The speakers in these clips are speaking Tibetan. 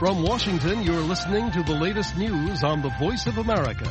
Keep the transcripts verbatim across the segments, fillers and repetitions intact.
From Washington, you're listening to the latest news on the Voice of America.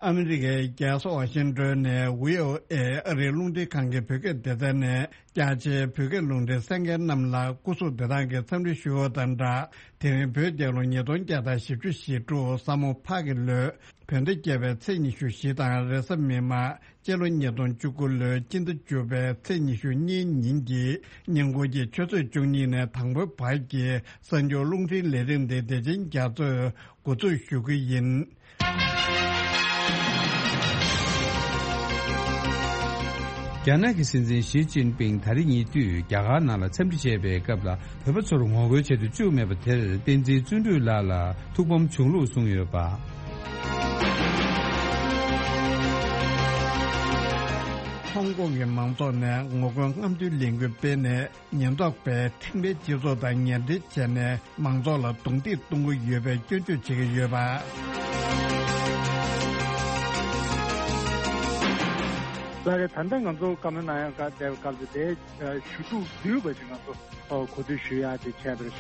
ཨ་མི་རི་ཀའི་རྒྱལ་ས་ཝ་ཤིང་ཏོན་ནས་བྷི་ཨོ་ཨེ་ཨ་རིའི་རླུང་འཕྲིན་ཁང་གི་བོད་སྐད་སྡེ་ཚན་ནས་རྒྱ་ཆེའི་བོད་སྐད་རླུང་འཕྲིན་གསན་མཁན་རྣམས་ལ་སྐུ་གཟུགས་བདེ་ཐང་གི་འཚམས་འདྲི་ཞུ་བ་དང་སྦྲགས། དེ་རིང་བོད་རྒྱལ་ལོ་ཉིས་སྟོང་བརྒྱ་དང་བཞི་བཅུ་ཞེ་དྲུག་ས་མོ་ཕག་གི་ལོའི་བོད་ཟླ་བརྒྱད་པའི་ཚེས་ཉི་ཤུ་བཞི་དང་རེས་གཟའ་མིག་དམར་སྤྱི་ལོ་ཉིས་སྟོང་བཅུ་དགུ་ལོའི་སྤྱི་ཟླ་བཅུ་པའི་ཚེས་ཉི་ཤུ་གཉིས་ཉིན་གྱི་ཉིན་གུང་གི་ཆུ་ཚོད་བཅུ་གཉིས་ནས་དང་པོའི་བར་གྱི་གསར་འགྱུར་རླུང་འཕྲིན་ལས་རིམ་དེ་བདེ་ཆེན་རྒྱ་མཚོས་འགོ་འཛུགས་ཞུ་གི་ཡིན། རྒྱ་ནག་གི་སྲིད་འཛིན་ཞི་ཅིན་ཕིང་ད་རེས་ཉེ་དུས་རྒྱ་གར་ནང་ལ་འཚམས་འདྲི་བྱས་པའི་སྐབས་ལ། བོད་པ་ཚོར་ངོ་རྒོལ་བྱེད་དུ་བཅུག་མེད་པ་དེར་བསྟན་འཛིན་བརྩོན་འགྲུས་ལགས་ལ་ཐུགས་ཕམ་བྱུང་ལུགས་གསུངས་ཡོད་པ། ཧོང་ཀོང་གི་མང་ཚོགས་ནས་ངོ་རྒོལ་རྔམ་སྟོན་ལས་འགུལ་སྤེལ་ནས། ཉེན་རྟོག་པས་ཐེམ་པའི་སྤྱི་ཚོགས་དང་ཉེ་འབྲེལ་བྱས་ནས་མང་ཚོགས་ལ་རྡུང་རྡེག་གཏོང་གི་ཡོད་པའི་སྐྱོན་བརྗོད་བྱེད་ཀྱི་ཡོད་པ། ལགས་རེད། ད་ལྟ་ང་ཚོ་བཀའ་མོལ་གནང་ཡག་ག་བསྡད་པའི་སྐབས་སུ་དེ་ཞུ་གཏུག་བསྡུས་པ་ཞིག་ང་ཚོ་གོ་བསྡུར་ཞུ་ཡག་དེ་བྱས་པ་རེད།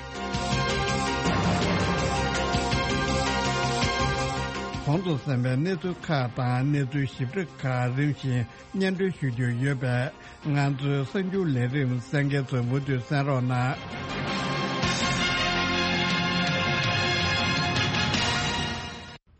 གོང་དུ་གསན་པའི་གནས་ཚུལ་ཁག་དང་གནས་ཚུལ་ཞིབ་ཕྲ་ཁག་རིམ་བཞིན་སྙན་སྒྲོན་ཞུ་རྒྱུ་ཡོད་པས། ང་ཚོའི་གསར་འགྱུར་ལས་རིམ་གསན་མཁན་ཚོས་མུ་མཐུད་གསན་རོགས་གནང་།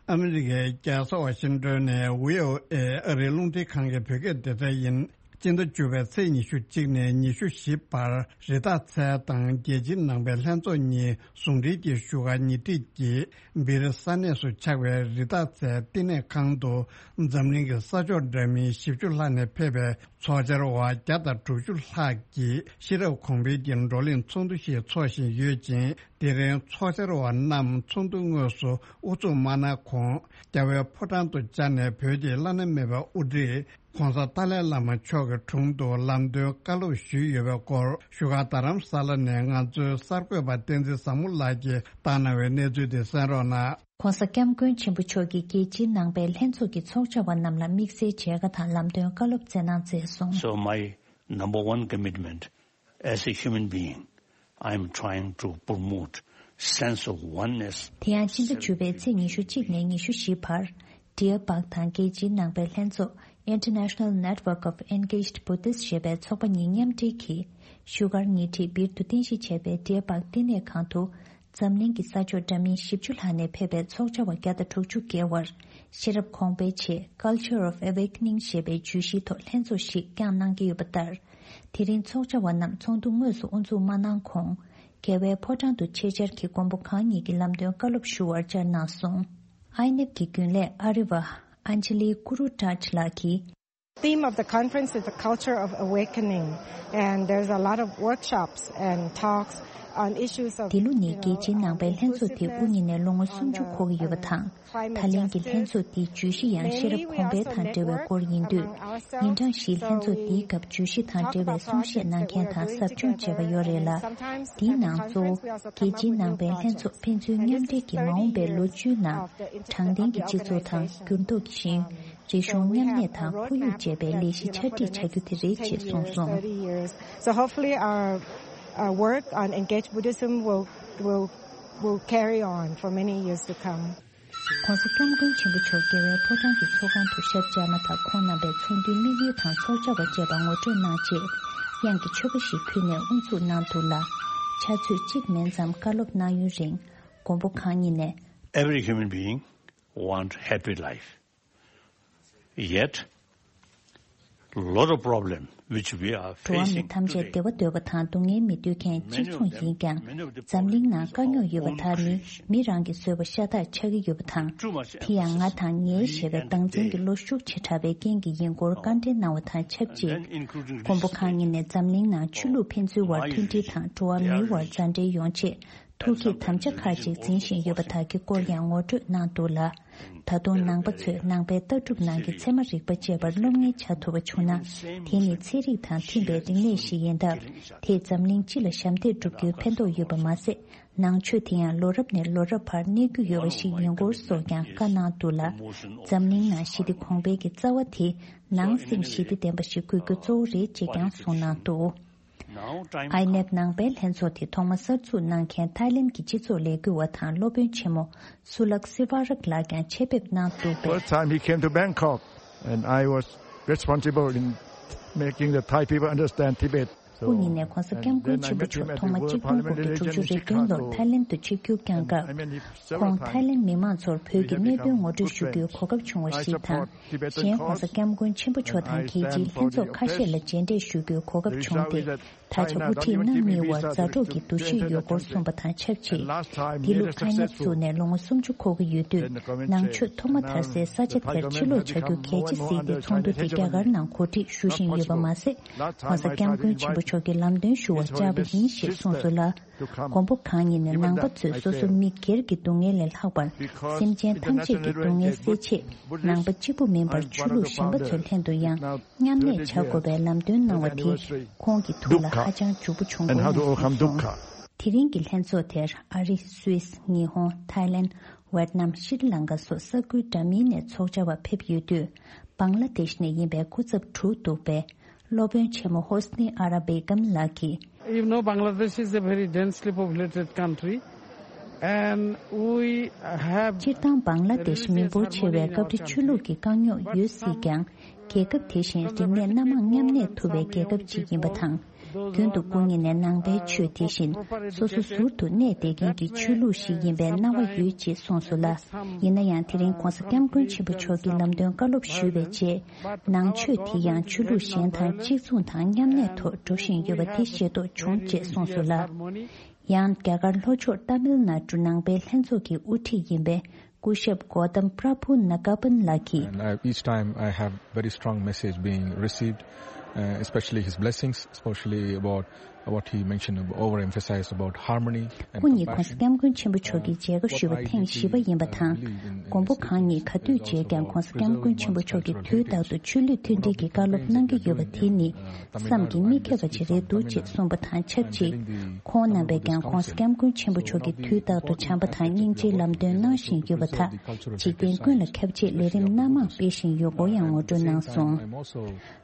ཨ་མི་རི་ཀའི་རྒྱལ་ས་ཝ་ཤིང་ཏོན་ནས་བྷི་ཨོ་ཨེ་ཨ་རིའི་རླུང་འཕྲིན་ཁང་གི་བོད་སྐད་སྡེ་ཚན་ཡིན། སྤྱི་ཟླ་བཅུ་པའི་ཚེས་ཉི་ཤུ་གཅིག་ནས་ཉི་ཤུ་བཞི་བར་རི་དྭགས་ཚལ་དང་རྒྱལ་སྤྱིའི་ནང་པའི་ལྷན་ཚོགས་གཉིས་ཟུང་འབྲེལ་གྱིས་བཞུགས་སྒར་ཉེ་འཁྲིས་ཀྱི་སྦིར་ས་གནས་སུ་ཆགས་པའི་རི་དྭགས་ཚལ་བསྟི་གནས་ཁང་དུ་འཛམ་གླིང་གི་ས་ཕྱོགས་འདྲ་མིན་བཞི་བཅུ་ལྷག་ནས་ཕེབས་པའི་ཚོགས་བཅར་བ་བརྒྱ་དང་དྲུག་ཅུ་ལྷག་གིས་ཤེས་རབ་གོང་འཕེལ་གྱི་བགྲོ་གླེང་ཚོགས་འདུ་ཞིག་འཚོགས་བཞིན་ཡོད་ཅིང་། དེ་རིང་ཚོགས་བཅར་བ་རྣམས་ཚོགས་འདུ་དངོས་སུ་དབུ་འཛུགས་མ་གནང་གོང་། རྒྱལ་བའི་ཕོ་བྲང་དུ་བཅར་ནས་བོད་ཀྱི་བླ་ན་མེད་པའི་དབུ་ཁྲིད་༸གོང་ས་ཏཱ་ལའི་བླ་མ་མཆོག་གི་དྲུང་དུ་ལམ་སྟོན་བཀའ་སློབ་ཞུས་ཡོད་པའི་སྐོར་བཞུགས་སྒར་རྡ་རམ་ས་ལ་ནས་ང་ཚོའི་གསར་འགོད་པ་བསྟན་འཛིན་བཟང་མོ་ལགས་ཀྱིས་བཏང་གནང་བའི་གནས་ཚུལ་དེ་གསན་རོགས་གནང་། ༸གོང་ས་༸སྐྱབས་མགོན་ཆེན་པོ་མཆོག་གིས་རྒྱལ་སྤྱིའི་ནང་པའི་ལྷན་ཚོགས་ཀྱི་ཚོགས་བཅར་བ་རྣམས་ལ་དམིགས་བསལ་མཇལ་ཁ་དང་ལམ་སྟོན་བཀའ་སློབ་སྩལ་གནང་མཛད་སོང་། So my number one commitment as a human being, I am trying to promote sense of oneness. དེ་ཡང་སྤྱི་ཟླ་བཅུ་པའི་ཚེས་ཉི་ཤུ་གཅིག་ནས་ཉི་ཤུ་བཞི་བར། Dear Bhag དང་རྒྱལ་སྤྱིའི་ནང་པའི་ལྷན་ཚོགས་International Network of Engaged Buddhists ཞེས་པའི་ཚོགས་པ་གཉིས་མཉམ་འབྲེལ་གྱིས། བཞུགས་སྒར་ཉེ་འཁྲིས་སྦིར་དུ་རྟེན་གཞི་བྱས་པའི་Dear Bhag བསྟི་གནས་ཁང་དུ། འཛམ་གླིང་གི་ས་ཕྱོགས་འདྲ་མིན་བཞི་བཅུ་ལྷག་ནས་ཕེབས་པའི་ཚོགས་བཅར་བ་བརྒྱ་དང་དྲུག་ཅུ་བརྒལ་བར་ཤེས་རབ་གོང་འཕེལ་ཆེད་Culture of Awakening ཞེས་པའི་བརྗོད་གཞིའི་ཐོག་ལྷན་ཚོགས་ཤིག་བསྐྱངས་གནང་གི་ཡོད་པ་ལྟར། དེ་རིང་ཚོགས་བཅར་བ་རྣམས་ཚོགས་འདུ་དངོས་སུ་དབུ་འཛུགས་མ་གནང་གོང་། རྒྱལ་བའི་ཕོ་བྲང་དུ་ཆེད་བཅར་གྱིས་མགོན་པོ་གང་ཉིད་ཀྱི་ལམ་སྟོན་བཀའ་སློབ་ཞུ་བར་བཅར་གནང་སོང་། ཨའི་ནེབ་ཀྱི་རྒྱུན་ལས་ཨ་རི་བ་Anjali Guru Taj ལགས་ཀྱིས། Theme of the conference is the culture of awakening, and there's a lot of workshops and talks on issues of འདི་ལོ་ནི་རྒྱལ་སྤྱིའི་ནང་པའི་ལྷན་ཚོགས་དེ་དབུ་བརྙེས་ནས་ལོ་ངོ་སུམ་ཅུ་འཁོར་གྱི་ཡོད་པ་དང་། ད་ལན་གྱི་ལྷན་ཚོགས་འདིའི་བརྗོད་གཞི་ཡང་ཤེས་རབ་གོང་འཕེལ་དང་འབྲེལ་བའི་སྐོར་ཡིན་དུས། ཉིན་གྲངས་བཞིའི་ལྷན་ཚོགས་འདིའི་སྐབས་བརྗོད་གཞི་དང་འབྲེལ་བའི་གསུང་བཤད་གནང་མཁན་དང་ཟབ་སྦྱོང་བྱས་པ་ཡོད་རེད་ལ། འདིའི་ནང་གཙོ་བོ་རྒྱལ་སྤྱིའི་ནང་པའི་ལྷན་ཚོགས་ཕན་ཚུན་མཉམ་འབྲེལ་གྱིས་མ་འོངས་པའི་ལོ་བཅུའི་ནང་དྲང་བདེན་གྱི་སྤྱི་ཚོགས་དང་འགྱུར་ལྡོག་གི་ཞིང་རིག་གཞུང་མཉམ་གནས་དང་ཁོར་ཡུག་ཅེས་པའི་ལས་གཞི་ཆ་སྒྲིག་བྱ་རྒྱུ་དེ་རེད་ཅེས་གསུངས་སོང་། So hopefully our uh, work on engaged Buddhism will will will carry on for many years to come. ༸གོང་ས་༸སྐྱབས་མགོན་ཆེན་པོ་མཆོག་རྒྱལ་བའི་ཕོ་བྲང་གི་ཚོགས་ཁང་དུ་ཞབས་བཅར་མ་ཐག་ཁོང་རྣམ་པས་ཚོགས་འདུའི་དམིགས་ཡུལ་དང་ཚོགས་བཅར་བ་བཅས་པ་ངོ་སྤྲོད་གནང་རྗེས། དབྱངས་ཀྱི་མཆོད་པ་ཞིག་ཕུལ་ནས་དབུ་འཛུགས་གནང་འདུག་ལ། ཕྱག་ཚོད་གཅིག་མིན་ཙམ་བཀའ་སློབ་གནང་ཡུན་རིང་། མགོན་པོ་གང་ཉིད་ནས། Every human being want happy life. Yet, lot of problem which we are འགྲོ་བ་མི་facing ཐམས་ཅད་today. བདེ་བ་འདོད་པ་དང་སྡུག་བསྔལ་མི་འདོད་མཁན་གཅིག་མཚུངས་ཡིན་ཀྱང་། འཛམ་གླིང་ནང་དཀའ་རྙོག་ཡོད་པ་དག་ནི་མི་རང་གིས་བཟོས་པ་ཤ་སྟག་ཆགས་ཀྱི་ཡོད་པ་དང་། དེ་ཡང་ང་དང་ངའི་ཞེས་པའི་སྡང་འཛིན་གྱི་བློ་ཤུགས་ཆེ་དྲགས་པའི་རྐྱེན་གྱིས་ཡིན་སྐོར་བཀའ་འདྲི་གནང་བ་དང་ཆབས་ཅིག། མགོན་པོ་གང་ཉིད་ནས་འཛམ་གླིང་ནང་ཆོས་ལུགས་ཕན་ཚུན་བར་མཐུན་སྒྲིལ་དང་འགྲོ་བ་མིའི་བར་མཛའ་འབྲེལ་ཡོང་ཆེད། ཐུགས་བསྐྱེད་དམ་བཅའ་ཁག་ཅིག་འཛིན་བཞིན་ཡོད་པ་དག་གི་སྐོར་ཡང་ངོ་སྤྲོད་གནང་འདུག་ལ། ད་དུང་ནང་པ་ཚོས་ནང་པའི་ལྟ་གྲུབ་ནང་གི་ཚད་མ་རིག་པ་བཅས་པར་སློབ་གཉེར་བྱ་ཐུབ་པ་བྱུང་ན། དེ་ནི་ཚན་རིག་དང་མཐུན་པའི་རིག་གནས་ཤིག་ཡིན་སྟབས། དེས་འཛམ་གླིང་སྤྱི་ལ་ཞབས་འདེགས་སྒྲུབ་རྒྱུའི་ཕན་ཐོགས་ཡོད་པ་མ་ཟད། ནང་ཆོས་དེ་ཡང་ལོ་རབས་ནས་ལོ་རབས་བར་གནས་རྒྱུ་ཡོད་པ་ཞིག་ཡིན་སྐོར་སོགས་ཀྱང་བཀའ་གནང་འདུག་ལ། འཛམ་གླིང་ནང་ཞི་བདེ་གོང་འཕེལ་གྱི་རྩ་བ་དེ་ནང་སེམས་ཞི་བདེ་ལྡན་པ་ཞིག་དགོས་རྒྱུ་གཙོ་བོ་རེད་ཅེས་ཀྱང་གསུངས་གནང་འདུག། ཨའི་ནེབ་ནང་པའི་ལྷན་ཚོགས་དེ་ཐོག་མ་གསར་འཛུགས་གནང་མཁན་ཐའི་ལེན་གྱི་སྤྱི་ཚོགས་ལས་འགུལ་བ་དང་སློབ་དཔོན་ཆེན་མོ་སུ་ལག་སི་ཝ་རག་ལགས་ཀྱང་ཆེད་ཕེབས་གནང་འདུག་པས། First time he came to Bangkok, and I was responsible in making the Thai people understand Tibet. སྐུ་ཉིད་ནས་༸གོང་ས་༸སྐྱབས་མགོན་ཆེན་པོ་མཆོག་ཐོག་མ་གཅིག་སྟོང་དགུ་བརྒྱ་དྲུག་ཅུ་རེ་བདུན་ལོར་ཐའི་ལེན་དུ་ཆིབས་བསྒྱུར་བསྐྱངས་སྐབས། ཁོང་ཐའི་ལེན་མི་མང་ཚོར་བོད་ཀྱི་གནད་དོན་ངོ་སྤྲོད་ཞུ་རྒྱུའི་གོ་སྐབས་བྱུང་བ་ཞིག་དང་། གཞན་༸གོང་ས་༸སྐྱབས་མགོན་ཆེན་པོ་མཆོག་དང་རྒྱལ་སྤྱིའི་ལྷན་ཚོགས་ཁ་ཤས་ལ་མཇལ་འཕྲད་ཞུ་རྒྱུའི་གོ་སྐབས་བྱུང་སྟེ། ད་ཆ་དབུ་ཁྲིད་རྣམ་གཉིས་བར་མཛའ་གྲོགས་ཀྱི་འདུ་ཤེས་ཡོད་སྐོར་གསུངས་པ་དང་ཆབས་ཅིག་འདི་ལོ་ཨའི་ནེབ་བཙུགས་ནས་ལོ་ངོ་སུམ་ཅུ་འཁོར་གྱི་ཡོད་དུས། ནང་ཆོས་ཐོག་མ་དར་སའི་ས་ཆ་དེར་ཕྱིར་ལོག་བྱ་རྒྱུ་གལ་ཆེ་གཟིགས་ཏེ་ཚོགས་འདུ་དེ་རྒྱ་གར་ནང་གོ་སྒྲིག་ཞུ་བཞིན་ཡོད་པ་མ་ཟད། ༸གོང་ས་༸སྐྱབས་མགོན་ཆེན་པོ་མཆོག་གི་ལམ་སྟོན་ཞུ་བར་བཅར་བ་ཡིན་ཞེས་གསུངས་སོང་ལ། མགོན་པོ་གང་ཉིད་ནས་ནང་པ་ཚོས་སོ་སོ་མི་སྒེར་གྱི་སྡུག་བསྔལ་ལས་ལྷག་པར། སེམས་ཅན་ཐམས་ཅད་ཀྱི་སྡུག་བསྔལ་སེལ་ཆེད། ནང་པ་གཅིག་པུ་མིན་པར་ཆོས་ལུགས་གཞན་པ་ཚོའི་ལྷན་དུ་ཡང་མཉམ་གནས་བྱ་དགོས་པའི་ལམ་སྟོན་གནང་བ་དེ་ཁོང་གི་ཐུགས་ལ་ཧ་ཅང་འཇུག་པོ་བྱུང་སྐོར་གསུངས་སོང་། དེ་རིང་གི་ལྷན་ཚོགས་དེར་ཨ་རི། སུད་སི། ཉི་ཧོང་། ཐའི་ལེན། ཝེད་ནམ། ཤྲི་ལང་ཀ་སོགས་ས་ཁུལ་འདྲ་མིན་ནས་ཚོགས་བཅར་བ་ཕེབས་ཡོད་དུས། བང་ལ་དེཤ་ནས་ཡིན་པའི་སྐུ་ཚབ་དྲུག་འདུག་པས། སློབ་དཔོན་ཆེན་མོ་ཧོ་སི་ནི་ཨ་ར་བེ་གམ་ལགས་ཀྱིས། You know, Bangladesh is a very densely populated country, and we have སྤྱིར་བཏང་བང་ལ་དེཤ་མི་འབོར་ཆེ་བས་སྐབས་རེ་ཆོས་ལུགས་ཀྱི་དཀའ་རྙོག་ཡོད་སྲིད་ཀྱང་། རྒྱལ་ཁབ་དེ་བཞིན་རིག་གནས་སྣ་མང་མཉམ་གནས་ཐུབ་པའི་རྒྱལ་ཁབ་ཅིག་ཡིན་པ་དང་། རྒྱུན་དུ་སྐུ་ཉིད་ནས་ནང་པའི་ཆོས་དེ་བཞིན་སོ་སོ་ཟུར་དུ་གནས་བསྡད་མཁན་གྱི་ཆོས་ལུགས་ཤིག་ཡིན་པའི་སྣང་བ་ཡོད་ཅེས་གསུངས་སོང་ལ། ཡིན་ན་ཡང་དེ་རིང་༸གོང་ས་༸སྐྱབས་མགོན་ཆེན་པོ་མཆོག་གིས་ལམ་སྟོན་བཀའ་སློབ་ཞུས་པའི་རྗེས། ནང་ཆོས་དེ་ཡང་ཆོས་ལུགས་གཞན་དང་གཅིག་མཚུངས་དང་མཉམ་གནས་ཐོག་འགྲོ་བཞིན་ཡོད་པ་དེ་ཤེས་རྟོགས་བྱུང་ཅེས་གསུངས་སོང་ལ། ཡང་རྒྱ་གར་ལྷོ་ཕྱོགས་ཏཱ་མིལ་ནཱ་ཌུ་ནང་པའི་ལྷན་ཚོགས་ཀྱི་དབུ་ཁྲིད་ཡིན་པའི་སྐུ་ཞབས་གོ་ཏམ་པྲ་བྷུ་ན་ཀ་པན་ལགས་ཀྱིས། And I, each time I have very strong message being received, uh, especially his blessings, especially about what he mentioned, overemphasized about harmony and སྐུ་ཉིད་༸གོང་ས་༸སྐྱབས་མགོན་ཆེན་པོ་མཆོག་གིས་མཇལ་ཁ་ཞུས་པ་ཐེངས་བཞི་པ་ཡིན་པ་དང་། མགོན་པོ་གང་ཉིད་ག་དུས་མཇལ་ཀྱང་༸གོང་ས་༸སྐྱབས་མགོན་ཆེན་པོ་མཆོག་གིས་དུས་རྟག་ཏུ་ཆོས་ལུགས་མཐུན་སྒྲིལ་གྱི་བཀའ་སློབ་གནང་གི་ཡོད་པ་དེ་ནི། བསམ་གྱིས་མི་ཁྱབ་པ་ཅིག་རེད་འདུག་ཅེས་གསུངས་པ་དང་ཆབས་ཅིག་ཁོང་རྣམ་པས་ཀྱང་༸གོང་ས་༸སྐྱབས་མགོན་ཆེན་པོ་མཆོག་གིས་དུས་རྟག་ཏུ་བྱམས་པ་དང་སྙིང་རྗེའི་ལམ་སྟོན་གནང་བཞིན་ཡོད་པ་དག་འཇིག་རྟེན་ཀུན་ལ་ཁྱབ་ཆེད་ལས་རིམ་སྣ་མང་སྤེལ་བཞིན་ཡོད་སྐོར་ཡང་ངོ་སྤྲོད་གནང་སོང་།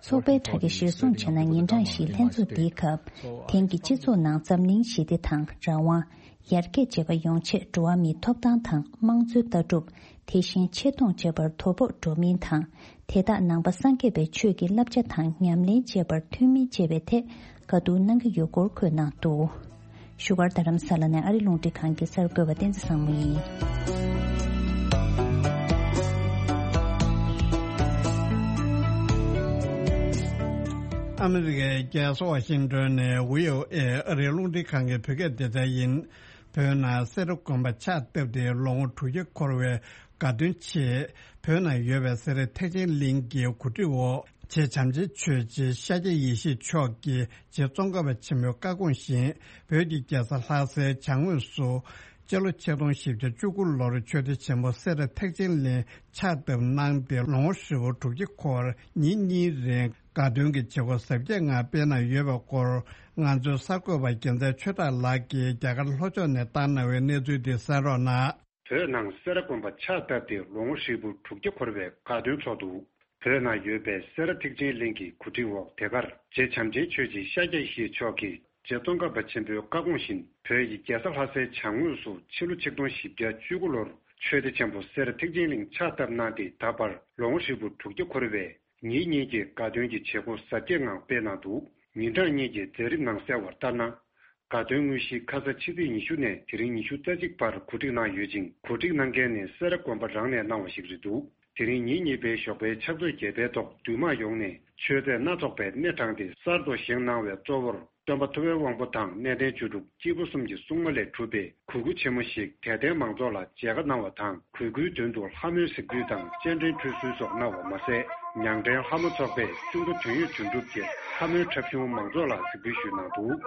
ཚོགས་པའི་དྲ་རྒྱ་གཞིར་བཟུང་བྱས་ན། ཉིན་གྲངས་བཞིའི་ལྷན་ཚོགས་འདིའི་སྐབས། དེང་གི་སྤྱི་ཚོགས་ནང་འཛམ་གླིང་ཞི་བདེ་དང་། རང་དབང་། ཡར་རྒྱས་བཅས་པ་ཡོང་ཆེད་འགྲོ་བ་མིའི་ཐོབ་ཐང་དང་དམངས་གཙོའི་ལྟ་གྲུབ། དེ་བཞིན་ཆེ་མཐོང་བཅས་པར་དོ་ཕོག་འགྲོ་མིན་དང་། དེ་དག་ནང་པ་སངས་རྒྱས་པའི་ཆོས་ཀྱི་བསླབ་བྱ་དང་ཉམས་ལེན་བཅས་པར་མཐུན་མིན་བཅས་པའི་ཐད་བཀའ་བསྡུར་གནང་གི་ཡོད་སྐོར་འཁོད་གནང་འདུག་བཞུགས་སྒར་རྡ་རམ་ས་ལ་ནས་ཨ་རི་རླུང་འཕྲིན་ཁང་གི་གསར་འགོད་པ་བསྟན་འཛིན་བཟང་མོ་ཡིན། ཨ་མི་རི་ཀའི་རྒྱལ་ས་ཝ་ཤིང་ཏོན་ནས་བྷི་ཨོ་ཨེ་ཨ་རིའི་རླུང་འཕྲིན་ཁང་གི་བོད་སྐད་སྡེ་ཚན་ཡིན། བོད་ནང་སེ་ར་དགོན་པ་ཕྱག་བཏབ་སྟེ་ལོ་ངོ་དྲུག་བརྒྱ་འཁོར་བའི་དགའ་སྟོན་ཆེད། བོད་ནང་ཡོད་པའི་སེ་ར་ཐེག་ཆེན་གླིང་གི་གོ་སྒྲིག་འོག་རྗེ་བྱམས་ཆེན་ཆོས་རྗེ་ཤཱཀྱ་ཡེ་ཤེས་མཆོག་གིས་རྗེ་ཙོང་ཁ་པ་ཆེན་པོའི་བཀའ་དགོངས་བཞིན། བོད་ཀྱི་རྒྱལ་ས་ལྷ་སའི་བྱང་ངོས་སུ། སྤྱི་ལོ་ཆིག་སྟོང་བཞི་བརྒྱ་བཅུ་དགུ་ལོར་ཆོས་སྡེ་ཆེན་པོ་སེ་ར་ཐེག་ཆེན་གླིང་ཕྱག་བཏབ་གནང་སྟེ། ལོ་ངོ་ཧྲིལ་པོ་དྲུག་བརྒྱ་འཁོར་བར་ཉིན་གཉིས་རིང་དགའ་སྟོན་གྱི་བྱེད་སྒོ་གཟབ་རྒྱས་ངང་སྤེལ་གནང་ཡོད་པའི་སྐོར། ང་ཚོའི་གསར་འགོད་པ་རྒྱལ་མཚན་ཆོས་གྲགས་ལགས་ཀྱིས་རྒྱ་གར་ལྷོ་ཕྱོགས་ནས་བཏང་གནང་བའི་གནས་ཚུལ་འདི་གསན་རོགས་གནང་། བོད་ནང་སེ་ར་དགོན་པ་ཕྱག་བཏབ་སྟེ་ལོ་ངོ་ཧྲིལ་པོ་དྲུག་བརྒྱ་འཁོར་བའི་དགའ་སྟོན་ཚོགས་འདུ། བོད་ནང་ཡོད་པའི་སེ་ར་ཐེག་ཆེན་གླིང་གི་གོ་སྒྲིག་འོག་དེ་གར་རྗེ་བྱམས་ཆེན་ཆོས་རྗེ་ཤཱཀྱ་ཡེ་ཤེས་མཆོག་གིས་རྗེ་ཙོང་ཁ་པ་ཆེན་པོའི་བཀའ་དགོངས་བཞིན། བོད་ཀྱི་རྒྱལ་ས་ལྷ་སའི་བྱང་ངོས་སུ་ཕྱི་ལོ་ཆིག་སྟོང་བཞི་བརྒྱ་བཅུ་དགུ་ལོར་ཆོས་སྡེ་ཆེན་པོ་སེ་ར་ཐེག་ཆེན་གླིང་ཕྱག་བཏབ་གནང་སྟེ། ད་བར་ལོ་ངོ་ཧྲིལ་པོ་དྲུག་བརྒྱ་འཁོར་བའི་ཉིན་གཉིས་ཀྱི་དགའ་སྟོན་གྱི་བྱེད་སྒོ་གཟབ་རྒྱས་ངང་སྤེལ་གནང་འདུག་ཉིན་གྲངས་གཉིས་ཀྱི་མཛད་རིམ་ནང་གསལ་བར་ལྟར་ན། དགའ་སྟོན་དངོས་གཞི་ཁ་ས་ཕྱི་ཚེས་ཉི་ཤུ་ནས་དེ་རིང་ཉི་ཤུ་རྩ་གཅིག་བར་གོ་སྒྲིག་གནང་ཡོད་ཅིང་། གོ་སྒྲིག་གནང་མཁན་ནི་སེ་ར་དགོན་པ་རང་ནས་གནང་བ་ཞིག་རེད་འདུག་དེ་རིང་ཉིན་གཉིས་པའི་ཞོགས་པའི་ཕྱག་ཚོད་བརྒྱད་པའི་ཐོག་འདུས་མང་ཡོངས་ནས་མཆོད་རྫས་སྣ་ཚོགས་པའི་སྣེ་དྲངས་ཏེ་གསར་དུ་བཞེངས་གནང་བའི་གཙོ་བོར་སྟོན་པ་ཐུབ་པའི་དབང་པོ་དང་གནས་བརྟན་བཅུ་དྲུག་སྐྱེས་བུ་གསུམ་གྱི་སྲུང་མ་ལས་གྲུབ་པའི་གུར་དགུ་ཆེན་མོ་ཞིག་དད་ལྡན་མང་ཚོགས་ལ་མཇལ་ཁ་གནང་བ་དང་། གུས་བཀུར་དོན་དུ་ལྷ་མོའི་གཟིགས་འབུལ་དང་སྤྱན་འདྲེན་ཁྲུས་གསོལ་སོགས་གནང་བ་མ་ཟད། ཉང་བྲན་ལྷ་མོ་ཚོགས་པས་གཅུང་པོ་དོན་ཡོད་དོན་གྲུབ་ཀྱི་ལྷ་མོའི་འཁྲབ་གཞུང་མང་ཚོགས་ལ་གཟིགས་འབུལ་ཞུས་གནང་འདུག་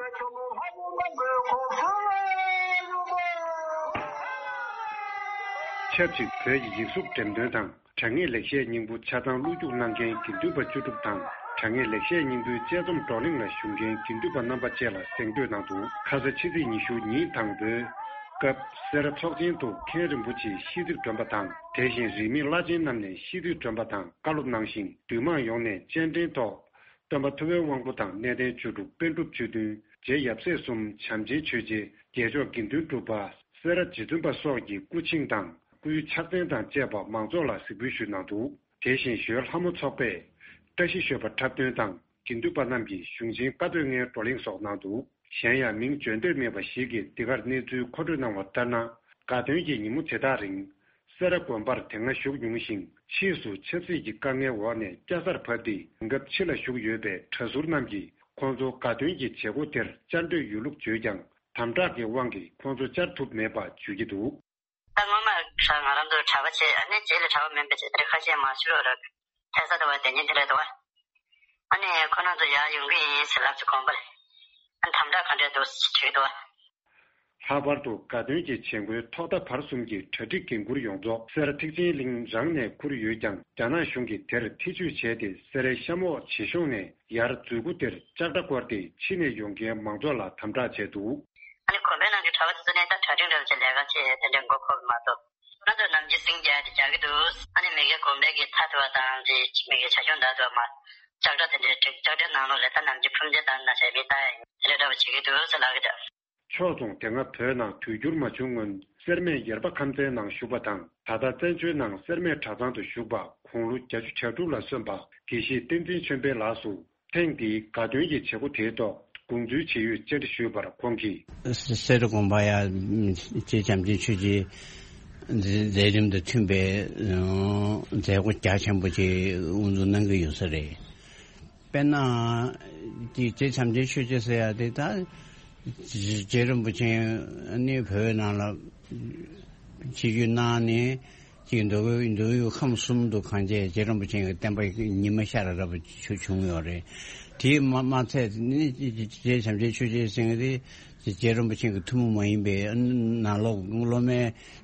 ཆབས་ཅིག་བོད་ཀྱི་ཡིག་གཟུགས་འགྲེམས་སྟོན་དང་། དྲ་བརྙན་ལེགས་བཤད་སྙིང་པོ་ཆ་ཚང་བློ་རྒྱུགས་གནང་མཁན་དགེ་འདུན་པ་བཅུ་དྲུག་དང་། དྲ་བརྙན་ལེགས་བཤད་སྙིང་པོའི་དཔྱད་རྩོམ་བགྲོ་གླེང་ལ་ཞུགས་མཁན་དགེ་འདུན་པ་རྣམ་པ་བཅས་ལ་གཟེངས་བསྟོད་གནང་འདུག་ཁ་ས་ཕྱི་ཚེས་ཉི་ཤུ་ཉིན་དང་པོའི་སྐབས་སེ་ར་ཚོགས་ཆེན་དུ་མཁན་རིན་པོ་ཆེ་ཤེས་རིག་སྒྲོན་པ་དང་། དེ་བཞིན་རིས་མེད་བླ་ཆེན་རྣམས་ནས་ཤེས་རིག་སྒྲོན་པ་དང་བཀའ་སློབ་གནང་ཞིང་། འདུས་མང་ཡོངས་ནས་སྤྱན་འདྲེན་ཐོག་སྟོན་པ་ཐུབ་པའི་དབང་པོ་དང་གནས་བརྟན་ཆོས་དྲུག་པཎ་གྲུབ་ཆོས་མཐུན། རྗེ་ཡབ་སྲས་གསུམ། བྱམས་ཆེན་ཆོས་རྗེ། རྒྱལ་མཆོག་དགེ་འདུན་གྲུབ་པ། སེ་ར་རྗེ་བཙུན་པ་སོགས་ཀྱི་སྐུ་ཆིངས་དང་སྐུའི་ཕྱག་མཚན་དང་བཅས་པ་མང་ཚོགས་ལ་གཟིགས་འབུལ་ཞུས་གནང་འདུག་དེ་བཞིན་ཞོལ་ལྷ་མོ་ཚོགས་པས་བཀྲ་ཤིས་ཞོལ་པ་འཁྲབ་སྟོན་དང་། དགེ་འདུན་པ་རྣམས་ཀྱིས་གཞུང་ཆེན་བཀའ་པོད་ལྔའི་བགྲོ་གླེང་སོགས་གནང་འདུག་གཞན་ཡང་མིང་བརྗོད་འདོད་མེད་པ་ཞིག་གིས་འདི་གར་གནས་ཚུལ་མཁོ་སྤྲོད་གནང་བ་ལྟར་ན། དགའ་སྟོན་གྱི་ཉིན་མོ་དེ་དག་རིང་། སེ་ར་དགོན་པར་དེ་སྔ་བཞུགས་མྱོང་ཞིང་། ཕྱིས་སུ་ཆབ་སྲིད་ཀྱི་དཀའ་ངལ་འོག་ནས་སྐྱ་སར་བབས་ཏེ། དེང་སྐབས་ཕྱི་ལ་བཞུགས་ཡོད་པའི་གྲྭ་ཟུར་རྣམས་ཀྱིས་ཁོང་ཚོ་དགའ་སྟོན་གྱི་བྱེད་སྒོ་དེར་བཅར་འདོད་ཡོད་ལུགས་བརྗོད་ཀྱང་། དམ་དྲག་གི་དབང་གིས་ཁོང་ཚོ་བཅར་ཐུབ་མེད་པ་བརྗོད་ཀྱི་འདུག་ད་སྔོན་མ་ང་རང་ཚོ་གྲྭ་པ་བྱས། ཨ་ནི་རྗེས་ལ་གྲྭ་པ་མིན་པའི་ཆེད་དུ་ཁ་ཤས་མ་ཞུ་རོགས་ར། ཐད་ས་དུ་བ་དེ་ཉིད་དེ་རེད་དོ། ཨ་ནི་ཁོ་རང་ཚོ་ཡར་ཡོང་གི་ཡིན་ཟེར་ལབ་ཚེ་དགོན་པ་ལ། ཨ་ནི་དམ་དྲག་ག་འདྲས་འདུག་ཟེར་དྲིས་འདུག་ལྷག་པར་དུ་དགའ་སྟོན་གྱི་བྱེད་སྒོའི་ཐོག་མཐའ་བར་གསུམ་གྱི་གྲ་སྒྲིག་འགན་འཁུར་ཡོངས་རྫོགས་སེ་ར་ཐེག་ཆེན་གླིང་རང་ནས་འཁུར་ཡོད་ཀྱང་། རྒྱ་ནག་གཞུང་གིས་དེར་ཐེ་བྱུས་བྱས་ཏེ། སེ་རའི་གཤམ་འོག་བྱེས་གཞུང་ནས་ཡར་མཛོད་སྒོ་དེར་ལྕགས་དྲ་བསྐོར་ཏེ། ཕྱི་ནས་ཡོང་མཁན་མང་ཚོགས་ལ་དམ་དྲག་བྱས་འདུག་ཨ་ནི་དགོན་པའི་ནང་གི་གྲྭ་པ་དེ་ཚོ་ནས་ད་གྲ་སྒྲིག་འདྲ་བྱས་ལས་ཀ་བྱས་དེ་འདྲའི་མགོ་འཁོར་གི་མ་གཏོགས། ཁོ་རང་ཚོ་ནམ་རྒྱུན་སིང་རྒྱག་དེ་རྒྱག་གི་འདུག་ཨ་ནི་མི་སྒེར་དགོན་པའི་གི་མཐའ་དེ་བ་དང་དེ་མི་སྒེར་བྱ་ཁྱུང་འདྲ་དེ་བ་མ་ལྕགས་དྲ་དེ་འདྲའི་སྒྲིག་ལྕགས་དྲའི་ནང་ལོགས་ལ་ད་ནམ་རྒྱུན་ཕུར་མཇལ་དང་ན་བྱས་མི་ལྟ་ཡ་ཡིན། དེ་འདྲའི་འདྲ་བ་བྱེད་ཀྱི་འདུག་ཟེར་ལབ་ཀྱི་འདུག་ཕྱོགས་མཚུངས། དེ་སྔ་བོད་ནང་དུས་འགྱུར་མ་བྱུང་སྔོན། སེར་སྨད་ཡེར་པ་ཁམས་ཚན་ནང་བཞུགས་པ་དང་། ད་ལྟ་བཙན་བྱོལ་ནང་སེར་སྨད་གྲྭ་ཚང་དུ་བཞུགས་པ། དགུང་ལོ་བརྒྱད་ཅུ་གྱ་དྲུག་ལ་སོན་པ་དགེ་བཤེས་བསྟན་འཛིན་ཆོས་འཕེལ་ལགས་སུ། ཐེངས་འདིའི་དགའ་སྟོན་གྱི་བྱེད་སྒོ་དེའི་ཐོག་དགོངས་ཚུལ་ཇི་ཡོད་བཅར་འདྲི་ཞུས་པར། ཁོང་གིས། སེ་ར་དགོན་པ་ཡ་རྗེ་བྱམས་ཆེན་ཆོས་རྗེའི་མཛད་རིམ་དང་མཐུན་པའི་མཛད་སྒོ་རྒྱ་ཆེན་པོ་ཅིག་དབུ་འཛུགས་གནང་གི་ཡོད་ས་རེད། དཔེར་ན། དེ་རྗེ་བྱམས་ཆེན་ཆོས་རྗེ་ཟེར་ཡ་དེ་ད། རྗེ་རིན་པོ་ཆེ་ནི་བོད་ནང་ལ་ཆིབས་བསྒྱུར་གནང་ནས་ཅིག་མདོ་དབུས་མདོ་དབུས་ཁམས་གསུམ་དུ་གང་བྱས་རྗེ་རིན་པོ་ཆེ་གི་བསྟན་པ་ཉི་མ་ཤར་རབ་བྱུང་ཡོད་རེད། དེས་མ་མ་ཚད་ནི་རྗེ་བྱམས་ཆེན་ཆོས་རྗེ་ཟེར་མཁན་དེ། རྗེ་རིན་པོ་ཆེ་གི་ཐུན་མོང་མ་ཡིན་པའི་ནང་ལོགས་སློབ་མའི་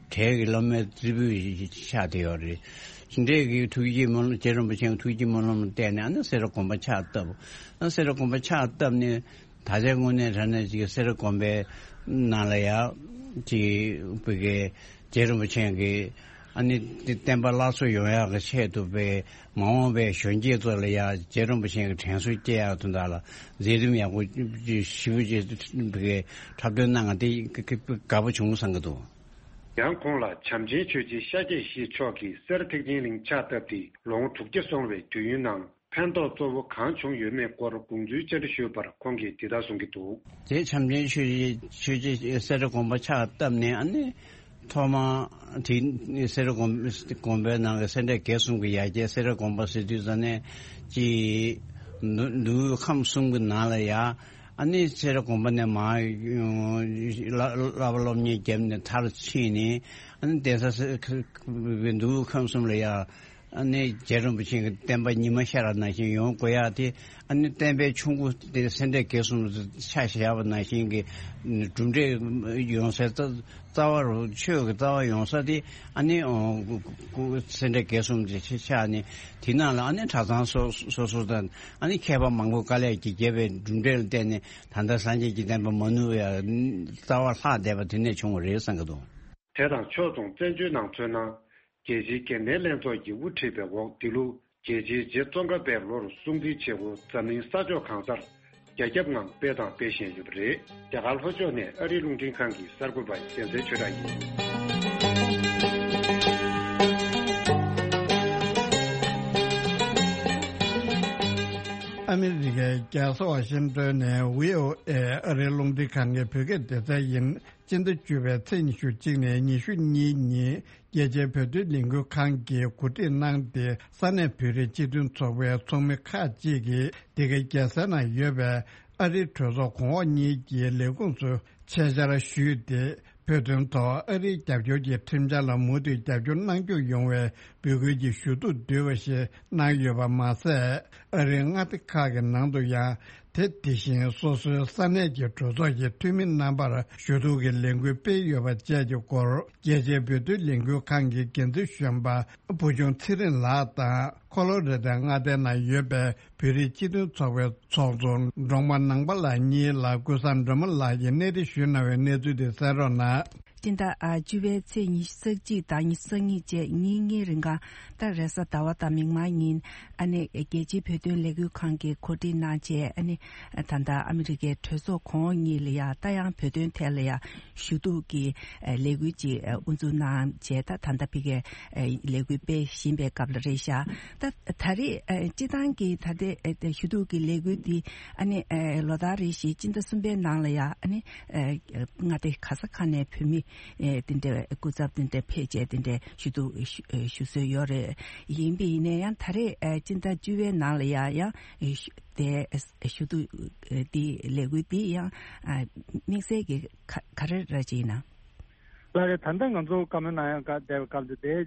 གྲས་ཀྱི་སློབ་མའི་རྩེ་ཕུད་ཆགས་བསྡད་ཡོད་རེད། འདྲས་ཀྱི་ཐུགས་བསྐྱེད་སྨོན་ལམ། རྗེ་རིན་པོ་ཆེ་གི་ཐུགས་བསྐྱེད་སྨོན་ལམ་བརྟེན་ནས་ཨ་ནི་སེ་ར་དགོན་པ་ཕྱག་བཏབ། ཨ་སེ་ར་དགོན་པ་ཕྱག་བཏབ་ནས་ད་ཆའི་དངོས་གནས་དྲང་གནས་ཀྱི་སེ་ར་དགོན་པའི་ནང་ལ་ཡ་ཅིག་བི་གའི་རྗེ་རིན་པོ་ཆེ་གི་ཨ་ནི་བསྟན་པ་སླར་གསོ་ཡོང་ཡག་གི་ཆེད་དུ་བའི་མ་འོངས་པའི་གཞོན་སྐྱེས་ཚོ་ལ་ཡ་རྗེ་རིན་པོ་ཆེ་གི་དྲན་གསོ་སྐྱེ་ཡག་དོན་དག་ལ་མཛད་རིམ་ཡག་པོ་ཞེ་པོ་ཅིག་འཁྲབ་སྟོན་གནང་བ་དེ་དགའ་པོ་བྱུང་བསམ་གྱི་འདུག་ཡང་ཁོང་ལ་བྱམས་ཆེན་ཆོས་རྗེ་ཤཱཀྱ་ཡེ་ཤེས་མཆོག་གིས་སེར་ཐེག་ཆེན་གླིང་ཕྱག་བཏབ་སྟེ་ལོ་ངོ་དྲུག་བརྒྱ་སོང་བའི་དུས་ཡུན་ནང་ཕན་ཐོགས་གཙོ་བོ་གང་བྱུང་ཡོད་མེད་སྐོར་དགོངས་ཚུལ་བཅར་འདྲི་ཞུས་པར། ཁོང་གིས་འདི་ལྟར་གསུང་གི་འདུག་རྗེ་བྱམས་ཆེན་ཆོས་རྗེ་ཆོས་རྗེ་སེ་ར་དགོན་པ་ཕྱག་བཏབ་ནས་ཨ་ནི་ཐོག་མ་དེ་སེ་ར་དགོན་དགོན་པའི་ནང་གི་སེ་འབྲས་དགེ་གསུམ་གྱི་ཡ་གྱལ་སེ་ར་དགོན་པ་ཟེར་དུས་ཙ་ནས་ཀྱི་མདོ་དབུས་ཁམས་གསུམ་གྱི་ནང་ལ་ཡ། ཨ་ནི་སེ་ར་དགོན་པ་ནས་མར་བསླབ་པ་སློབ་གཉེར་བརྒྱབ་ནས་མཐར་ཕྱིན་ནས། ཨ་ནི་གདན་ས་མདོ་དབུས་ཁམས་གསུམ་ལ་ཡ། ཨ་ནི་རྗེ་རིན་པོ་ཆེ་གི་བསྟན་པ་ཉི་མ་ཤར་བ་ནང་བཞིན་ཡོང་དགོས་ཡ་དེ། ཨ་ནི་བསྟན་པའི་ཆུ་མགོ་དེ་སེ་འབྲས་དགེ་གསུམ་དུ་ཆ་བཞག་པ་ནང་བཞིན་གྱི་གྲུབ་འབྲས་ཡོང་སའི་རྩ་བ་རུ་ཆོས་ཀྱི་རྩ་བ་ཡོང་ས་དེ། ཨ་ནི་སེ་འབྲས་དགེ་གསུམ་དེ་ཆ་བཞག་ནས་དེ་ནང་ལ་ཨ་ནི་གྲྭ་ཚང་སོ་སོ་སོ་དང་། ཨ་ནི་མཁས་པ་མང་པོ་དཀའ་ལས་ཀྱིས་བརྒྱབ་པའི་གྲུབ་འབྲས་ལ་བརྟེན་ནས་ད་ལྟ་སངས་རྒྱས་ཀྱི་བསྟན་པ་མ་ནུབ་པའི་རྩ་བ་ལྷག་བསྡད་པ་དེ་ནས་བྱུང་བ་རེད་བསམ་གྱི་འདུག་དེ་དང་ཕྱོགས་མཚུངས་བཙན་བྱོལ་ནང་མཚོན་ན། རྒྱལ་སྤྱིའི་འགན་ལེན་ལྷན་ཚོགས་ཀྱི་དབུ་ཁྲིད་པའི་འོག་འདི་ལོ་རྒྱལ་སྤྱིའི་རྗེ་ཙོང་ཁ་པའི་ལོར་སྲུང་བརྩི་བྱེད་སྒོ་འཛམ་གླིང་ས་ཕྱོགས་གང་སར་རྒྱ་ཁྱབ་ངང་སྤེལ་དང་སྤེལ་བཞིན་ཡོད་པ་རེད། རྒྱ་གར་ལྷོ་ཕྱོགས་ནས་ཨ་རིའི་རླུང་འཕྲིན་ཁང་གི་གསར་འགོད་པ་གཞན་ཚའི་ཆོས་གྲགས་ཡིན། ཨ་མི་རི་ཀའི་རྒྱལ་ས་ཝ་ཤིང་ཏོན་ནས་བྷི་ཨོ་ཨེ་ཨ་རིའི་རླུང་འཕྲིན་ཁང་གི་བོད་སྐད་སྡེ་ཚན་ཡིན། སྤྱི་ཟླ་བཅུ་པའི་ཚེས་ཉི་ཤུ་གཅིག་ནས་ཉི་ཤུ་གཉིས་ཉིན་རྒྱལ་སྤྱིའི་བོད་དོན་ལས་འགུལ་ཁང་གིས་གོ་སྒྲིག་གནང་སྟེ། ས་གནས་བོད་རིགས་སྤྱི་མཐུན་ཚོགས་པའི་ཚོགས་མི་ཁག་ཅིག་གིས་འདི་གའི་རྒྱལ་ས་ནང་ཡོད་པའི་ཨ་རིའི་གྲོས་ཚོགས་གོང་འོག་གཉིས་ཀྱི་ལས་ཁུངས་སུ་ཆེད་བཅར་ཞུས་ཏེ། བོད་དོན་ཐོག་ཨ་རིའི་རྒྱབ་སྐྱོར་གྱི་ཁྲིམས་འཆར་ལ་མུ་མཐུད་རྒྱབ་སྐྱོར་གནང་རྒྱུ་ཡོང་བའི་འབོད་སྐུལ་གྱི་ཞུ་གཏུག་བསྡུས་པ་ཞིག་གནང་ཡོད་པ་མ་ཟད། ཨ་རིའི་མངའ་སྡེ་ཁག་གི་ནང་དུ་ཡང་། དེ་དེ་བཞིན་སོ་སོའི་ས་གནས་ཀྱི་གྲོས་ཚོགས་ཀྱི་འཐུས་མི་རྣམ་པར་ཞུ་གཏུག་གི་ལས་འགུལ་སྤེལ་ཡོད་པ་བཅས་ཀྱི་སྐོར། རྒྱལ་སྤྱིའི་བོད་དོན་ལས་འགུལ་ཁང་གི་འགན་འཛིན་གཞོན་པ་བུ་ཆུང་ཚེ་རིང་ལགས་དང་། ཁོ་ལོ་རེ་ཏའི་མངའ་སྡེ་ནང་ཡོད་པའི་བོད་རིགས་སྤྱི་མཐུན་ཚོགས་པའི་ཚོགས་གཙོ་འབྲོག་པ་ནང་པ་ལགས་གཉིས་ལ་ཀུན་བཟང་སྒྲོལ་མ་ལགས་ཀྱིས་གནས་འདྲི་ཞུས་གནང་བའི་གནས་ཚུལ་དེ་གསན་རོགས་གནང་། སྤྱི་ཟླ་ཨ་བཅུ་པའི་ཚེས་ཉི་ཤུ་རྩ་གཅིག་དང་ཉི་ཤུ་རྩ་གཉིས་བཅས་ཉིན་གཉིས་རིང་ག་ད་རེས་གཟའ་ཟླ་བ་དང་མིག་དམར་ཉིན་ཨ་ནི་རྒྱལ་སྤྱིའི་བོད་དོན་ལས་འགུལ་ཁང་གིས་གོ་སྒྲིག་གནང་བྱས། ཨ་ནི་ད་ལྟ་ཨ་མི་རི་ཀའི་གྲོས་ཚོགས་གོང་འོག་གཉིས་ལ་ཡ་ད་ཡང་བོད་དོན་ཐད་ལ་ཡ་ཞུ་གཏུག་གི་ལས་འགུལ་ཅིག་དབུ་འཛུགས་གནང་བྱས། ད་ད་ལྟ་ཕ་གིའི་ལས་འགུལ་སྤེལ་བཞིན་པའི་སྐབས་ལ་རེད་ཤག་ད་ད་རེས་སྤྱི་བཏང་གི་ད་ལྟའི་ཞུ་གཏུག་གི་ལས་འགུལ་འདི་ཨ་ནི་ལོ་ལྟར་རེ་བཞིན་སྤྱི་ཟླ་གསུམ་པའི་ནང་ལ་ཡ་ཨ་ནི་མངའ་སྡེ་ག་ས་ག་ནས་བོད་མི་དེ་འདྲའི་སྐུ་ཚབ་དེ་འདྲ་ཕེབས་བྱས་དེ་འདྲའི་ཞུ་གཏུག་ཞུ་སྲོལ་ཡོད་རེད། ཡིན་པ་ཡིན་ན་ཡང་ད་རེས་སྤྱི་ཟླ་བཅུ་པའི་ནང་ལ་ཡ་ཡང་དེ་ཞུ་གཏུག་དེ་ལས་འགུལ་དེ་ཡང་དམིགས་བསལ་གྱི་ག་ག་རེ་ར་ཅིག་ཡིན་ན། ལགས་རེད། ད་ལྟ་ང་ཚོ་བཀའ་མོལ་གནང་ཡག་བསྡད་པའི་སྐབས་དེ་དེའི་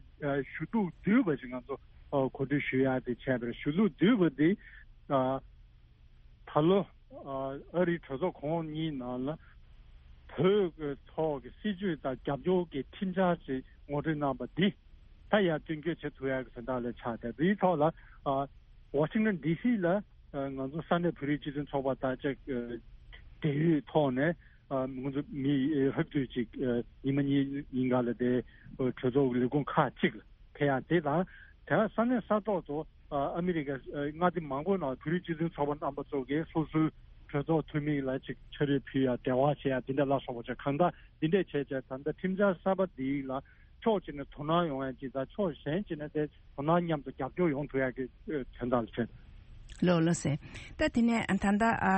ཞུ་གཏུག་བསྡུས་པ་ཞིག་ང་ཚོ་གོ་སྒྲིག་ཞུ་ཡག་དེ་བྱས་པ་རེད། ཞུ་གཏུག་བསྡུས་པ་དེ་ད་ལོ་ཨ་རིའི་གྲོས་ཚོགས་གོང་འོག་གཉིས་ནང་ལ་བོད་ཀྱི་ཐོག་གི་སྲིད་བྱུས་དང་རྒྱབ་སྐྱོར་གྱི་ཁྲིམས་འཆར་ཅིག་ངོ་སྤྲོད་གནང་པ་འདི་ད་ཡར་དོན་འཁྱོལ་བྱེད་ཐུབ་ཡག་གི་དོན་དག་ལ་ཆགས་ཏེ། དེའི་ཐོག་ལ་ཝ་ཤིང་ཊོན་ཌི་སི་ལ་ང་ཚོ་ས་གནས་བོད་རིགས་སྤྱི་མཐུན་ཚོགས་པ་དང་ཅིག་འབྲེལ་ཡོད་ཐོག་ནས་ང་ཚོ་མི་ལྷག་བསྡུས་ཅིག་ཉི་མ་གཉིས་ཉིན་འགའ་ལ་དེ་གྲོས་ཚོགས་ཀྱི་ལས་ཁུངས་ཁག་ཅིག་ལ་ཕེབས་ཡག་དེ་དང་། དེ་ས་གནས་ས་ཐོག་ཏུ་ཨ་མི་རི་ཀའི་མངའ་སྡེ་མང་པོའི་ནང་བོད་རིགས་སྤྱི་མཐུན་ཚོགས་པ་རྣམ་པ་ཚོ་གིས་སོ་སོའི་གྲོས་ཚོགས་འཐུས་མི་ལ་ཅིག་ཕྱག་རོགས་ཕུལ་ཡག་འབྲེལ་བ་བྱེད་ཡག་དེ་འདྲ་ལ་སོགས་པ་བྱས། གང་ལྟར་འདི་འདྲས་བྱས་བྱས་ད་ལྟ་ཁྲིམས་འཆར་གསར་པ་འདི་ལ་ཕྱོགས་གཅིག་ནས་དོ་སྣང་ཡོང་ཡག་ཅིག་དང་ཕྱོགས་གཞན་གཅིག་ནས་དེ་དོ་སྣང་མཉམ་དུ་རྒྱབ་སྐྱོར་ཡོང་ཐུབ་ཡག་གི་དོན་དག་ལ་བྱས། ལགས་ལགས་སེ། ད་དེ་ནས་ད་ལྟ་ཨ་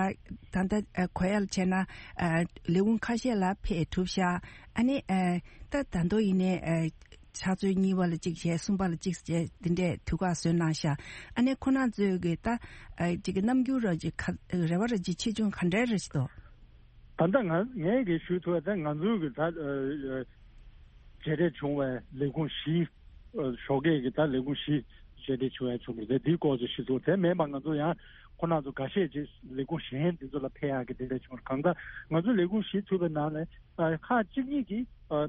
ད་ལྟ་ཨ་གོ་ཡག་ལ་བྱས་ན་ཨ་ལས་ཁུངས་ཁ་ཤས་ལ་ཕེབས་གྲུབ་ཤག་ཨ་ནི་ཨ་ད་ད་དུང་ཡིན་ནའི་ཨ་ཕྱག་ཚོད་གཉིས་པ་ལ་གཅིག་བྱས། གསུམ་པ་ལ་གཅིག་བྱས། འདི་འདྲས་དུས་བཀག་བཟོས་གནང་ཤག་ཨ་ནི་ཁོ་རང་ཚོས་ཀྱི་ད་ཨ་ཅིག་གི་རྣམ་འགྱུར་ར་ཅིག་ག་རེ་བ་ར་ཅིག་ཆེ་ཆུང་ག་འདྲས་རེ་ཞིག་འདུག་ད་ལྟ་ང་ངས་ཀྱི་ཞུ་ཐུབ་པ་དེ་ང་ཚོའི་གི་ད་ཨ་མཇལ་འཕྲད་བྱུང་བའི་ལས་ཁུངས་བཞི། ཨ་ཞོགས་ཀས་ཀྱི་ད་ལས་ཁུངས་བཞི་མཇལ་འཕྲད་བྱུང་བའི་བྱུང་བ་རེད། དེའི་སྐོར་ཅིག་ཞུ་ཐུབ། དེ་མིན་པ་ང་ཚོ་ཡང་ཁོ་རང་ཚོ་འགའ་ཤས་ཅིག་ལས་ཁུངས་གཞན་དེ་ཚོ་ལ་ཕེབས་ཡག་གི་དེ་འདྲ་བྱུང་བ་རེད། གང་ལྟར་ང་ཚོ་ལས་ཁུངས་བཞི་ཚུད་པའི་ནང་ནས་ཨ་ཁག་གཅིག་གཉིས་ཀྱིས་ཨ་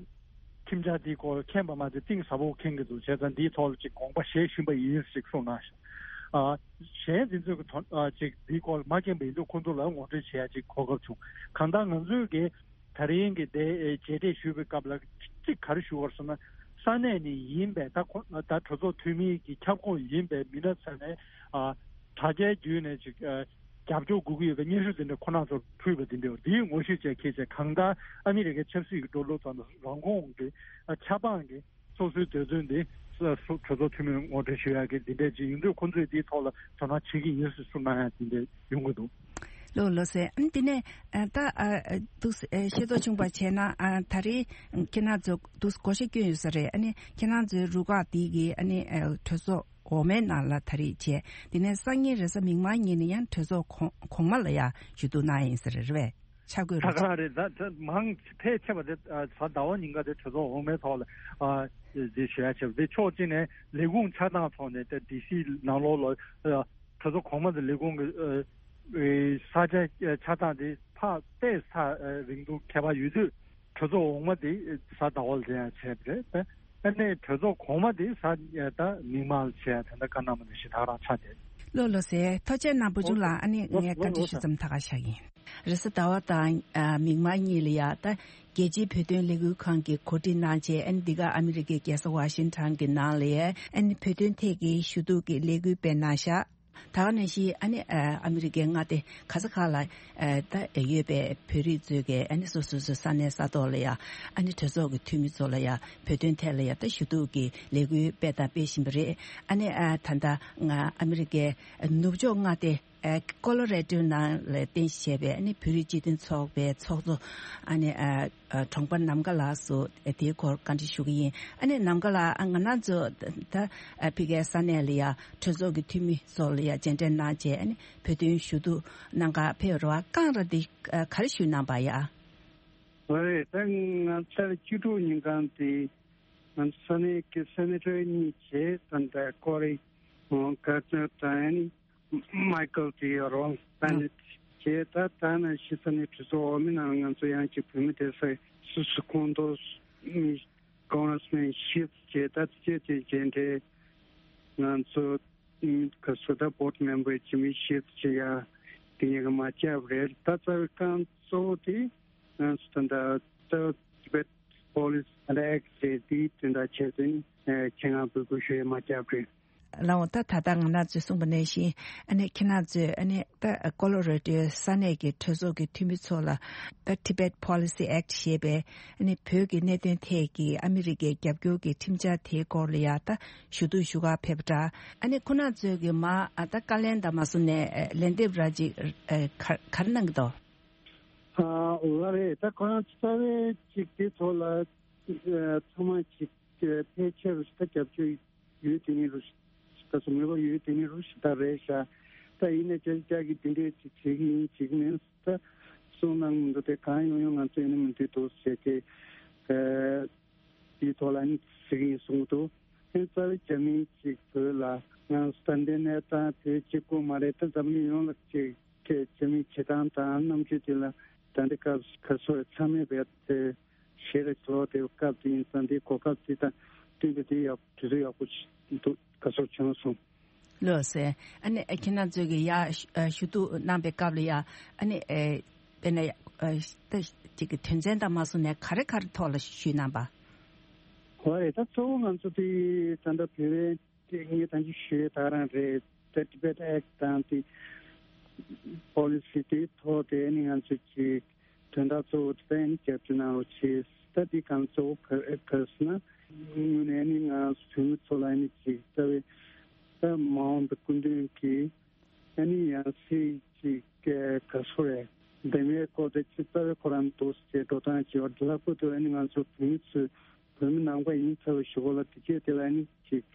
ཁྲིམས་འཆར་འདིའི་སྐོར་མཁྱེན་པ་མ་ཚད་གཏིང་ཟབ་པོ་མཁྱེན་གྱི་འདུག་བྱས་ཙང་འདིའི་ཐོག་ལ་ཅིག་དགོངས་པ་བཞེས་བཞིན་པ་ཡིན་ཞེས་གསུངས་གནང་ཤག་ཨ་གཞན་འཛིན་ཚོད་ཀྱི་དོན་ཨ་ཅིག་འདིའི་སྐོར་མ་མཁྱེན་པ་ཡིན་དུས་ཁོང་ཚོ་ལ་ངོ་སྤྲོད་བྱེད་ཡ་ཅིག་གོ་སྐབས་བྱུང་། གང་ལྟར་ང་ཚོས་ཀྱི་ད་རིང་གི་དེ་མཇལ་འཕྲད་ཞུས་པའི་སྐབས་ལ་གཅིག་ག་རེ་ཞུ་དགོས་ཟེར་ན། ས་གནས་ནས་ཡིན་པའི་ད་ཁོ་ད་གྲོས་ཚོགས་འཐུས་མི་གི་ཁྱབ་ཁོངས་ཡིན་པའི་མི་སྣ་ཚོ་ནས་ཨ་དྲ་རྒྱའི་བརྒྱུད་ནས་ཅིག་ཨ་རྒྱབ་སྐྱོར་དགོས་ཀྱི་ཡོད་པའི་སྙན་ཞུ་དེ་འདྲ་ཁོ་རང་ཚོར་ཕུལ་བ་དེ་འདྲ་འདིའི་ངོ་ཤེས་བཅས་ཁྱེད་ཚོས་གང་ལྟར་ཨ་མི་རི་ཀའི་ཆབ་སྲིད་ཀྱི་འགྲོ་ལུགས་དང་རང་ཁོངས་ཀྱི་ཨ་ཆབ་འབངས་ཀྱི་སོ་སོའི་འདོད་འདུན་དེ་གྲོས་ཚོགས་འཐུས་མིར་ངོ་སྤྲོད་ཞུ་ཡག་གི་འདི་འདྲས་ཅིག་ཡིན་དུས་ཁོང་ཚོས་འདིའི་ཐོག་ལ་དོ་སྣང་བྱེད་ཀྱི་ཡིན་ཟེར་གསུངས་གནང་ཡག་འདི་འདྲས་ཡོང་གི་འདུག་ལགས་ལགས་སེ། ཨ་ནི་དེ་ནས་ཨ་ད་ཨ་འདུག་སེ་ཤེས་རྟོགས་བྱུང་བ་བྱས་ན། ཨ་ད་རེས་ཁྱེད་རང་ཚོ་འདུག་སེ་བགོ་བཤའ་བསྐྱོན་ཡོད་ས་རེད། ཨ་ནི་ཁྱེད་རང་ཚོའི་རུ་ཁག་འདི་གི་ཨ་ནི་ཨ་གྲོས་ཚོགས་འོག་མའི་ནང་ལ་ད་རེས་བྱས། དེ་ནས་སང་ཉིན་རེས་གཟའ་མིག་དམར་ཉིན་ནས་ཡང་གྲོས་ཚོགས་གོང་གོང་མ་ལ་ཡང་ཞུ་གཏུག་གནང་ཡིན་ས་རེད། རེད་པས། ཆ་བགོས་ད་རེད། ག་རང་རེད། ད་ད་མང་ཕལ་ཆེ་བ་དེ་ཨ་གཟའ་ཟླ་བ་ཉིན་ཀ་དེ་གྲོས་ཚོགས་འོག་མའི་ཐོག་ལ་ཨ་དེ་ཞུ་ཡ་བྱས་པ་དེ་ཕྱོགས་གཅིག་ནས་ལས་ཁུངས་ཆགས་སྟངས་ཐོག་ནས་ད་ཌི་སི་ནང་ལོགས་ལ་ཨ་གྲོས་ཚོགས་གོང་མ་དང་ལས་ཁུངས་ཀྱི་ཨ་ས་ཆ་ཆགས་སྟངས་དེ་ཕར་ཏོག་ཙམ་རིང་ཐུང་ཁྱད་པར་ཡོད་དུས། གྲོས་ཚོགས་འོག་མ་དེ་གཟའ་ཟླ་བ་ལ་དེ་ཡང་བྱས་པ་རེད། ཨ་ནི་གྲོས་ཚོགས་གོང་མ་དེ་གཟའ་ད་མིག་དམར་ལ་བྱས་ཡ་དེ་འདྲ་བཀའ་གནང་བ་ནང་བཞིན་ད་ག་རང་ཆགས་བསྡད། ལགས་ལགས་སེ། ཐུགས་རྗེ་གནང་བུ་ཆུང་ལགས། ཨ་ནི་ངས་བཀའ་འདྲི་ཞུ་མཚམས་ད་ག་བཞག་ཡིན། རེས་གཟའ་ཟླ་བ་དང་ཨ་མིག་དམར་གཉིས་ལ་ཡ་ད་རྒྱལ་སྤྱིའི་བོད་དོན་ལས་འགུལ་ཁང་གིས་གོ་སྒྲིག་གནང་བྱས། ཨ་ནི་འདི་ག་ཨ་མི་རི་ཀའི་རྒྱལ་ས་ཝ་ཤིང་ཊོན་གྱི་ནང་ལ་ཡ་ཨ་ནི་བོད་དོན་ཐད་ཀྱི་ཞུ་གཏུག་གི་ལས་འགུལ་སྤེལ་གནང་ཤག་ད་ག་ནང་བཞིན་ཨ་ནི་ཨ་ཨ་མི་རི་ཀའི་མངའ་སྡེ་ག་ས་ག་ལ་ཨ་ད་ཡོད་པའི་བོད་རིགས་ཚོས་ཀྱི་ཨ་ནི་སོ་སོ་སོ་ས་གནས་ས་ཐོག་ལ་ཡ་ཨ་ནི་གྲོས་ཚོགས་ཀྱི་འཐུས་མི་ཚོ་ལ་ཡ་བོད་དོན་ཐད་ལ་ཡ་ད་ཞུ་གཏུག་གི་ལས་འགུལ་སྤེལ་དང་སྤེལ་བཞིན་པ་རེད། ཨ་ནི་ཨ་ད་ལྟ་ང་ཨ་མི་རི་ཀའི་ནུབ་ཕྱོགས་མངའ་སྡེ་ཨ་ཀོ་ལོ་རེ་ཌོ་ནང་ལ་རྟེན་གཞི་བྱས་པའི་ཨ་ནི་བོད་རིགས་སྤྱི་མཐུན་ཚོགས་པའི་ཚོགས་གཙོ་ཨ་ནི་ཨ་ཨ་གྲོང་པ་ནམ་མཁའ་ལགས་སུ་དེའི་སྐོར་བཀའ་འདྲི་ཞུ་གི་ཡིན། ཨ་ནི་ནམ་མཁའ་ལགས། ཨ་ང་རང་ཚོ་ད་ཨ་ཕ་གིའི་ས་གནས་ལ་ཡ་གྲོས་ཚོགས་ཀྱི་འཐུས་མི་ཚོ་ལ་ཡ་མཇལ་འཕྲད་གནང་བྱས། ཨ་ནི་བོད་དོན་ཞུ་གཏུག་གནང་ག་ཕེབས་རོགས་བསྐངས་ར་འདི་ཨ་ག་རེ་ཞུས་གནང་པ་ཡ། ཨོ་རེད། ད་ང་ཚར་བཅུ་དྲུག་ཉིན་གང་དེ་ང་ཚོ་ས་གནས་ཀྱི་སེ་ནེ་ཊར་གཉིས་བྱས། ད་ལྟ་ཀོ་རི་ཀར་ཏན་དང་ཨ་ནི་མའི་ཀལ་དེ་ཡོད་རོགས་ད་ནི་བྱས། ད་ད་ནང་བཞིན་ས་གནས་གྲོས་ཚོགས་འོག་མའི་ནང་ང་ཚོ་ཡང་ཅིག་བོད་མི་སྡེ་ས་སུ་སུ་ཁོངས་གཏོགས་མི་ཀོང་རེས་མེན་བཞི་བྱས། ད་ཅི་ཅི་མཇལ་འཕྲད་ང་ཚོ་ག་སུ་ད་བོར་ཌི་མེམ་བར་ཅིག་མི་བཞི་བྱས་ཡ་དེ་གཉིས་ཀ་མ་བཅར་བ་རེད། ད་རྩ་བའི་རྐང་གཙོ་བོ་དེ་ང་ཚོ་ད་ལྟ་རྩ་བ་ཊི་བེཊ་ པོ་ལི་སི་ཨེག་ཊི་ཟེར་དེའི་དོན་དག་ཆེད་དུ་ནི་ཁྱེད་རང་འབོད་སྐུལ་ཞུ་ཡས་མ་བརྒྱབ་རེད། ལགས་འོང་། ད་ད་ལྟ་ང་རང་ཚོས་གསུངས་པ་ནང་བཞིན་ཨ་ནི་ཁྱེད་རང་ཚོས་ཨ་ནི་ད་ཀོ་ལོ་ར་ཌོའི་ས་གནས་ཀྱི་གྲོས་ཚོགས་ཀྱི་འཐུས་མི་ཚོ་ལ་ད་Tibet Policy Act ཞེས་པའི་ཨ་ནི་བོད་ཀྱི་གནད་དོན་ཐད་ཀྱི་ཨ་མི་རི་ཀའི་རྒྱབ་སྐྱོར་གྱི་ཁྲིམས་འཆར་དེའི་སྐོར་ལ་ཡང་ད་ཞུ་གཏུག་ཞུ་གར་ཕེབས་པ་འདྲ། ཨ་ནི་ཁོ་རང་ཚོས་ཀྱི་མ་ཨ་ད་བཀའ་ལན་དང་མ་སོང་ནས་ཨ་ལན་འདེབས་ར་ཅིག་ཨ་ག་ག་རེ་གནང་གི་འདུག་ཨ་ལགས་རེད། ད་ཁོ་རང་རྩ་བའི་ཅིག་དེ་ཐོག་ལ་ཨ་ཚང་མ་ཅིག་ཨ་ཕལ་ཆེར་ད་རྒྱབ་སྐྱོར་ཡོད་དེ་ནི་རུ་ད་སོ་མོས་པ་ཡོད་དེ་ནི་རུ་ཞིག་ད་རེད་ཤག་ད་ཡིན་ན་ཅག་ཅག་གིས་འདི་འདྲའི་ཅིག་བྱེད་ཀྱི་ཡིན་བྱེད་ཀྱི་མིན་ད་གསུངས་གནང་མི་འདུག་དེ་གང་ཡོང་ཡོང་ང་ཚོས་ནི་མི་འདུག་འདུག་ཟེར་ཏེ་ཨ་དེའི་ཐོག་ལ་ནི་ཟེར་གྱི་ཡིན་གསུངས་འདུག་དེ་རྩ་བའི་རྒྱ་མིའི་ཅིག་བོད་ལ་ང་ཚོ་ད་འདི་ནས་ད་བོད་གཅིག་པུ་མ་རེད། ད་འཛམ་གླིང་ཡོངས་ལ་ཅིག་ཁྱེད་རྒྱ་མིའི་བྱེད་སྟངས་དང་རྣམ་དཔྱོད་དེ་ལ་ད་འདི་སྐབས་ག་ཚོད་ཚང་མས་བས་དེ་ཞེ་རེ་ཚོར་དེ་སྐབས་དེ་ཡིན་ཙང་དེ་གོ་སྐབས་དེ་དང་བསྟུན་པའི་དེ་ཡག་དུས་ཚོད་ཡག་པོ་ཞིག་འདུག་ག་ཚོད་བྱུང་སོང་། ལགས་སེ། ཨ་ནི་ཁྱེད་རང་ཚོས་ཀྱི་ཡ་ཞུ་ཨ་ཞུ་གཏུག་གནང་པའི་སྐབས་ལ་ཡ་ཨ་ནི་ཨེ་དཔེར་ན་ཡ་ཨ་ད་ཅིག་གི་དོན་ཚན་དང་མ་སོང་ནས་ག་རེ་ག་རེ་ཐོག་ལ་ཞུས་གནང་པ། ཧོ་རེད། ད་གཙོ་བོ་ང་ཚོ་དེ་ད་ལྟ་བོད་པའི་དེ་ངས་ད་ཅི་ཞུས་ད་རང་རེད། ད་Tibet Act དང་དེ་Policy དེའི་ཐོག་དེ་ནི་ང་ཚོས་ཀྱི་དོན་དག་གཙོ་བོ་དེ་ནི་རྒྱབ་སྐྱོར་གནང་རོགས་བྱེད། ད་དེ་གང་གཙོ་བོ་ག་ག་ཟེར་ན་དངོས་གནས་ནི་ང་བོད་མི་ཚོ་ལ་ནི་ཅིག་ལྟ་བའི་ད་མ་འོངས་པའི་སྐུ་མདུན་གྱི་ཨ་ནི་ཡང་སྲིད་ཅིག་ག་སོ་རེད། འདེམས་ཡས་སྐོར་དེ་ཅི་ལྟ་བའི་ཁོ་རང་འདུག་ཅེས་འགྲོ་སྟངས་བྱེད་པ་ལྷག་པར་དུ་ཨ་ནི་ང་ཚོ་བོད་མི་ཚོས་བོད་མི་ནང་པ་ཡིན་ཚར་བའི་གཞུག་གུ་ལ་དེ་སྐད་དེ་ལ་ཨ་ནི་ཅིག་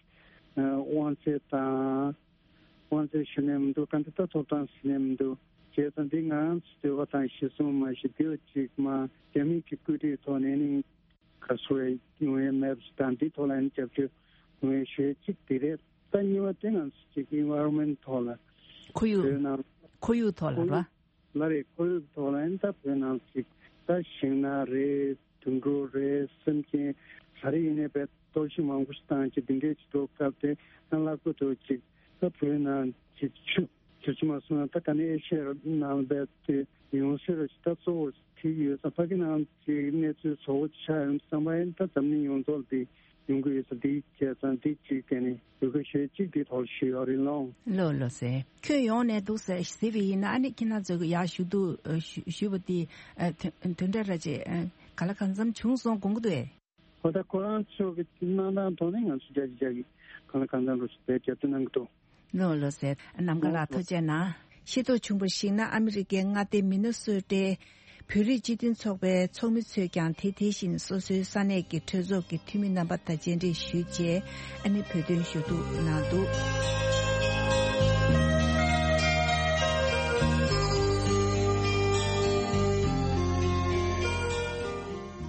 དབང་ཚད་དང་དབང་ཚད་ཞུ་ནས་མི་འདུག་ག་འདི་ལྟ་ཐོབ་ཐང་ཞུ་ནས་མི་འདུག་བྱས་ཙང་འདི་ང་རང་ཚོ་འདོད་པ་དང་གཞི་བཟུང་མ་ཞིག་འདི་ལ་ཅིག་མ་རྒྱ་མི་གི་བཀོད་སྒྲིག་ཐོག་ནས་ཨ་ནི། ག་སོ་ཡོང་ཡས་མེད་པ་ཞིག་དང་འདི་ཐོག་ལ་ཡང་རྒྱབ་སྐྱོར་ཡོང་ཡས་ཞུ་ཡས་གཅིག་དེ་རེད། ད་གཉིས་པ་དེ་ང་ཚོ་གཅིག་environment ཐོག་ལ་ཁོར་ཡུག་བོད་ནང་ཁོར་ཡུག་ཐོག་ལ་ཁོར་ཡུག་ལ་རེད། ཁོར་ཡུག་ཐོག་ལ་ཡང་ད་བོད་ནང་གཅིག་ད་ཤིང་ནགས་རེད། དུད་འགྲོ་རེད། སེམས་ཅན་ག་རེ་ཡིན་ནའི་བས་གཏོར་བཤིག་མང་པོ་ཞིག་བཏང་ཅིག་འདི་འདྲས་ཅིག་འགྲོ་སྐབས་དེ་ཡང་ལྷག་པར་དུ་ཅིག་ད་བོད་ནང་གཅིག་ཆུ། ཁྱོད་ཚོ་མ་སོང་ན་ད་ག་ནས་ཨེ་ཤེ་ཡ་ནང་བས་དེ་ཡོང་སྲིད་རེད། ད་གཙོ་བོ་ཐིག་ཡོད་ཙང་ཕ་གི་ནང་གི་གནས་ཚུལ་བཟོ་བོ་ཆགས་ཡོང་བསམ་པ་ཡིན། ད་འཛམ་གླིང་ཡོངས་རྫོགས་འདི་ཡོང་གི་ཡོད་ཙང་འདི་བྱས་ཙང་འདི་གཅིག་དེ་ནི་ཡོད་གི་ཞེས་གཅིག་འདི་ཐོག་ཞུ་ཡོད་རེད་ལོང་། ལོ་ལོ་ཟེར་ཁྱོད་ཡོང་ནས་འདུག་ཟེར་ཟེར་བ་ཡིན་ན་ཨ་ནི་ཁྱེད་རང་ཚོ་གི་ཡར་ཞུ་གཏུག་ཞུ་ཞུ་བ་དེ་དོན་དོན་འདྲ་ར་ཅེ་ག་ལ་གང་འཚམ་བྱུང་སོང་དགོངས་ཀྱི་འདུག་ཨེ། ཧོ་ད་ཁོ་རང་ཚོ་གི་གནང་སྟངས་ཐོག་ནས་ང་ཚོ་རྒྱ་ཆེ་རྒྱ་གི་གང་ལ་གང་འཚམ་རུ་བས་རྒྱབ་སྐྱོར་གནང་གི་འདུག་ལོ་ལོ་ཟེར་ནམ་མཁའ་ལ་ཐུགས་རྗེ་གནང་། ཤེས་རྟོགས་བྱུང་བར་གཞིགས་ན་ཨ་མི་རི་ཀའི་མངའ་སྡེ་མི་ནི་སོ་ཊའི་བོད་རིགས་སྤྱི་མཐུན་ཚོགས་པའི་ཚོགས་མི་ཚོས་ཀྱང་དེ་དེ་བཞིན་སོ་སོའི་ས་གནས་ཀྱི་གྲོས་ཚོགས་ཀྱི་འཐུས་མི་རྣམ་པ་དང་མཇལ་འཕྲད་ཞུས་རྗེས་ཨ་ནི་བོད་དོན་ཞུ་གཏུག་གནང་འདུག་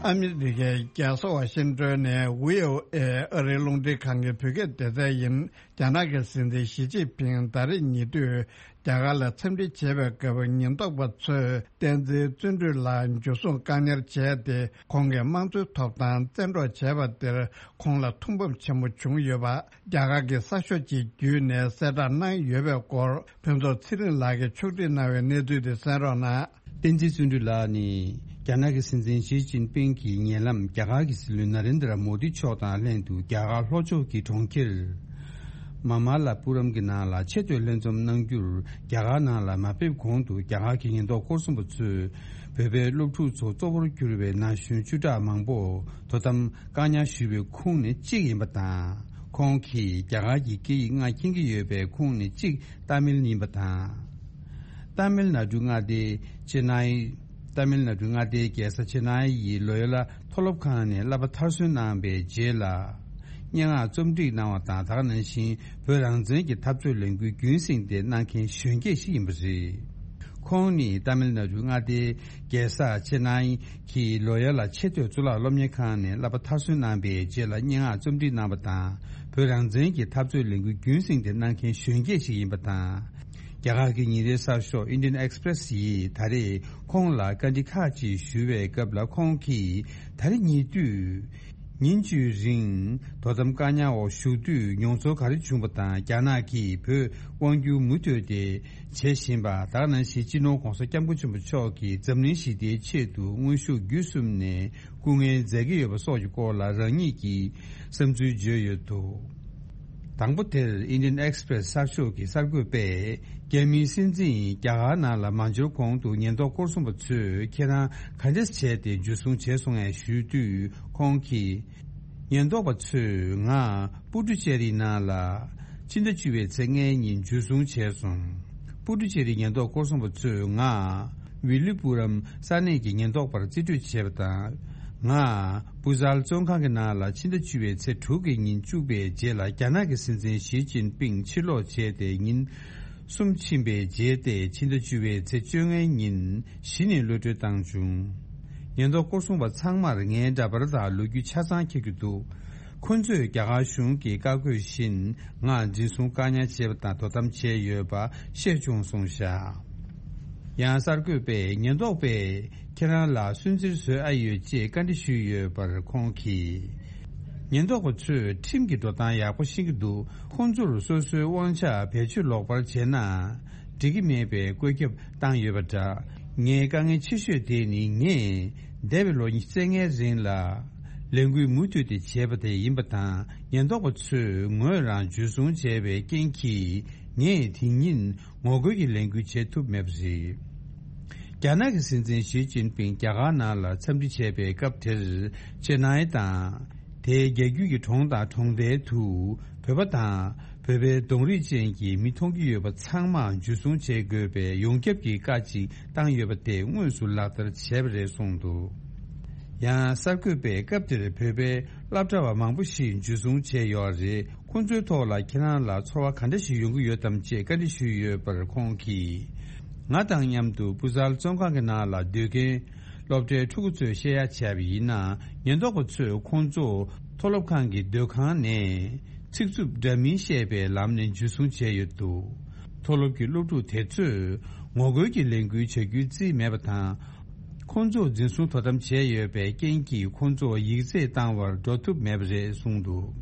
ཨ་མི་རི་ཀའི་རྒྱལ་ས་ཝ་ཤིང་ཏོན་ནས་ཝི་ཨོ་ཨེ་ཨ་རིའི་རླུང་འཕྲིན་ཁང་གི་བོད་སྐད་སྡེ་ཚན་ཡིན། རྒྱ་ནག་གི་སྲིད་འཛིན་ཞི་ཅིན་ཕིང་ད་རེས་ཉེ་དུས་རྒྱ་གར་ལ་འཚམས་འདྲི་བྱེད་པའི་སྐབས་ཉེན་རྟོག་པ་ཚོས་བསྟན་འཛིན་བརྩོན་འགྲུས་ལགས་འཇུ་བཟུང་བཀག་ཉར་བྱས་ཏེ་ཁོང་གི་དམངས་གཙོའི་ཐོབ་ཐང་བཙན་འཕྲོག་བྱས་པ་དེར་ཁོང་ལ་ཐུགས་ཕམ་ཆེན་པོ་བྱུང་ཡོད་པ་རྒྱ་གར་གྱི་གསར་ཤོག་ཅིག་བརྒྱུད་ནས་གསལ་བསྒྲགས་གནང་ཡོད་པའི་སྐོར་ཕུན་ཚོགས་ཚེ་རིང་ལགས་ཀྱིས་ཕྱོགས་སྒྲིག་གནང་བའི་གནས་ཚུལ་དེ་གསན་རོགས་གནང་། བསྟན་འཛིན་བརྩོན་འགྲུས་ལགས་ནི་རྒྱ་ནག་གི་སྲིད་འཛིན་ཞི་ཅིན་ཕིང་གི་ཉེ་ལམ་རྒྱ་གར་གྱི་སྲིད་བློན་ན་རེན་དྲ་མོ་དི་མཆོག་དང་ལྷན་དུ་རྒྱ་གར་ལྷོ་ཕྱོགས་ཀྱི་གྲོང་ཁྱེར་མ་མ་ལ་པུ་རམ་གྱི་ནང་ལ་ཆེས་མཐོའི་ལྷན་འཛོམས་གནང་རྒྱུར་རྒྱ་གར་ནང་ལ་མ་ཕེབས་གོང་དུ་རྒྱ་གར་གྱི་ཉེན་རྟོག་སྐོར་གསུམ་པ་ཚོས་བོད་པའི་སློབ་ཕྲུག་ཚོ་གཙོ་བོར་གྱུར་པའི་ན་གཞོན་བཅུ་ཕྲག་མང་པོ་དོ་དམ་བཀག་ཉར་ཞུས་པའི་ཁོངས་ནས་གཅིག་ཡིན་པ་དང་། ཁོང་གིས་རྒྱ་གར་གྱི་སྐད་ཡིག་ལྔ་མཁྱེན་གྱི་ཡོད་པའི་ཁོངས་ནས་གཅིག་ཏཱ་མིལ་ཡིན་པ་དང་། ཏཱ་མིལ་ནཱ་ཌུ་མངའ་སྡེའི་ཅེ་ནའི། ཏཱ་མིལ་ནཱ་ཌུ་མངའ་སྡེའི་རྒྱལ་ས་ཅེ་ནའི་ཡི་ལོ་ཡོ་ལ་མཐོ་སློབ་ཁང་ནས་བསླབ་པ་མཐར་སོན་གནང་བའི་རྗེས་ལ། སྙན་ངག་རྩོམ་སྒྲིག་གནང་བ་དང་། ད་ག་ནང་བཞིན་བོད་རང་བཙན་གྱི་འཐབ་རྩོད་ལས་འགུལ་རྒྱུན་བསྲིངས་ཏེ་གནང་མཁན་གཞོན་སྐྱེས་ཤིག་ཡིན་པ་རེད། ཁོང་ནི་ཏཱ་མིལ་ནཱ་ཌུ་མངའ་སྡེའི་རྒྱལ་ས་ཅེ་ནའི་གི་ལོ་ཡོ་ལ་ཆེས་མཐོའི་གཙུག་ལག་སློབ་གཉེར་ཁང་ནས་བསླབ་པ་མཐར་སོན་གནང་བའི་རྗེས་ལ་སྙན་ངག་རྩོམ་སྒྲིག་གནང་བ་དང་། བོད་རང་བཙན་གྱི་འཐབ་རྩོད་ལས་འགུལ་རྒྱུན་བསྲིངས་ཏེ་གནང་མཁན་གཞོན་སྐྱེས་ཤིག་ཡིན་པ་དང་། རྒྱ་གར་གྱི་ཉིན་རེའི་གསར་ཤོག་Indian Express ཡིས་ད་རེས་ཁོང་ལ་བཀའ་འདྲི་ཁག་ཅིག་ཞུ་བའི་སྐབས་ལ་ཁོང་གིས་ད་རེས་ཉེ་དུས་ ཉིན་བཅུའི་རིང་དོ་དམ་བཀག་ཉར་འོག་བཞུགས་དུས་མྱོང་ཚོར་ག་རེ་བྱུང་པ་དང་། རྒྱ་ནག་གིས་བོད་དབང་བསྒྱུར་མུ་མཐུད་དེ་བྱེད་བཞིན་པ། ད་ག་ནང་བཞིན་སྤྱི་ནོར་༧གོང་ས་༧སྐྱབས་མགོན་ཆེན་པོ་མཆོག་གིས་འཛམ་གླིང་ཞི་བདེའི་ཆེད་དུ་དངོས་ཤུགས་བརྒྱུད་གསུམ་ནས་སྐུ་ངལ་མཛད་ཀྱི་ཡོད་པ་སོགས་ཀྱི་སྐོར་ལ་རང་ཉིད་ཀྱི་བསམ་ཚུལ་བརྗོད་ཡོད་འདུག། དང་པོ་དེར་Indian Express་གསར་ཤོག་གི་གསར་འགོད་པས། རྒྱ་མིའི་སྲིད་འཛིན་རྒྱ་གར་ནང་ལ་མ་འབྱོར་གོང་དུ་ཉེན་རྟོག་སྐོར་སྲུང་པ་ཚོས་ཁྱེད་རང་ག་འདྲ་བྱས་ཏེ་འཇུ་བཟུང་བྱས་སོང་ངས་ཞུས་དུས། ཁོང་གིས། ཉེན་རྟོག་པ་ཚོས་ང་པུ་ཏུ་ཅེ་རི་ནང་ལ་ཕྱི་ཟླ་བཅུ་པའི་ཚེས་ལྔའི་ཉིན་འཇུ་བཟུང་བྱས་སོང་། པུ་ཏུ་ཅེ་རི་ཉེན་རྟོག་སྐོར་སྲུང་པ་ཚོས་ང་ཝི་ལི་པུ་རམ་ས་གནས་ཀྱི་ཉེན་རྟོག་པར་རྩིས་སྤྲོད་བྱས་པ་དང་། ང་པུ་ཟལ་བཙོན་ཁང་གི་ནང་ལ་ཕྱི་ཟླ་བཅུ་པའི་ཚེས་དྲུག་གི་ཉིན་བཅུག་པའི་རྗེས་ལ། རྒྱ་ནག་གི་སྲིད་འཛིན་ཞི་ཅིན་ཕིང་ཕྱིར་ལོག་བྱས་ཏེ་ཉིན་གསུམ་ཕྱིན་པའི་རྗེས་ཏེ། ཕྱི་ཟླ་བཅུ་པའི་ཚེས་བཅོ་ལྔའི་ཉིན་གཞི་ནས་གློད་གྲོལ་བཏང་བྱུང་། ཉེན་རྟོག་སྐོར་སྲུང་པ་ཚང་མར་ངའི་འདྲ་པར་དང་ལོ་རྒྱུས་ཆ་ཚང་འཁྱེར་གྱི་འདུག། ཁོ་ཚོས་རྒྱ་གར་གཞུང་གི་བཀའ་བཀོད་བཞིན་ང་འཛིན་བཟུང་བཀག་ཉར་བྱས་པ་དང་དོ་དམ་བྱས་ཡོད་པ་ཤེས་བྱུང་གསུངས་བཞག། ཡང་གསར་འགོད་པས་ཉེན་རྟོག་པས་ཁྱེད་རང་ལ་སུན་གཙེར་བཟོས་ཨ་ཡོད་ཅེས་བཀའ་འདྲི་ཞུས་ཡོད་པར་ཁོང་གིས། ཉེན་རྟོག་པ་ཚོས་ཁྲིམས་ཀྱི་འགྲོ་སྟངས་ཡག་པོ་ཤེས་ཀྱི་འདུག། ཁོང་ཚོར་སོ་སོའི་དབང་ཆ་བེད་སྤྱོད་ལོག་པར་བྱས་ན་འགྲིག་གི་མེད་པའི་བཀོད་ཁྱབ་བཏང་ཡོད་པ་འདྲ། ངའི་དཀའ་ངལ་ཆེ་ཤོས་དེ་ནི། ངས་འདས་པའི་ལོ་ཉི་ཤུ་རྩ་ལྔའི་རིང་ལ་ལས་འགུལ་མུ་མཐུད་དེ་བྱས་པ་དེ་ཡིན་པ་དང་། ཉེན་རྟོག་པ་ཚོས་ངོས་རང་འཇུ་བཟུང་བྱས་པའི་རྐྱེན་གྱིས་ངས་དེ་ཉིན་ངོ་རྒོལ་གྱི་ལས་འགུལ་བྱེད་ཐུབ་མེད་པ་རེད། རྒྱ་ནག་གི་སྲིད་འཛིན་ཞི་ཅིན་ཕིང་རྒྱ་གར་ནང་ལ་འཚམས་འདྲི་བྱས་པའི་སྐབས་དེར། ཅེ་ནའི་དང་། དེའི་རྒྱལ་རྒྱུད་ཀྱི་གྲོང་དང་གྲོང་རྡལ་དུ་བོད་པ་དང་བོད་པའི་གདོང་རིས་ཅན་གྱི་མི་མཐོང་གི་ཡོད་པ་ཚང་མ་འཇུ་བཟུང་བྱེད་དགོས་པའི་ཡོངས་ཁྱབ་ཀྱི་བཀའ་ཅིག་བཏང་ཡོད་པ་དེ་དངོས་སུ་ལག་བསྟར་བྱས་པ་རེད་གསུངས་འདུག། ཡང་གསར་འགོད་པས་སྐབས་དེར་བོད་པའི་སློབ་གྲྭ་བ་མང་པོ་ཞིག་འཇུ་བཟུང་བྱས་ཡོད་རེད། ཁོང་ཚོའི་ཐོག་ལ་ཁྱེད་རང་ལ་ཚོར་བ་ག་འདྲ་ཞིག་ཡོང་གི་ཡོད་དམ་ཅེས་བཀའ་འདྲི་ཞུས་ཡོད་པར་ཁོང་གིས། ང་དང་མཉམ་དུ་པུ་ཟལ་བཙོན་ཁང་གི་ནང་ལ་སྡོད་མཁན་སློབ་གྲྭའི་ཕྲུ་གུ་ཚོས་བཤད་ཡ་བྱས་པ་ཡིན་ན། ཉེན་རྟོག་པ་ཚོས་ཁོང་ཚོ་མཐོ་སློབ་ཁང་གི་སྡོད་ཁང་ནས་ཚིག་རྩུབ་འདྲ་མིན་བཤད་པའི་ལམ་ནས་འཇུ་བཟུང་བྱས་ཡོད་འདུག། མཐོ་སློབ་ཀྱི་སློབ་ཕྲུག་དེ་ཚོས་ངོ་རྒོལ་གྱི་ལས་འགུལ་བྱ་རྒྱུའི་རྩིས་མེད་པ་དང་། ཁོང་ཚོ་འཛིན་བཟུང་དོ་དམ་བྱས་ཡོད་པའི་རྐྱེན་གྱིས། ཁོང་ཚོ་ཡིག་ཚད་བཏང་བར་འགྲོ་ཐུབ་མེད་པ་རེད་གསུངས་འདུག།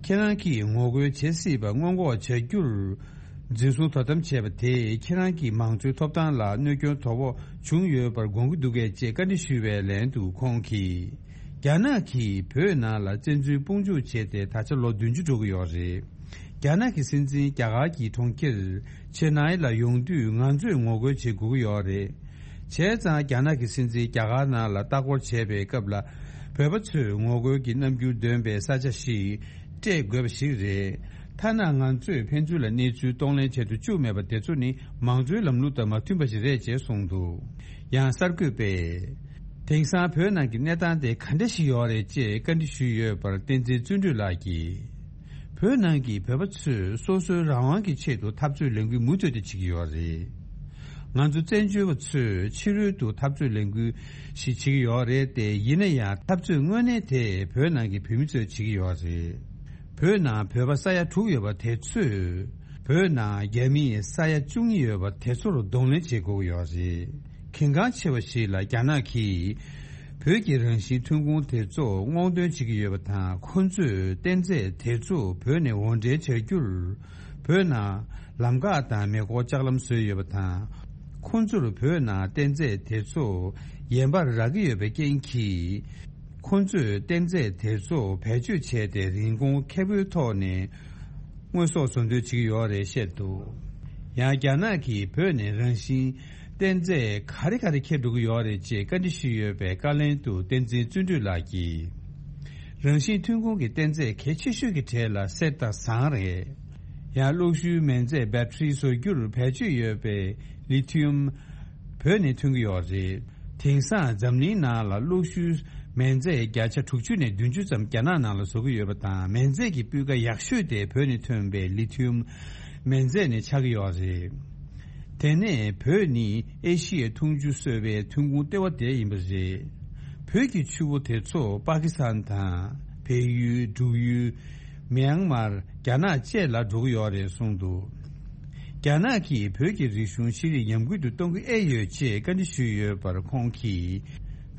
ཁྱེད་རང་གིས་ངོ་རྒོལ་བྱེད་སྲིད་པ་སྔོན་འགོག་བྱ་རྒྱུར་འཛིན་བཟུང་དོ་དམ་བྱས་པ་དེས་ཁྱེད་རང་གི་མང་གཙོའི་ཐོབ་ཐང་ལ་གནོད་སྐྱོན་དོ་ཕོག་བྱུང་ཡོད་པར་དགོངས་ཀྱི་འདུག་གས་ཅེས་བཀའ་འདྲི་ཞུས་པའི་ལན་དུ་ཁོང་གིས། རྒྱ་ནག་གིས་བོད་ནང་ལ་བཙན་འཛུལ་དཔུང་འཇུག་བྱས་ཏེ་ད་ཆ་ལོ་བདུན་ཅུ་འགྲོ་གི་ཡོད་རེད། རྒྱ་ནག་གི་སྲིད་འཛིན་རྒྱ་གར་གྱི་གྲོང་ཁྱེར་ཆེ་ནའི་ལ་ཡོང་དུས་ང་ཚོས་ངོ་རྒོལ་བྱེད་དགོས་ཀྱི་ཡོད་རེད། བྱས་ཙང་རྒྱ་ནག་གི་སྲིད་འཛིན་རྒྱ་གར་ནང་ལ་ལྟ་སྐོར་བྱས་པའི་སྐབས་ལ་བོད་པ་ཚོས་ངོ་རྒོལ་གྱི་རྣམ་འགྱུར་འདོན་པའི་ས་ཆ་ཞིག་སྤྲད་དགོས་པ་ཞིག་རེད། ཐ་ན་ང་ཚོས་ཕན་ཚུན་ལ་གནས་ཚུལ་གཏོང་ལེན་བྱེད་དུ་བཅུག་མེད་པ་དེ་ཚོ་ནི་མང་གཙོའི་ལམ་ལུགས་དང་མ་མཐུན་པ་ཞིག་རེད་ཅེས་གསུངས་འདུག། ཡང་གསར་འགོད་པས། དེང་སང་བོད་ནང་གི་གནས་སྟངས་དེ་ག་འདྲ་ཞིག་ཡོད་རེད་ཅེས་བཀའ་འདྲི་ཞུས་ཡོད་པར། བསྟན་འཛིན་བརྩོན་འགྲུས་ལགས་ཀྱིས། བོད་ནང་གི་བོད་པ་ཚོས་སོ་སོའི་རང་དབང་གི་ཆེད་དུ་འཐབ་རྩོད་ལས་འགུལ་མུ་མཐུད་དུ་བྱེད་ཀྱི་ཡོད་རེད། ང་ཚོ་བཙན་བྱོལ་བ་ཚོས་ཕྱི་རོལ་དུ་འཐབ་རྩོད་ལས་འགུལ་ཞིག་བྱེད་ཀྱི་ཡོད་རེད་དེ། ཡིན་ན་ཡང་འཐབ་རྩོད་དངོས་གནས་དེ་བོད་ནང་གི་བོད་མི་ཚོས་བྱེད་ཀྱི་ཡོད་རེད། བོད་ནང་བོད་པ་ས་ཡ་དྲུག་ཡོད་པ་དེ་ཚོས་བོད་ནང་རྒྱ་མི་ས་ཡ་བཅུ་གཉིས་ཡོད་པ་དེ་ཚོར་གདོང་ལེན་བྱེད་དགོས་ཀྱི་ཡོད་རེད། གལ་འགངས་ཆེ་བ་ཞིག་ལ་རྒྱ་ནག་གིས་བོད་ཀྱི་རང་བཞིན་ཐོན་ཁུངས་དེ་ཚོ་སྔོག་འདོན་བྱེད་ཀྱི་ཡོད་པ་དང་། ཁོ་ཚོས་གཏན་རྫས་དེ་ཚོ་བོད་ནས་འོར་འདྲེན་བྱ་རྒྱུར་བོད་ནང་ལམ་ཁ་དང་མེ་འཁོར་ལྕགས་ལམ་བཟོས་ཡོད་པ་དང་། ཁོ་ཚོར་བོད་ནང་གཏན་རྫས་དེ་ཚོ་ཡན་པར་རག་གི་ཡོད་པའི་རྐྱེན་གྱིས། ཁོ་ཚོས་གཏན་རྫས་དེ་ཚོ་བེད་སྤྱོད་བྱས་ཏེ་རིན་གོང་ཁེ་པོའི་ཐོག་ནས་དངོས་ཟོག་བཟོ་འདོད་བྱེད་ཀྱི་ཡོད་རེད་བཤད་འདུག། ཡང་རྒྱ་ནག་གིས་བོད་ནས་རང་བཞིན་གཏན་རྫས་ག་རེ་ག་རེ་འཁྱེར་འགྲོ་གི་ཡོད་རེད་ཅེས་བཀའ་འདྲི་ཞུས་ཡོད་པའི་བཀའ་ལན་དུ། བསྟན་འཛིན་བརྩོན་འགྲུས་ལགས་ཀྱིས། རང་བཞིན་ཐོན་ཁུངས་ཀྱི་གཏན་རྫས་གལ་ཆེ་ཤོས་ཀྱི་གྲས་ལ་གསེར་དང་ཟངས་རེད། ཡང་གློག་ཤུགས་མེ་རྫས་བེ་ཏྲི་བཟོ་རྒྱུར་བེད་སྤྱོད་ཡོད་པའི་ལི་ཐི་ཡམ་བོད་ནས་ཐོན་གྱི་ཡོད་རེད། དེང་སང་འཛམ་གླིང་ནང་ལ་གློག་ཤུགས་མེ་རྫས་བརྒྱ་ཆ་དྲུག་ཅུ་ནས་བདུན་ཅུ་ཙམ་རྒྱ་ནག་ནང་ལ་བཟོ་གི་ཡོད་པ་དང་། མེ་རྫས་ཀྱི་སྤུས་ཀ་ཡག་ཤོས་དེ་བོད་ནས་ཐོན་པའི་ལི་ཐི་ཡམ་མེ་རྫས་ནས་ཆགས་ཀྱི་ཡོད་རེད། དེ་ནས་བོད་ནི་ཨེ་ཤི་ཡའི་འཐུང་ཆུ་གསོད་པའི་ཐོན་ཁུངས་ལྟེ་བ་དེ་ཡིན་པ་རེད། བོད་ཀྱི་ཆུ་བོ་དེ་ཚོ་པ་ཀི་སི་ཐན་དང་བལ་ཡུལ། འབྲུག་ཡུལ། མེན་མར། རྒྱ་ནག་བཅས་ལ་འགྲོ་གི་ཡོད་རེད་གསུངས་འདུག། རྒྱ་ནག་གིས་བོད་ཀྱི་རིག་གཞུང་ཤེས་རིག་ཉམས་རྒུད་དུ་གཏོང་གི་ཨེ་ཡོད་ཅེས་བཀའ་འདྲི་ཞུས་ཡོད་པར་ཁོང་གིས།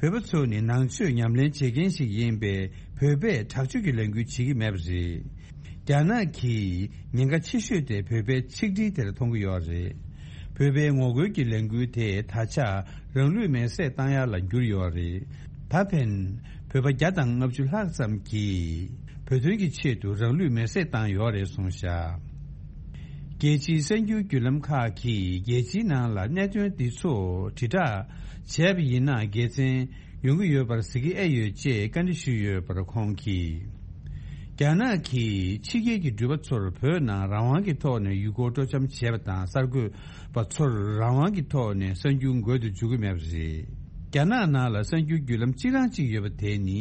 བོད་པ་ཚོ་ནི་ནང་ཆོས་ཉམས་ལེན་བྱེད་མཁན་ཞིག་ཡིན་པས། བོད་པས་དྲག་སྤྱོད་ཀྱི་ལས་འགུལ་བྱེད་ཀྱི་མེད་པ་རེད། རྒྱ་ནག་གིས་ཉེན་ཁ་ཆེ་ཤོས་དེ་བོད་པའི་ཆིག་སྒྲིལ་དེར་མཐོང་གི་ཡོད་རེད། བོད་པའི་ངོ་རྒོལ་གྱི་ལས་འགུལ་དེ་ད་ཆ་རང་ལུས་མེར་སྲེག་བཏང་ཡ་ལ་གྱུར་ཡོད་རེད། ད་ཕན་བོད་པ་བརྒྱ་དང་ལྔ་བཅུ་ལྷག་ཙམ་གྱིས་བོད་དོན་གྱི་ཆེད་དུ་རང་ལུས་མེར་སྲེག་བཏང་ཡོད་རེད་གསུངས་བཞག་རྒྱལ་སྤྱིའི་གསར་འགྱུར་བརྒྱུད་ལམ་ཁག་གིས་རྒྱལ་སྤྱིའི་ནང་ལ་གནད་དོན་འདི་ཚོ་དྲིལ་བསྒྲགས་བྱས་པ་ཡིན་ན། དགེ་མཚན་ཡོང་གི་ཡོད་པར་གཟིགས་ཀྱི་ཨེ་ཡོད་ཅེས་བཀའ་འདྲི་ཞུས་ཡོད་པར་ཁོང་གིས། རྒྱ་ནག་གིས་ཕྱི་རྒྱལ་གྱི་འགྲུལ་པ་ཚོར་བོད་ནང་རང་དབང་གི་ཐོག་ནས་ཡུལ་སྐོར་སྤྲོ་འཆམ་བྱེད་པ་དང་། གསར་འགོད་པ་ཚོར་རང་དབང་གི་ཐོག་ནས་གསར་འགྱུར་འགོད་དུ་འཇུག་གི་མེད་པ་རེད། རྒྱ་ནག་ནང་ལ་གསར་འགྱུར་བརྒྱུད་ལམ་གཅིག་རང་གཅིག་ཡོད་པ་དེ་ནི།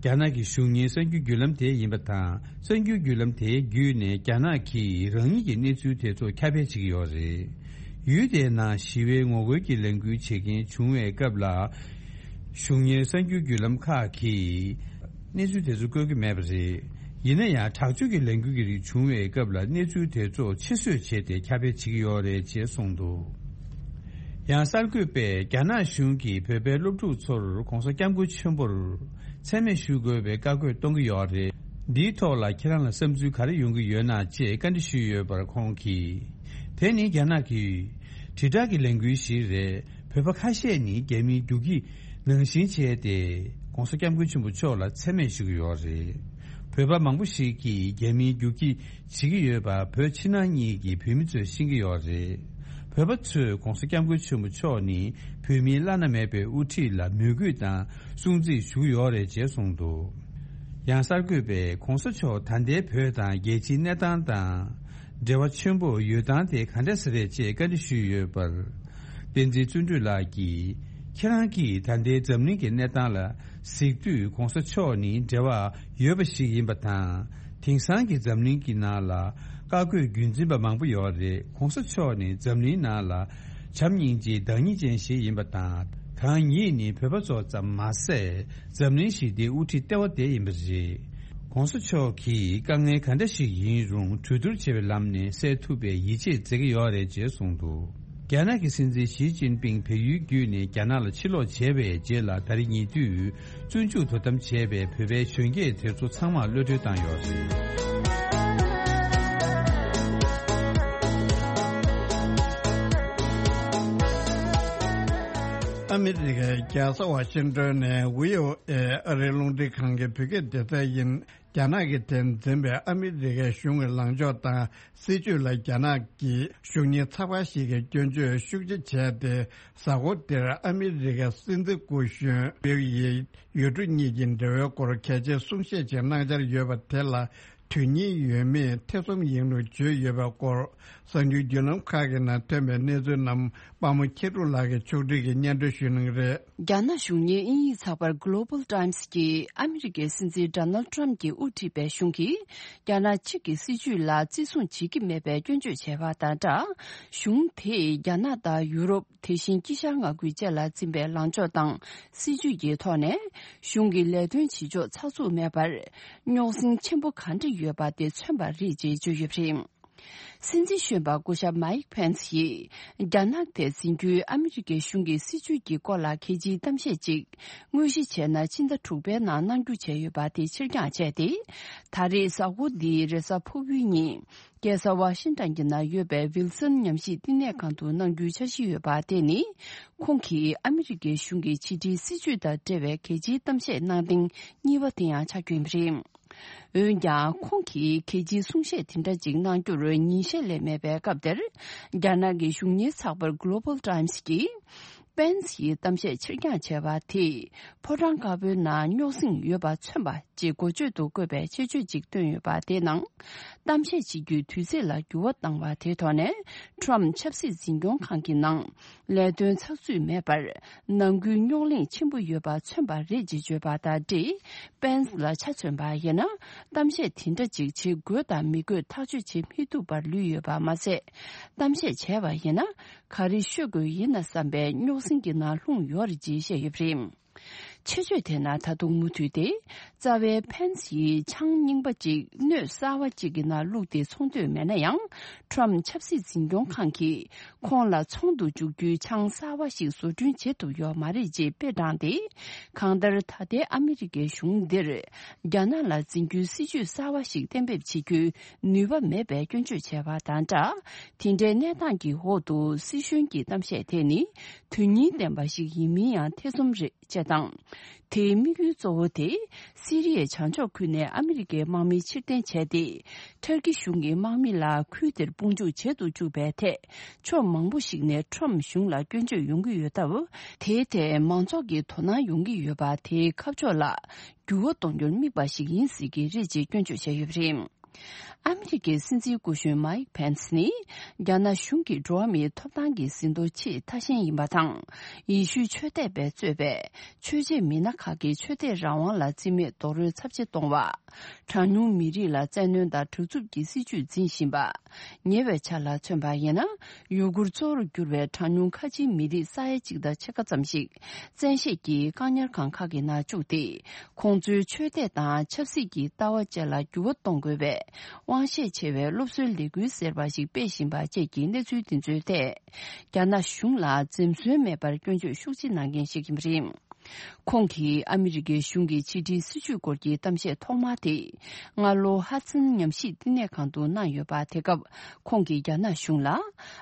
རྒྱ་ནག་གི་གཞུང་གཉེར་གསར་འགྱུར་བརྒྱུད་ལམ་དེ་ཡིན་པ་དང་། གསར་འགྱུར་བརྒྱུད་ལམ་དེའི་བརྒྱུད་ནས་རྒྱ་ནག་གིས་རང་ཉིད་ཀྱི་གནས་ཚུལ་དེ་ཚོ་ཁྱབ་སྤེལ་བྱེད་ཀྱི་ཡོད་རེད། ཡུལ་དེའི་ནང་ཞི་བའི་ངོ་རྒོལ་གྱི་ལས་འགུལ་བྱེད་མཁན་བྱུང་བའི་སྐབས་ལ། གཞུང་གཉེར་གསར་འགྱུར་བརྒྱུད་ལམ་ཁག་གིས་གནས་ཚུལ་དེ་ཚོ་བཀོད་ཀྱི་མེད་པ་རེད། ཡིན་ན་ཡང་། དྲག་སྤྱོད་ཀྱི་ལས་འགུལ་གྱི་རིགས་བྱུང་བའི་སྐབས་ལ། གནས་ཚུལ་དེ་ཚོ་ཕྱིར་བཟོས་བྱས་ཏེ་ཁྱབ་སྤེལ་བྱེད་ཀྱི་ཡོད་རེད་ཅེས་གསུངས་འདུག་ཡང་གསར་འགོད་པས་རྒྱ་ནག་གཞུང་གིས་བོད་པའི་སློབ་ཕྲུག་ཚོར་༸གོང་ས་༸སྐྱབས་མགོན་ཆེན་པོར་མཚན་སྨད་ཞུ་དགོས་པའི་བཀའ་བཀོད་གཏོང་གི་ཡོད་རེད། འདིའི་ཐོག་ལ་ཁྱེད་རང་ལ་བསམ་ཚུལ་ག་རེ་ཡོང་གི་ཡོད་ན་ཅེས་བཀའ་འདྲི་ཞུས་ཡོད་པར་ཁོང་གིས། དེ་ནི་རྒྱ་ནག་གི་དྲིལ་བསྒྲགས་ཀྱི་ལས་འགུལ་ཞིག་རེད། བོད་པ་ཁ་ཤས་ནི་རྒྱ་མིའི་རྒྱུག་ཁྱི་ནང་བཞིན་བྱས་ཏེ། ༸གོང་ས་༸སྐྱབས་མགོན་ཆེན་པོ་མཆོག་ལ་མཚན་སྨད་ཞུ་གི་ཡོད་རེད། བོད་པ་མང་པོ་ཞིག་གིས་རྒྱ་མིའི་རྒྱུག་ཁྱི་བྱེད་ཀྱི་ཡོད་པ་བོད་ཕྱི་ནང་གཉིས་ཀྱི་བོད་མི་ཚོས་ཤེས་ཀྱི་ཡོད་རེད། བོད་པ་ཚོས་༸གོང་ས་༸སྐྱབས་མགོན་ཆེན་པོ་མཆོག་ནི་བོད་མིའི་བླ་ན་མེད་པའི་དབུ་ཁྲིད་ལ་མོས་གུས་དང་སྲུང་བརྩི་ཞུ་གི་ཡོད་རེད་ཅེས་གསུངས་འདུག་ཡང་གསར་འགོད་པས་༸གོང་ས་མཆོག་ད་ལྟའི་བོད་དང་རྒྱལ་སྤྱིའི་གནས་སྟངས་དང་འབྲེལ་བ་ཆེན་པོ་ཡོད་སྟངས་དེ་ག་འདྲ་ཞིག་རེད་ཅེས་བཀའ་འདྲི་ཞུས་ཡོད་པར། བསྟན་འཛིན་བརྩོན་འགྲུས་ལགས་ཀྱིས། ཁྱེད་རང་གིས་ད་ལྟའི་འཛམ་གླིང་གི་གནས་སྟངས་ལ་གཟིགས་དུས། ༸གོང་ས་མཆོག་ནི་འབྲེལ་བ་ཡོད་པ་ཞིག་ཡིན་པ་དང་། དེང་སང་གི་འཛམ་གླིང་གི་ནང་ལ་བཀའ་བཀོད་རྒྱུན་འཛིན་པ་མང་པོ་ཡོད་རེད། ༸གོང་ས་མཆོག་ནི་འཛམ་གླིང་ནང་ལ་བྱམས་སྙིང་རྗེའི་བདག་ཉིད་ཅན་ཞིག་ཡིན་པ་དང་། གང་ཉིད་ནི་བོད་པ་ཚོ་ཙམ་མ་ཟད། འཛམ་གླིང་ཞི་བདེའི་དབུ་ཁྲིད་ལྟེ་བ་དེ་ཡིན་པ་རེད། ༸གོང་ས་མཆོག་གིས་དཀའ་ངལ་ག་འདྲ་ཞིག་ཡིན་རུང་། གྲོས་བསྡུར་བྱེད་པའི་ལམ་ནས་སེལ་ཐུབ་པའི་ཡིད་ཆེས་མཛད་ཀྱི་ཡོད་རེད་ཅེས་གསུངས་འདུག་རྒྱ་ནག་གི་སྲིད་འཛིན་ཞི་ཅིན་ཕིང་བལ་ཡུལ་བརྒྱུད་ནས་རྒྱ་ནག་ལ་ཕྱིར་ལོག་བྱས་པའི་རྗེས་ལ། ད་རེས་ཉེ་དུས་བཙོན་འཇུག་དོ་དམ་བྱས་པའི་བོད་པའི་གཞོན་སྐྱེས་དེ་ཚོ་ཚང་མར་གློད་གྲོལ་བཏང་ཡོད་རེད། ཨ་མི་རི་ཀའི་རྒྱལ་ས་ཝ་ཤིང་ཏོན་ནས་ཝི་ཨོ་ཨེ་ཨ་རིའི་རླུང་འཕྲིན་ཁང་གི་བོད་སྐད་སྡེ་ཚན་ཡིན། རྒྱ་ནག་གིས་དེར་འཛིན་པའི་ཨ་མི་རི་ཀའི་གཞུང་གི་ལངས་ཕྱོགས་དང་སྲིད་བྱུས་ལ། རྒྱ་ནག་གི་གཞུང་གཉེར་ཚགས་པར་ཞིག་གིས་སྐྱོན་བརྗོད་ཤུགས་ཆེ་བྱས་ཏེ། གཟའ་འཁོར་འདིར་ཨ་མི་རི་ཀའི་སྲིད་འཛིན་སྐུ་གཞོན་པེའུ་ཡི་ཡུལ་གྲུ་གཉིས་ཀྱི་འབྲེལ་བའི་སྐོར་གལ་ཆེའི་གསུང་བཤད་ཅིག་གནང་འཆར་ཡོད་པ་དེ་ལ་དོན་སྙིང་ཡོད་མེད་ཐེ་ཚོམ་ཡིན་ལུགས་བརྗོད་ཡོད་པའི་སྐོར། གསར་འགྱུར་བརྒྱུད་ལམ་ཁག་གི་ནང་ཐོན་པའི་གནས་ཚུལ་རྣམས། དཔའ་མོ་མཁྱེན་གྲུབ་ལགས་ཀྱིས་ཕྱོགས་སྒྲིག་གིས་སྙན་སྒྲོན་ཞུ་གནང་གི་རེད། རྒྱ་ནག་གཞུང་གཉེར་དབྱིན་ཡིག་ཚགས་པར་Global Times་གྱིས། ཨ་མི་རི་ཀའི་སྲིད་འཛིན་Donald Trump་གྱིས་དབུ་ཁྲིད་པའི་གཞུང་གིས། རྒྱ་ནག་གཅིག་གི་སྲིད་བྱུས་ལ་བརྩི་སྲུང་བྱེད་ཀྱི་མེད་པའི་སྐྱོན་བརྗོད་བྱས་པ་དང་སྦྲགས། གཞུང་དེས་རྒྱ་ནག་དང་ཡུ་རོབ། དེ་བཞིན་དཀྱིལ་ཤར་མངའ་ཁུལ་བཅས་ལ་འཛིན་པའི་ལངས་ཕྱོགས་དང་སྲིད་བྱུས་ཀྱི་ཐོག་ནས། གཞུང་གི་ལས་དོན་བྱེད་ཕྱོགས་ཚགས་ཚུད་མེད་པར། རྙོག་ཟིང་ཆེན་པོ་གང་འདྲ་ཡོད་པ་དེ་མཚོན་པ་རེད་ཅེས་བརྗོད་ཡོད་པ་རེད། སྲིད་འཛིན་གཞོན་པ་སྐུ་ཞབས་Mike Pence་ཡིས། རྒྱ་ནག་དེར་འཛིན་རྒྱུའི་ཨ་མི་རི་ཀའི་གཞུང་གི་སྲིད་བྱུས་ཀྱི་སྐོར་ལ་གལ་ཆེའི་གཏམ་བཤད་ཅིག་དངོས་གཞི་བྱས་ན་ཕྱི་ཟླ་དྲུག་པའི་ནང་གནང་རྒྱུ་བྱས་ཡོད་པ་དེ་ཕྱིར་འགྱངས་བྱས་ཏེ། ད་རེས་གཟའ་འཁོར་འདིའི་རེས་གཟའ་ཕུར་བུའི་ཉིན། རྒྱལ་ས་ཝ་ཤིང་ཏོན་གྱི་ནང་ཡོད་པའི་ཝིལ་སོན་ཉམས་ཞིབ་བསྟི་གནས་ཁང་དུ་གནང་རྒྱུའི་འཆར་གཞི་ཡོད་པ་དེ་ནི། ཁོང་གིས་ཨ་མི་རི་ཀའི་གཞུང་གི་ཕྱི་འབྲེལ་སྲིད་བྱུས་དང་འབྲེལ་བའི་གལ་ཆེའི་གཏམ་བཤད་གནང་སྟེང་གཉིས་པ་དེ་ཡང་ཆགས་ཀྱི་ཡོད་པ་རེད། འོན་ཀྱང་། ཁོང་གིས་གལ་ཆེའི་གསུང་བཤད་དེ་འདྲ་ཅིག་གནང་རྒྱུར་ཉིན་ཤས་ལས་མེད་པའི་སྐབས་དེར། རྒྱ་ནག་གི་གཞུང་གཉེར་ཚགས་པར་Global Times་གྱིས། Pence་ཡིས་གཏམ་བཤད་ཕྱིར་འགྱངས་བྱས་པ་དེས། ཕོ་བྲང་དཀར་པོའི་ནང་རྙོག་ཟིང་ཡོད་པ་མཚོན་པ་ཅེས་འགོ་བརྗོད་དུ་བཀོད་པའི་ཆེད་བརྗོད་ཅིག་བཏོན་ཡོད་པ་དེའི་ནང་། གཏམ་བཤད་བྱེད་རྒྱུའི་དུས་ཚིགས་ལ་འགྱུར་བ་བཏང་བ་དེའི་ཐོག་ནས། Trump་ཆབ་སྲིད་འཛིན་སྐྱོང་ཁང་གི་ནང་། ལས་དོན་ཚགས་ཚུད་མེད་པར། ནང་ཁུལ་རྙོག་གླེང་ཆེན་པོ་ཡོད་པ་མཚོན་པ་རེད་ཅེས་བརྗོད་པ་དང་འབྲེལ། Pence་ལ་ཆ་མཚོན་པ་ཡིན་ན། གཏམ་བཤད་དེ་འདྲ་ཅིག་བྱེད་དགོས་དང་མི་དགོས་ཐག་གཅོད་བྱེད་མི་ཐུབ་པར་ལུས་ཡོད་པ་མ་ཟད། གཏམ་བཤད་བྱས་པ་ཡིན་ན། ག་རེ་ཤོད་དགོས་ཡིན་ན་བསམ་པའི་རྙོག་ཟིང་གི་ནང་ལྷུང་ཡོད་རེད་ཅེས་བཤད་ཡོད་པ་རེད། ཆེ་བརྗོད་དེ་ན་ད་དུང་མུ་མཐུད་དེ། རྩ་བའི་ཕན་སི་ཡིས་ཆང་རྙིང་པ་གཅིག་སྣོད་གསར་བ་གཅིག་གི་ནང་བླུགས་ཏེ་འཚོང་འདོད་མེད་ན་ཡང་། ཁྲོམ་ཆབ་སྲིད་འཛིན་སྐྱོང་ཁང་གིས་ཁོང་ལ་ཚོང་དུ་འཇུག་རྒྱུའི་ཆང་གསར་བ་ཞིག་བཟོ་སྐྲུན་བྱེད་ཐུབ་ཡོད་མ་རེད་ཅེས་དཔེ་དྲངས་ཏེ། གང་ལྟར་ད་ལྟའི་ཨ་མི་རི་ཀའི་གཞུང་འདིར་རྒྱ་ནག་ལ་འཛིན་རྒྱུའི་སྲིད་ཇུས་གསར་བ་ཞིག་གཏན་འབེབས་བྱེད་རྒྱུའི་ནུས་པ་མེད་པའི་སྐྱོན་བརྗོད་བྱས་པ་དང་སྦྲགས། དེ་འདྲའི་གནས་སྟངས་ཀྱི་འོག་ཏུ་སྲིད་གཞུང་གི་གཏམ་བཤད་དེ་ནི་དོན་སྙིང་ལྡན་པ་ཞིག་ཡིན་མིན་ཡང་ཐེ་ཚོམ་རེད། ཅེས་དང་། དེའི་དམིགས་ཡུལ་གཙོ་བོ་དེ། སི་རི་ཡའི་བྱང་ཕྱོགས་ཁུལ་ནས་ཨ་མི་རི་ཀའི་དམག་མི་ཕྱིར་འཐེན་བྱས་ཏེ། ཊར་ཀི་གཞུང་གི་དམག་མི་ལ་ཁུལ་དེར་དཔུང་འཇུག་བྱེད་དུ་བཅུག་པའི་ཐད། ཕྱོགས་མང་པོ་ཞིག་ནས་ཁྲོམ་གཞུང་ལ་སྐྱོན་བརྗོད་ཡོང་གི་ཡོད་སྟབས། དེའི་ཐད་མང་ཚོགས་ཀྱི་དོ་སྣང་ཡོང་གི་ཡོད་པ་དེའི་ཁ་ཕྱོགས་ལ་འགྱུར་བ་གཏོང་རྒྱུར་དམིགས་པ་ཞིག་ཡིན་སྲིད་ཀྱི་རེད་ཅེས་སྐྱོན་བརྗོད་བྱས་ཡོད་པ་རེད། ཨ་མི་རི་ཀའི་སྲིད་འཛིན་སྐུ་གཞོན་མའིག་ཕེན་སི་ནི། རྒྱ་ནག་གཞུང་གི་འགྲོ་བ་མིའི་ཐོབ་ཐང་གི་ཟིན་ཐོ་ཆེས་ཐ་ཞན་ཡིན་པ་དང་། ཡེ་ཤུའི་ཆོས་དད་པས་གཙོས་པའི་ཆོས་བྱེད་མི་སྣ་ཁག་གི་ཆོས་དད་རང་དབང་ལ་བརྩི་མེད་རྡོག་རོལ་ཚབས་ཆེ་གཏོང་བ། གྲངས་ཉུང་མི་རིགས་ལ་བཙན་གནོན་དང་དྲག་རྩུབ་ཀྱི་སྲིད་བྱུས་འཛིན་བཞིན་པ། ཉེ་བའི་ཆར་ལ་མཚོན་པ་ཡིན་ན། ཡུ་གུར་གཙོ་བོར་གྱུར་བའི་གྲངས་ཉུང་ཁ་ཆེའི་མི་རིགས་ས་ཡ་གཅིག་དང་ཕྱེད་ཀ་ཙམ་ཞིག་བཙན་ཤེད་ཀྱིས་བཀག་ཉར་ཁང་ཁག་གི་ནང་བཅུག་སྟེ། ཁོང་ཚོའི་ཆོས་དད་དང་ཆབ་སྲིད་ཀྱི་ལྟ་བ་བཅས་ལ་འགྱུར་བ་གཏོང་དགོས་པའི་དབང་ཤེད་ཆེ་བའི་སློབ་གསོའི་ལས་འགུལ་ཟེར་བ་ཞིག་སྤེལ་བཞིན་པ་བཅས་ཀྱི་གནས་ཚུལ་འདི་ཚོའི་ཐད། རྒྱ་ནག་གཞུང་ལ་འཛེམ་ཟོན་མེད་པར་སྐྱོན་བརྗོད་ཤུགས་ཆེ་གནང་མཁན་ཞིག་ཡིན་པ་རེད། ཁོང་གིས་ཨ་མི་རི་ཀའི་གཞུང་གི་ཕྱི་འབྲེལ་སྲིད་བྱུས་སྐོར་གྱི་གཏམ་བཤད་ཐོག་མ་དེ། སྔ་ལོ་ཧ་ཙིན་ཉམས་ཞིབ་བསྟི་གནས་ཁང་དུ་གནང་ཡོད་པ། དེ་སྐབས་ཁོང་གིས་རྒྱ་ནག་གཞུང་ལ།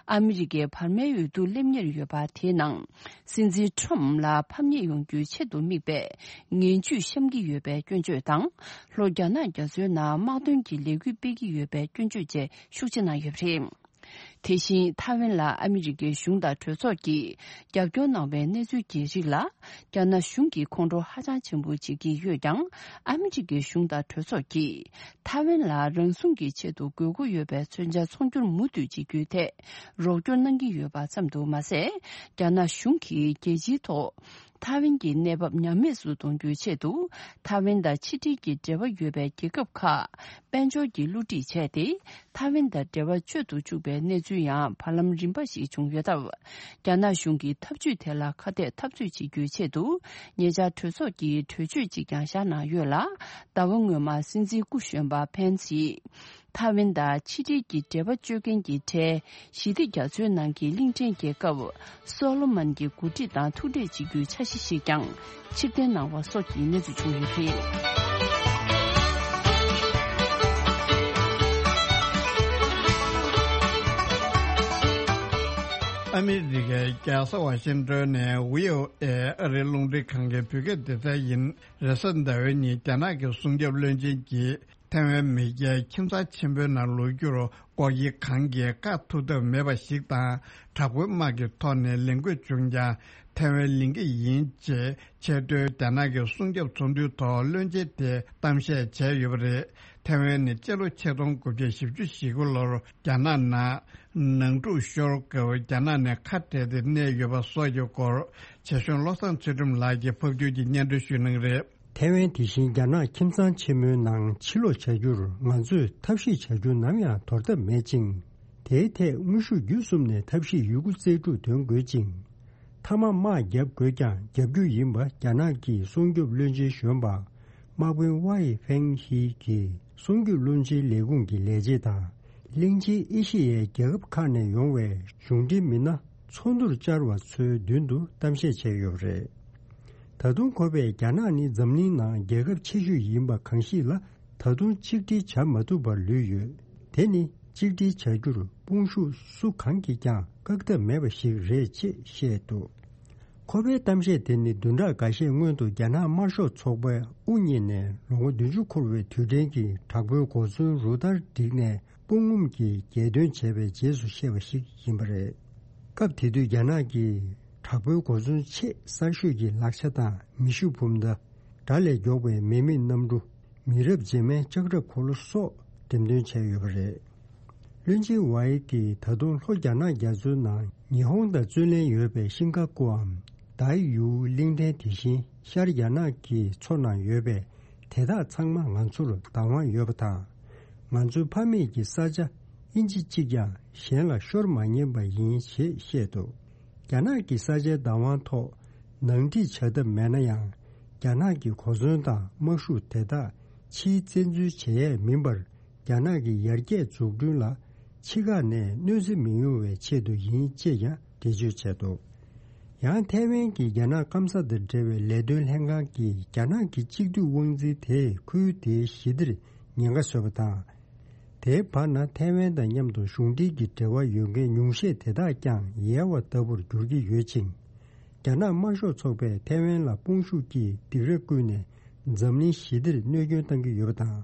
ཨ་མི་རི་ཀའི་བར་མའི་འོས་བསྡུ་སླེབས་ཉེར་ཡོད་པ་དེའི་ནང་། སྲིད་འཛིན་ཁྲོམ་ལ་ཕམ་ཉེས་ཡོང་རྒྱུའི་ཆེད་དུ་དམིགས་པའི་ངན་ཇུས་བཤམས་ཀྱི་ཡོད་པའི་སྐྱོན་བརྗོད་དང་། ལྷོ་རྒྱ་ནག་རྒྱ་མཚོའི་ནང་དམག་དོན་གྱི་ལས་འགུལ་སྤེལ་གྱི་ཡོད་པའི་སྐྱོན་བརྗོད་བཅས་ཤུགས་ཆེ་གནང་ཡོད་པ་རེད། དེ་བཞིན་ཐའེ་ཝན་ལ་ཨ་མི་རི་ཀའི་གཞུང་དང་གྲོས་ཚོགས་ཀྱིས་རྒྱབ་སྐྱོར་གནང་བའི་གནས་ཚུལ་གྱི་རིགས་ལ། རྒྱ་ནག་གཞུང་གིས་ཁོང་ཁྲོ་ཧ་ཅང་ཆེན་པོ་བྱེད་ཀྱི་ཡོད་ཀྱང་། ཨ་མི་རི་ཀའི་གཞུང་དང་གྲོས་ཚོགས་ཀྱིས་ཐའེ་ཝན་ལ་རང་སྲུང་གི་ཆེད་དུ་དགོས་མཁོ་ཡོད་པའི་མཚོན་ཆ་ཚོང་སྒྱུར་མུ་མཐུད་བྱེད་རྒྱུའི་ཐད་རོགས་སྐྱོར་གནང་གི་ཡོད་པ་ཙམ་དུ་མ་ཟད། རྒྱ་ནག་གཞུང་གིས་རྒྱལ་སྤྱིའི་ཐོག་ཐའེ་ཝན་གྱི་གནས་བབ་ཉམས་དམས་སུ་གཏོང་རྒྱུའི་ཆེད་དུ། ཐའེ་ཝན་དང་ཕྱི་འབྲེལ་གྱི་འབྲེལ་བ་ཡོད་པའི་རྒྱལ་ཁབ་ཁག་དཔལ་འབྱོར་གྱི་བསླུ་བྲིད་བྱས་ཏེ། ཐའེ་ཝན་དང་འབྲེལ་བ་གཅོད་དུ་བཅུག་པའི་གནས་ཚུལ་ཡང་བར་ལམ་རིམ་པ་ཞིག་བྱུང་ཡོད་སྟབས། རྒྱ་ནག་གཞུང་གིས་ཐབས་ཇུས་དེ་ལ་ཁ་གཏད་འཐབ་རྩོད་བྱེད་རྒྱུའི་ཆེད་དུ། ཉེ་ཆར་གྲོས་ཚོགས་ཀྱིས་གྲོས་ཆོད་ཅིག་ཀྱང་བཞག་གནང་ཡོད་ལ། ཟླ་བ་སྔོན་མ་སྲིད་འཛིན་སྐུ་གཞོན་པ་ཕན་སིས། ཐའེ་ཝན་དང་ཕྱི་འབྲེལ་གྱི་འབྲེལ་བ་གཅོད་མཁན་གྱི་གྲས་ཞི་བདེ་རྒྱ་མཚོའི་ནང་གི་གླིང་ཕྲན་རྒྱལ་ཁབ་སོ་ལོ་མོན་གྱི་འགོ་ཁྲིད་དང་ཐུག་འཕྲད་བྱེད་རྒྱུའི་འཆར་གཞི་ཞིག་ཀྱང་ཕྱིར་འཐེན་གནང་བ་སོགས་ཀྱི་གནས་ཚུལ་བྱུང་ཡོད་པ་རེད། ཨ་མི་རི་ཀའི་རྒྱལ་ས་ཝ་ཤིང་ཏོན་ནས་བྷི་ཨོ་ཨེ་ཨ་རིའི་རླུང་འཕྲིན་ཁང་གི་བོད་སྐད་སྡེ་ཚན་ཡིན། རེས་གཟའ་ཟླ་བའི་ཉིན་རྒྱ་ནག་གི་སྲུང་སྐྱོབ་བློན་ཆེན་གྱིས། ཐའེ་ཝན་མི་སྐྱའི་ཁྱིམ་ཚང་ཆེན་པོའི་ནང་ལོག་རྒྱུར་སྐོར་གྱི་གང་གིས་བཀག་ཐུབ་ཐབས་མེད་པ་ཞིག་དང་། དྲག་པོའི་དམག་གི་ཐོག་ནས་ལས་འགུལ་བྱུང་ཀྱང་ཐའེ་ཝན་ལེན་གྱི་ཡིན་ཅེས་ཆེས་མཐོའི་རྒྱ་ནག་གི་སྲུང་སྐྱོབ་ཚོགས་འདུའི་ཐོག་བློན་ཆེན་དེས་གཏམ་བཤད་བྱས་ཡོད་པ་རེད། ཐའེ་ཝན་ནི་སྤྱི་ལོ་ཆིག་སྟོང་དགུ་བརྒྱ་བཞི་བཅུ་ཞེ་དགུ་ལོར་རྒྱ་ནག་ནང་ནང་འཁྲུག་ཤོར་སྐབས་རྒྱ་ནག་ནས་ཁ་བྲལ་ཏེ་གནས་ཡོད་པ་སོགས་ཀྱི་སྐོར་བྱས་ཤོན་བློ་བཟང་ཚུལ་ཁྲིམས་ལགས་ཀྱིས་ཕབ་སྒྱུར་གྱིས་སྙན་སྒྲོན་ཞུ་གནང་རེད། ཐའེ་ཝན་དེ་བཞིན་རྒྱ་ནག་ཁྱིམ་ཚང་ཆེན་མོའི་ནང་ཕྱིར་ལོག་བྱ་རྒྱུར་ང་ཚོས་ཐབས་ཤེས་བྱ་རྒྱུ་ནམ་ཡང་དོར་ཐབས་མེད་ཅིང་། དེའི་ཐད་དངོས་ཤུགས་བརྒྱུད་གསུམ་ནས་ཐབས་ཤེས་ཡོད་རྒུ་རྩལ་སྤྲུགས་འདོན་དགོས་ཅིང་། མཐའ་མ་དམག་བརྒྱབ་དགོས་ཀྱང་རྒྱབ་རྒྱུ་ཡིན་པ་རྒྱ་ནག་གི་སྲུང་སྐྱོབ་བློན་ཆེན་གཞོན་པ་དམག་དཔོན་ཝའེ་ཧྥེང་ཧི་གིས་སྲུང་སྐྱོབ་བློན་ཆེན་ལས་ཁུངས་ཀྱི་ལས་བྱེད་དང་། གླིང་ཆེན་ཨེ་ཤེ་ཡའི་རྒྱལ་ཁབ་ཁག་ནས་ཡོང་བའི་གཞུང་འབྲེལ་མི་སྣ་ཚོགས་འདུར་བཅར་བ་ཚོའི་མདུན་དུ་གཏམ་བཤད་བྱས་ཡོད་པ་རེད། ད་དུང་ཁོ་པས་རྒྱ་ནག་ནི་འཛམ་གླིང་ནང་རྒྱལ་ཁབ་ཆེ་ཤོས་ཡིན་པ་གང་ཞིག་ལ་ད་དུང་གཅིག་སྒྲིལ་བྱ་མ་ཐུབ་པར་ལུས་ཡོད། དེ་ནི་གཅིག་སྒྲིལ་བྱ་རྒྱུར་དཔུང་ཤུགས་སུ་གང་གིས་ཀྱང་བཀག་ཐབས་མེད་པ་ཞིག་རེད་ཅེས་བཤད་འདུག་ཁོ་པའི་གཏམ་བཤད་དེ་ནི་བདུན་ཕྲག་འགའ་ཤས་སྔོན་དུ་རྒྱ་ནག་དམར་ཤོག་ཚོགས་པས་དབུ་བརྙེས་ནས་ལོ་ངོ་བདུན་ཅུ་འཁོར་བའི་དུས་དྲན་གྱི་དྲག་པོའི་གོ་མཚོན་རུ་སྟར་བསྒྲིགས་ནས་དཔུང་ངོམ་གྱིས་རྒྱལ་སྟོན་བྱས་པའི་རྗེས་སུ་བཤད་པ་ཞིག་ཡིན་པ་རེད། སྐབས་དེ་དུས་རྒྱ་ནག་གིས་དྲག་པོའི་གོ་མཚོན་ཆེས་གསར་ཤོས་ཀྱི་ལག་ཆ་དང་མེ་ཤུགས་འབུམ་མདའ། དགྲ་ལས་མགྱོགས་པའི་མེ་མེད་གནམ་གྲུ། མི་རབས་རྗེས་མའི་ལྕགས་ཁྲབ་འཁོར་ལོ་སོགས་འགྲེམས་སྟོན་བྱས་ཡོད་པ་རེད། བློན་ཆེན་ཝའེ་གིས་ད་དུང་ལྷོ་རྒྱ་ནག་རྒྱ་མཚོའི་ནང་ཉི་ཧོང་དང་བརྩོན་ལེན་ཡོད་པའི་ཤིང་ཀ་ཀུའམ་དཱའི་ཡུའུ་གླིང་ཕྲན་དེ་བཞིན་ཤར་རྒྱ་ནག་གི་མཚོ་ནང་ཡོད་པའི་དེ་དག་ཚང་མ་ང་ཚོར་བདག་དབང་ཡོད་པ་དང་། ང་ཚོའི་ཕ་མེས་ཀྱི་ས་ཆ་ཨིན་ཅི་གཅིག་ཀྱང་གཞན་ལ་ཤོར་མ་ཉན་པ་ཡིན་ཞེས་བཤད་འདུག་རྒྱ་ནག་གི་ས་ཆའི་བདག་དབང་ཐོག་ནང་འགྲིག་བྱ་ཐབས་མེད་ན་ཡང་། རྒྱ་ནག་གི་གོ་མཚོན་དང་དམག་ཤུགས་དེ་དག་ཕྱིའི་བཙན་འཛུལ་བྱེད་ཡས་མིན་པར། རྒྱ་ནག་གི་ཡར་རྒྱས་འཛུགས་སྐྲུན་ལ་ཕྱི་ཁ་ནས་གནོད་འཚེ་མི་ཡོང་བའི་ཆེད་དུ་ཡིན་ཅེས་ཀྱང་འགྲེལ་བརྗོད་བྱས་འདུག། ཡང་ཐའེ་ཝན་གྱི་རྒྱ་ནག་སྐམ་ས་དང་འབྲེལ་བའི་ལས་དོན་ལྷན་ཁང་གིས་རྒྱ་ནག་གི་གཅིག་སྡུད་དབང་འཛིན་དེས་ཁུལ་དེའི་ཞི་བདེར་ཉེན་ཁ་བཟོས་པ་དང་། དེའི་བར་ན་ཐའེ་ཝན་དང་མཉམ་དུ་གཞུང་འབྲེལ་གྱི་འབྲེལ་བ་ཡོད་མཁན་ཉུང་ཤས་དེ་དག་ཀྱང་ཡལ་བ་ལྟ་བུར་འགྱུར་གྱི་ཡོད་ཅིང་། རྒྱ་ནག་དམར་ཤོག་ཚོགས་པས་ཐའེ་ཝན་ལ་དཔུང་ཤུགས་ཀྱིས་སྡིགས་ར་བསྐུལ་ནས་འཛམ་གླིང་ཞི་བདེར་གནོད་སྐྱོན་བཏང་གི་ཡོད་པ་དང་།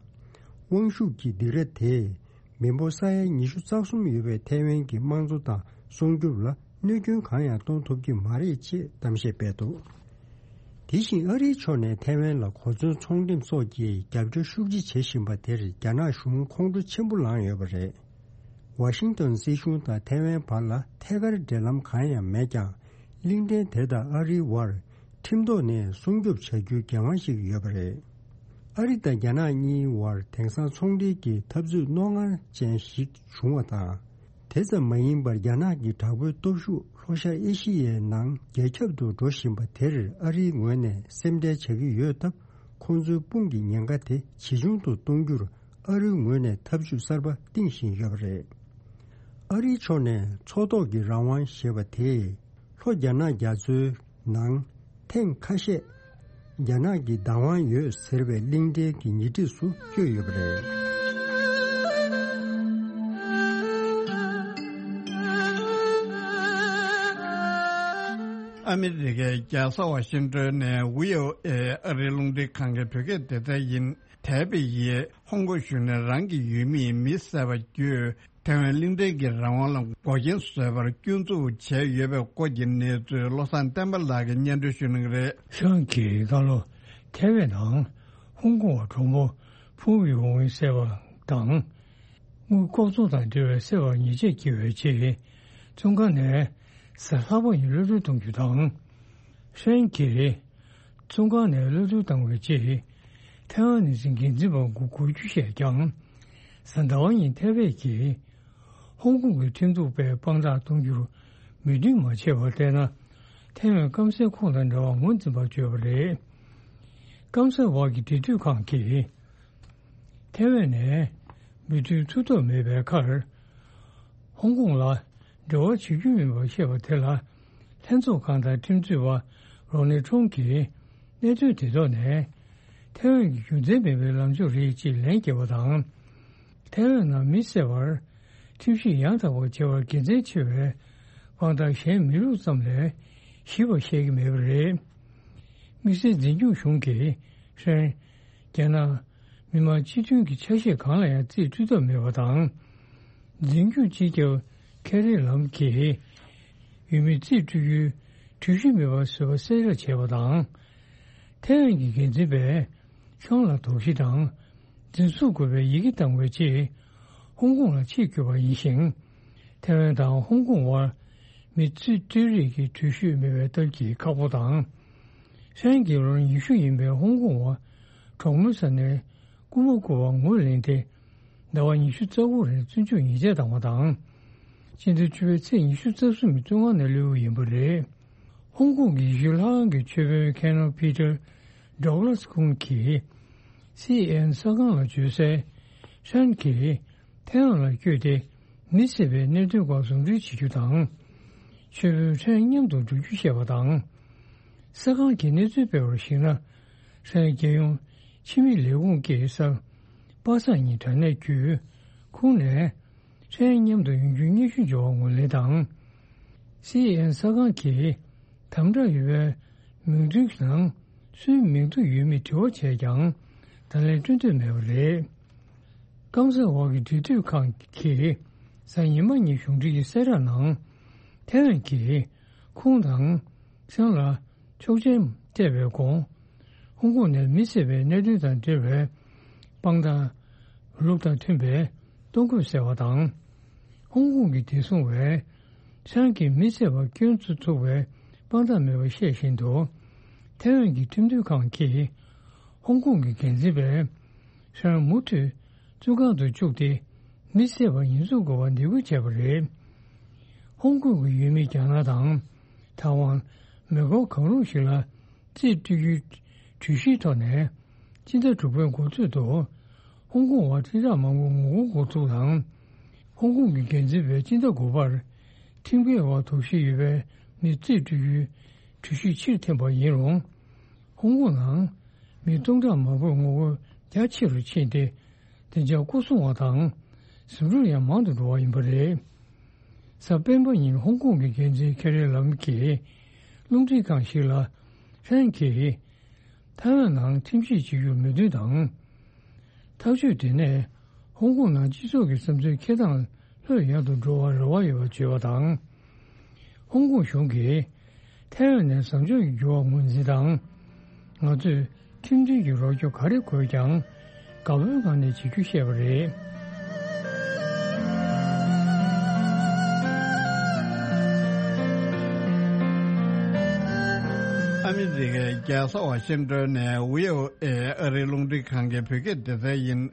དབང་ཤུགས་ཀྱི་སྡིགས་ར་དེས་མི་འབོར་ས་ཡ་ཉི་ཤུ་རྩ་གསུམ་ཡོད་པའི་ཐའེ་ཝན་གྱི་དམངས་གཙོ་དང་སྲུང་སྐྱོབ་ལ་གནོད་སྐྱོན་གང་ཡང་གཏོང་ཐུབ་ཀྱི་མ་རེད་ཅེས་གཏམ་བཤད་སྤེལ་འདུག། དེ་བཞིན་ཨ་རིའི་ཕྱོགས་ནས་ཐའེ་ཝན་ལ་གོ་མཚོན་ཚོང་འགྲེམས་སོགས་ཀྱི་རྒྱབ་སྐྱོར་ཤུགས་ཆེ་བྱེད་བཞིན་པ་དེར་རྒྱ་ནག་གཞུང་ཁོང་ཁྲོ་ཆེན་པོ་ལངས་ཡོད་པ་རེད། ཝ་ཤིང་ཏོན་སྲིད་གཞུང་དང་ཐའེ་ཝན་བར་ལ་ཐད་ཀར་འབྲེལ་ལམ་གང་ཡང་མེད་ཀྱང་། གླིང་ཕྲན་དེ་དང་ཨ་རིའི་བར་ཁྲིམས་ཐོག་ནས་སྲུང་སྐྱོབ་བྱ་རྒྱུའི་འགན་དབང་ཞིག་ཡོད་པ་རེད། ཨ་རི་དང་རྒྱ་ནག་གཉིས་བར་དེང་སང་ཚོང་འབྲེལ་གྱི་འཐབ་རྩོད་རྣོ་ངར་ཅན་ཞིག་བྱུང་བ་དང་། དེ་ཙམ་མ་ཡིན་པར་རྒྱ་ནག་གི་དྲག་པོའི་སྟོབས་ཤུགས་ལྷོ་ཤར་ཨེ་ཤི་ཡའི་ནང་རྒྱ་ཁྱབ་ཏུ་འགྲོ་བཞིན་པ་དེར་ཨ་རིའི་ངོས་ནས་སེམས་ཁྲལ་བྱ་གི་ཡོད་སྟབས། ཁོང་ཚོའི་དཔུང་གི་ཉེན་ཁ་དེ་ཇེ་ཆུང་དུ་གཏོང་རྒྱུར་ཨ་རིའི་ངོས་ནས་འཐབ་ཇུས་གསར་པ་བཏིང་བཞིན་ཡོད་པ་རེད། ཨ་རིའི་ཕྱོགས་ནས་མཚོ་ཐོག་གི་རང་དབང་ཞེས་པ་དེས། ལྷོ་རྒྱ་ནག་རྒྱ་མཚོའི་ནང་ཐེངས་ཁ་ཤས་རྒྱ་ནག་གི་བདག་དབང་ཡོད་ཟེར་བའི་གླིང་ཕྲན་གྱི་ཉེ་འཁྲིས་སུ་བསྐྱོད་ཡོད་པ་རེད། ཨ་མི་རི་ཀའི་རྒྱལ་ས་ཝ་ཤིང་ཏོན་ནས་བྷི་ཨོ་ཨེ་ཨ་རིའི་རླུང་འཕྲིན་ཁང་གི་བོད་སྐད་སྡེ་ཚན་ཡིན། ཐའེ་པེ་ཡིས་ཧོང་ཀོང་གཞུང་ནས་རང་གི་ཡུལ་མིས་མི་བསད་པ་བརྒྱུད། ཐའེ་ཝན་གླིང་ཕྲན་གྱི་རང་དབང་ལ་འགོག་རྐྱེན་བཟོས་པར་སྐྱོན་འཛུགས་བྱས་ཡོད་པའི་སྐོར་གྱི་གནས་ཚུལ་བློ་བཟང་བསྟན་པ་ལགས་ཀྱིས་སྙན་སྒྲོན་ཞུ་གནང་གི་རེད། ཧྲན་གྱིས་སྔ་ལོ་ཐའེ་ཝན་ནང་ཧོང་ཀོང་བ་གྲོགས་མོ་ཕུའུ་ཝི་ཧུང་བསད་པ་དང་། དངུལ་ལྐོག་འཛུགས་དང་འབྲེལ་བའི་བསད་པར་ཉེས་ཆད་བཀལ་བའི་ཆེད། བཙོན་ཁང་ནས་གཟའ་ལྷག་པ་ཉིན་གློད་གྲོལ་གཏོང་རྒྱུ་དང་། ཧྲན་གྱིས་བཙོན་ཁང་ནས་གློད་གྲོལ་བཏང་བའི་རྗེས། ཐའེ་ཝན་ནི་སི་འགན་འཛིན་པ་དགུ་དགུ་བཅུ་བཤད་ཀྱང་། གཟའ་ཟླ་བ་ཉིན་ཐའེ་པེ་གྱིས་ཧོང་ཀོང་གི་ཁྲིམས་གཏུག་པས་དཔང་རྟགས་གཏོང་རྒྱུར་མོས་མཐུན་མ་བྱས་པར་བལྟས་ན། ཐའེ་ཝན་སྐམ་སའི་ཁོངས་དང་འདྲ་བར་ངོས་འཛིན་པར་བརྗོད་པ་རེད། སྐམ་ས་འོག་གི་འབྲེལ་མཐུད་ཁང་གིས། ཐའེ་ཝན་ནས་མོས་མཐུན་ཐུབ་ཐབས་མེད་པའི་ཁར། ཧོང་ཀོང་ལ་འབྲེལ་བ་བྱེད་རྒྱུ་མིན་པར་བཤད་པ་དེ་ལ། ལྷན་ཚོགས་ཁང་དང་ཁྲིམས་རྩོད་པ་རོ་ནི་ཁྲོང་གིས་གནད་དོན་དེ་ཐོག་ནས། ཐའེ་ཝན་གྱི་རྒྱུ་མཚན་མེད་པའི་ལངས་ཕྱོགས་རེད་ཅེས་ལན་བརྒྱབ་པ་དང་། ཐའེ་ཝན་ནང་མི་བསད་པར་ཁྲིམས་གཞི་ཡང་དག་པ་བྱེད་པར་དགེ་མཚན་ཆེ་བའི་དཔང་རྟགས་གཞན་མེད་ལུགས་ཙམ་ལས་ཞིབ་པ་བཤད་ཀྱི་མེད་པ་རེད། དམིགས་བསལ་འཛིན་སྐྱོང་གཞུང་གིས་ཧྲན། རྒྱ་ནག་མི་དམངས་སྤྱི་མཐུན་གྱི་ཆ་ཤས་གང་ལ་ཡང་རྩིས་སྤྲོད་ཐབས་མེད་པ་དང་། འཛིན་སྐྱོང་སྤྱི་ཁྱབ་ཁེ་རི་ལམ་གྱིས་ཡུལ་མིའི་རྩིས་སྤྲོད་རྒྱུའི་འགྲུལ་བཞུད་མེད་པ་བཟོས་པ་གསལ་བསྒྲགས་བྱས་པ་དང་། ཐའེ་ཝན་གྱི་འགན་འཛིན་པས་ཁྱོན་ལ་དོགས་གཞི་དང་འཛིན་བཟུང་དགོས་པའི་ཡི་གེ་བཏང་བའི་རྗེས་ཧོང་ཀོང་ལ་ཆེད་བསྐྱོད་པ་ཡིན་ཞིང་། ཐའེ་ཝན་དང་ཧོང་ཀོང་བར་མི་རྩིས་སྤྲོད་རེས་ཀྱི་འགྲུལ་བཞུད་མེད་པའི་སྟབས་ཀྱིས་ཁག་པོ་དང་། ཧྲན་གྱི་ལོ་ཉི་ཤུ་ཡིན་པའི་ཧོང་ཀོང་བ་གྲོགས་མོའི་ས་ནས་རྐུ་མ་རྐུ་བར་ངོས་ལེན་ཏེ། ཟླ་བ་ཉི་ཤུ་རྩ་དགུ་རིང་བཙོན་འཇུག་ཉེས་ཆད་བཏང་བ་དང་། སྤྱི་ཟླ་བཅུ་པའི་ཚེས་ཉི་ཤུ་རྩ་གསུམ་བཙོན་ཁང་ནས་གློད་ཡོད་པ་རེད། ཧོང་ཀོང་གི་ཡེ་ཤུ་ལྷ་ཁང་གི་མཆོད་དཔོན་ཁེ་ནོ་པི་ཏར་ཌོག་ལ་སི་ཁོང་གིས་སི་ཨེན་ཨེན་གསར་ཁང་ལ་བརྗོད་གསལ། ཧྲན་གྱིས་ཐའེ་ཝན་ལ་བསྐྱོད་དེ་མི་བསད་པའི་གནད་དོན་སྐོར་ཟུང་འབྲེལ་བྱེད་རྒྱུ་དང་། མཆོད་དཔོན་ཧྲན་མཉམ་དུ་འགྲོ་རྒྱུ་བཤད་པ་དང་། གསར་ཁང་གིས་གནས་ཚུལ་སྤེལ་བར་གཞིགས་ན། ཧྲན་རྒྱལ་ཡོངས་ཕྱི་མི་ལས་ཁུངས་ཀྱི་གསར་པ་སངས་ཉིན་དྲ་གནས་བརྒྱུད་ཁོང་ནས། ཧྲན་མཉམ་དུ་ཡོང་རྒྱུའི་སྙན་ཞུ་འབྱོར་བ་ངོས་ལེན་དང་། སི་ཨེན་ཨེན་གསར་ཁང་གིས་དམ་དྲག་ཡོད་པའི་མིང་ཐོའི་ནང་སུའི་མིང་ཐོ་ཡོད་མེད་དྲི་བ་བྱས་ཀྱང་བརྡ་ལན་སྤྲོད་འདོད་མེད་པ་རེད། སྐམ་སའི་འོག་གི་འབྲེལ་མཐུད་ཁང་གིས་གཟའ་ཉི་མ་ཉིན་གཞུང་འབྲེལ་གྱི་གསལ་བསྒྲགས་ནང་། ཐའེ་ཝན་གྱིས་ཁོང་དང་ཧྲན་ལ་ཆོག་མཆན་སྤྲད་པའི་གོང་། ཧོང་ཀོང་ནས་མི་བསད་པའི་གནད་དོན་དང་འབྲེལ་བའི་དཔང་རྟགས་ལུགས་དང་མཐུན་པའི་གཏོང་དགོས་ཟེར་བ་དང་། ཧོང་ཀོང་གི་བདེ་སྲུང་བས་ཧྲན་གྱིས་མི་བསད་པར་སྐྱོན་བཙུགས་ཐུབ་པའི་དཔང་རྟགས་མེད་པ་ཤེས་བཞིན་དུ། ཐའེ་ཝན་གྱི་ཁྲིམས་མཐུན་ཁང་གིས་ཧོང་ཀོང་གི་འགན་འཛིན་པས་ཧྲན་མུ་མཐུད་བཙོན་ཁང་དུ་བཅུག་སྟེ་མི་བསད་པར་ཉེས་འཛུགས་དགོས་པར་འདེད་སྐུལ་བྱས་པ་རེད། ཧོང་ཀོང་གི་ཡུལ་མི་རྒྱ་ནག་དང་ཐའེ་ཝན། མེ་འཁོར་གང་རུང་ཞིག་ལ་རྩིས་སྤྲོད་རྒྱུའི་ གྲོས་གཞིའི་ཐོག་ནས་སྤྱི་ཟླ་དྲུག་པའི་འགོ་སྟོད་དུ་ཧོང་ཀོང་བར་ཁྲིམས་ཐག་མང་པོ་ངོ་རྒོལ་འགོ་ཚུགས་དང་། ཧོང་ཀོང་གི་འགན་འཛིན་པས་སྤྱི་ཟླ་དགུ་པར་ཁྲིམས་འགལ་བར་དོགས་གཞི་ཡོད་པའི་མི་རྩིས་སྤྲོད་རྒྱུའི་གྲོས་གཞི་ཕྱིར་འཐེན་པ་ཡིན་རུང་། ཧོང་ཀོང་ནང་མི་སྟོང་ཕྲག་མང་པོས་ངོ་རྒོལ་རྒྱ་ཆེ་རུ་ཕྱིན་ཏེ། བདེ་འཇགས་སྐོར་སྲུང་བ་དང་ཟིང་འཁྲུག་ཡང་མང་དུ་འགྲོ་བ་ཡིན་པ་རེད། གཟའ་སྤེན་པ་ཉིན་ཧོང་ཀོང་གི་འགན་འཛིན་ཁེ་རི་ལམ་གྱིས་རླུང་འཕྲིན་ཁང་ཞིག་ལ། ཧྥན་གྱིས་ཐའེ་ཝན་ནང་ཁྲིམས་གཞི་བྱེད་རྒྱུར་མོས་མཐུན་དང་། ཐག་གཅོད་དེ་ནས་ཧོང་ཀོང་ནང་སྤྱི་ཚོགས་ཀྱི་བསམ་ཚུལ་འཁྱེར་སྟངས་ལྷོད་ཡངས་དུ་འགྲོ་བར་རེ་བ་ཡོད་པར་བརྗོད་པ་དང་། ཧོང་ཀོང་གཞུང་གིས་ཐའེ་ཝན་ནས་བཟང་ཕྱོགས་ཀྱི་འགྱུར་བ་ངོས་འཛིན་དང་། ང་ཚོས་ཁྲིམས་མཐུན་གྱི་རོགས་སྐྱོར་ག་རེ་དགོས་ཀྱང་དགའ་བོའི་ངང་ནས་བྱེད་རྒྱུ་བཤད་པ་རེད། ཨ་མི་རི་ཀའི་རྒྱལ་ས་ཝ་ཤིང་ཏོན་ནས་བྷི་ཨོ་ཨེ་ཨ་རིའི་རླུང་འཕྲིན་ཁང་གི་བོད་སྐད་སྡེ་ཚན་ཡིན།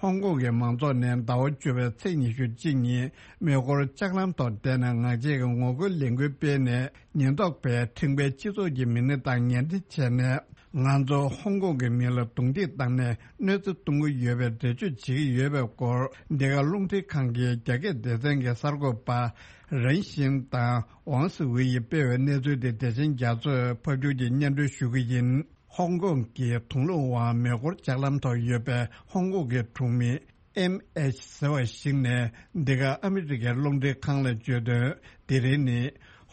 ཧོང་ཀོང་གི་མང་ཚོགས་ནས་ཟླ་བ་བཅུ་པའི་ཚེས་ཉི་ཤུ་གཅིག་ཉིན་མེ་འཁོར་ལྕགས་ལམ་ཐོག་བསྡད་ནས་ངག་བཅད་ཀྱི་ངོ་རྒོལ་ལས་འགུལ་སྤེལ་ནས། ཉེན་རྟོག་པས་ཁྲིམས་འགལ་སྤྱི་ཚོགས་ཀྱི་མི་སྣ་དང་ཉེ་འབྲེལ་བྱས་ནས། ང་ཚོ་ཧོང་ཀོང་གི་མི་ལ་རྡུང་རྡེག་བཏང་ནས་གནོད་འཚེ་གཏོང་གི་ཡོད་པའི་འགྲེལ་བརྗོད་བྱེད་ཀྱི་ཡོད་པའི་སྐོར། འདི་ག་རླུང་འཕྲིན་ཁང་གི་རྒྱ་སྐད་སྡེ་ཚན་གྱི་གསར་འགོད་པ་རན་ཤིན་དང་ཝང་སི་ཝེ་ཡིས་སྤེལ་བའི་གནས་ཚུལ་དེ་བདེ་ཆེན་རྒྱ་མཚོས་ཕབ་སྒྱུར་གྱིས་སྙན་སྒྲོན་ཞུ་གི་ཡིན། ཧོང་ཀོང་གི་དུང་ལུང་བ་མེ་འཁོར་ལྕགས་ལམ་ཐོག་ཡོད་པའི་ཧོང་ཀོང་གི་གྲོང་མི་ཨེམ་ཨེཆ་ཟེར་བ་ཞིག་ནས་འདི་ག་ཨ་མི་རི་ཀའི་རླུང་འཕྲིན་ཁང་ལ་བརྗོད་དོན། དེ་རིང་ནི་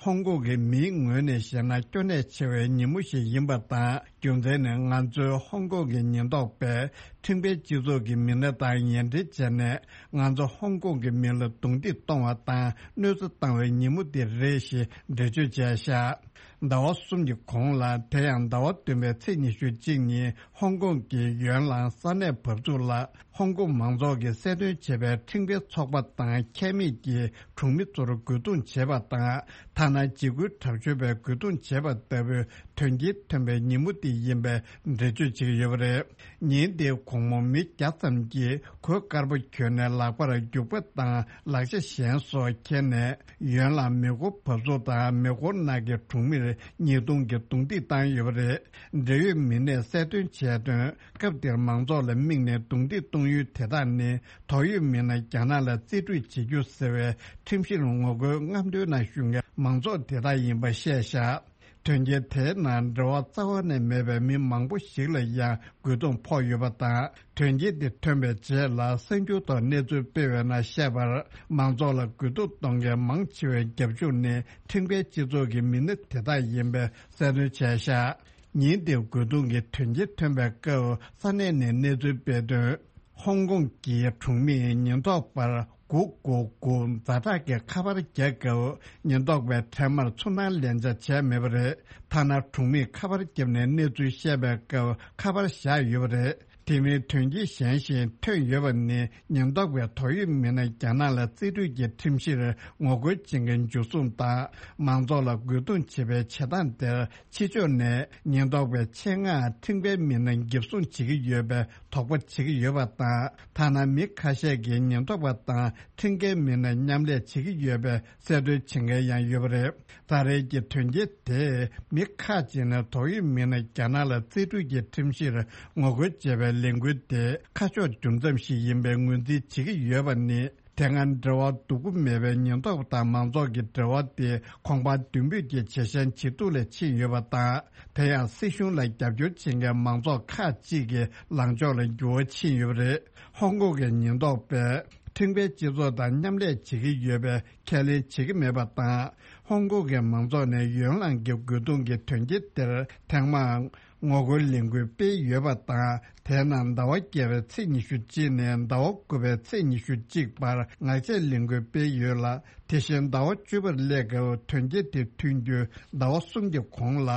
ཧོང་ཀོང་གི་མིའི་ངོས་ནས་བཤད་ན་སྐྱོ་གནད་ཆེ་བའི་ཉིན་མོ་ཞིག་ཡིན་པ་དང་། རྒྱུ་མཚན་ནི་ང་ཚོའི་ཧོང་ཀོང་གི་ཉེན་རྟོག་པས་ཁྲིམས་འགལ་སྤྱི་ཚོགས་ཀྱི་མི་སྣ་དང་ཉེ་འབྲེལ་བྱས་ནས་ང་ཚོ་ཧོང་ཀོང་གི་མི་ལ་རྡུང་རྡེག་གཏོང་བ་དང་གནོད་འཚེ་བཏང་བའི་ཉིན་མོ་དེ་རེད་ཞེས་འགྲེལ་བརྗོད་བྱས་བཞག་ཟླ་བ་གསུམ་གྱི་གོང་ལ། དེ་ཡང་ཟླ་བ་བདུན་པའི་ཚེས་ཉི་ཤུ་གཅིག་ཉིན་ཧོང་ཀོང་གི་ཡོན་ལང་ས་གནས་བབས་ཚུགས་ལ། ཧོང་ཀོང་མང་ཚོགས་ཀྱིས་གསལ་སྟོན་བྱས་པའི་ཁྲིམས་འགལ་ཚོགས་པ་དང་ཁྱད་མེད་ཀྱི་གྲོང་མི་ཚོར་རྒོལ་རྡུང་བྱས་པ་དང་། ཐ་ན་འཇིགས་སྐུལ་དྲག་སྤྱོད་པས་རྒོལ་རྡུང་བྱས་པ་ལྟ་བུའི་དོན་རྐྱེན་ཐོན་པའི་ཉིན་མོ་དེ་ཡིན་པའི་འགྲེལ་བརྗོད་བྱེད་ཀྱི་ཡོད་པ་རེད། ཉིན་དེའི་དགོང་མོ་མི་བརྒྱ་ཙམ་གྱིས་གོས་དཀར་པོ་གྱོན་ནས་ལག་པར་རྒྱུག་པ་དང་ལག་ཆ་གཞན་སོགས་འཁྱེར་ནས། ཡོན་ལ་མེ་འཁོར་བབས་ཚུགས་དང་མེ་འཁོར་ནང་གི་གྲོང་མིར་ཉེས་རྡུང་གིས་རྡུང་རྡེག་བཏང་ཡོད་པ་རེད། འབྲེལ་ཡོད་མི་སྣས་གསལ་སྟོན་བྱས་དོན། སྐབས་དེར་མང་ཚོགས་ལ་དམིགས་ནས་རྡུང་རྡེག་གཏོང་ཡུལ་དེ་དག་ནི། དོགས་ཡོད་མི་སྣ་རྒྱ་ནག་ལ་རྩིས་སྤྲོད་བྱེད་རྒྱུ་ཟེར་བའི་ཁྲིམས་གཞིར་ངོ་རྒོལ་རྔམ་སྟོན་ནང་ཞུགས་མཁན་མང་ཚོགས་དེ་དག་ཡིན་པ་བཤད་བཞག་དོན་རྐྱེན་དེའི་ནང་འབྲེལ་བ་རྩ་བ་ནས་མེད་པའི་མི་མང་པོ་ཞིག་ལ་ཡང་རྒོལ་རྡུང་ཕོག་ཡོད་པ་དང་། དོན་རྐྱེན་དེ་ཐོན་པའི་རྗེས་ལ་གསར་འགྱུར་ཐོག་གནས་ཚུལ་སྤེལ་བའི་ནང་བཤད་པར། མང་ཚོགས་ལ་རྒོལ་རྡུང་གཏོང་མཁན་མང་ཆེ་བའི་རྒྱབ་ལྗོངས་ནི་ཁྲིམས་འགལ་སྤྱི་ཚོགས་ཀྱི་མི་སྣ་དེ་དག་ཡིན་པའི་གསལ་སྟོན་བྱས་བཞག་ཉིན་དེའི་རྒོལ་རྡུང་གི་དོན་རྐྱེན་ཐོན་པའི་སྐབས་ས་གནས་ནས་གནས་ཚུལ་སྤེལ་དོན། ཧོང་ཀོང་གི་གྲོང་མིས་ཉེན་རྟོག་པར་དགུ་དགུ་དགུ་ཛ་དྲག་གི་ཁ་པར་རྒྱག་སྐབས། ཉེན་རྟོག་པས་འཕྲལ་མར་ཚུར་སྣང་ལན་ཆགས་བྱས་མེད་པ་རེད། ཐ་ན་གྲོང་མིས་ཁ་པར་བརྒྱབ་ནས་གནས་ཚུལ་བཤད་པའི་སྐབས་ཁ་པར་བཞག་ཡོད་པ་རེད། དེ་མིན་དོན་རྐྱེན་གཞན་ཞིག་ཐོན་ཡོད་པ་ནི། ཉེན་རྟོག་པས་དོགས་ཡོད་མི་སྣ་རྒྱ་ནག་ལ་རྩིས་སྤྲོད་ཀྱི་ཁྲིམས་གཞིར་ངོ་རྒོལ་བྱེད་མཁན་འཇུ་བཟུང་དང་། མང་ཚོགས་ལ་རྒོལ་རྡུང་བྱེད་པའི་བྱེད་སྟངས་དེར། ཕྱི་ཕྱོགས་ནས་ཉེན་རྟོག་པའི་ཆེད་མངགས་ཁྲིམས་འགལ་མི་སྣ་འགེབས་སྲུང་བྱེད་ཀྱི་ཡོད་པའི་དོགས་པ་བྱེད་ཀྱི་ཡོད་པ་དང་། ཐ་ན་མི་ཁ་ཤས་ཀྱིས་ཉེན་རྟོག་པ་དང་ཁྲིམས་འགལ་མི་སྣ་མཉམ་ལས་བྱེད་ཀྱི་ཡོད་པའི་གསལ་སྟོན་བྱེད་མཁན་ཡང་ཡོད་པ་རེད། ད་རེས་ཀྱི་དོན་རྐྱེན་དེས་མི་ཁག་ཅིག་ནས་དོགས་ཡོད་མི་སྣ་རྒྱ་ནག་ལ་རྩིས་སྤྲོད་ཀྱི་ཁྲིམས་གཞིར་ངོ་རྒོལ་བྱས་པའི་ལས་འགུལ་དེ་ཁ་ཕྱོགས་འགྱུར་མཚམས་ཤིག་ཡིན་པའི་ངོས་འཛིན་བྱེད་ཀྱི་ཡོད་པ་ནི། དེ་སྔ་འབྲེལ་བ་སྡུག་པོ་མེད་པའི་ཉེན་རྟོག་པ་དང་མང་ཚོགས་ཀྱི་འབྲེལ་བ་དེ་གོང་འཕར་མདུན་སྤོས་ཀྱི་ཇེ་ཞན་ཇེ་སྡུག་ལ་ཕྱིན་ཡོད་པ་དང་། དེ་ཡང་སྲིད་གཞུང་ལ་རྒྱབ་སྐྱོར་བྱེད་མཁན་མང་ཚོགས་ཁག་ཅིག་གི་ལངས་ཕྱོགས་ལ་འགྱུར་བ་ཕྱིན་ཡོད་པ་རེད། ཧོང་ཀོང་གི་ཉེན་རྟོག་པས་ཁྲིམས་འགལ་སྤྱི་ཚོགས་དང་མཉམ་ལས་བྱེད་ཀྱི་ཡོད་པའི་ཁས་ལེན་བྱེད་ཀྱི་མེད་པ་དང་། ཧོང་ཀོང་གི་མང་ཚོགས་ནས་ཡོན་ལང་གི་རྒོལ་རྡུང་གི་དོན་རྐྱེན་དེར་ཐེངས་མང་ངོ་རྒོལ་ལས་འགུལ་སྤེལ་ཡོད་པ་དང་། དེའི་ནང་ཟླ་བ་བརྒྱད་པའི་ཚེས་ཉི་ཤུ་གཅིག་ནས་ཟླ་བ་དགུ་པའི་ཚེས་ཉི་ཤུ་གཅིག་བར་ངག་བཅད་ལས་འགུལ་སྤེལ་ཡོད་ལ། དེ་བཞིན་ཟླ་བ་བཅུ་པར་སླེབས་སྐབས་དོན་རྐྱེན་དེ་ཐོན་རྒྱུའི་ཟླ་བ་གསུམ་གྱི་གོང་ལ།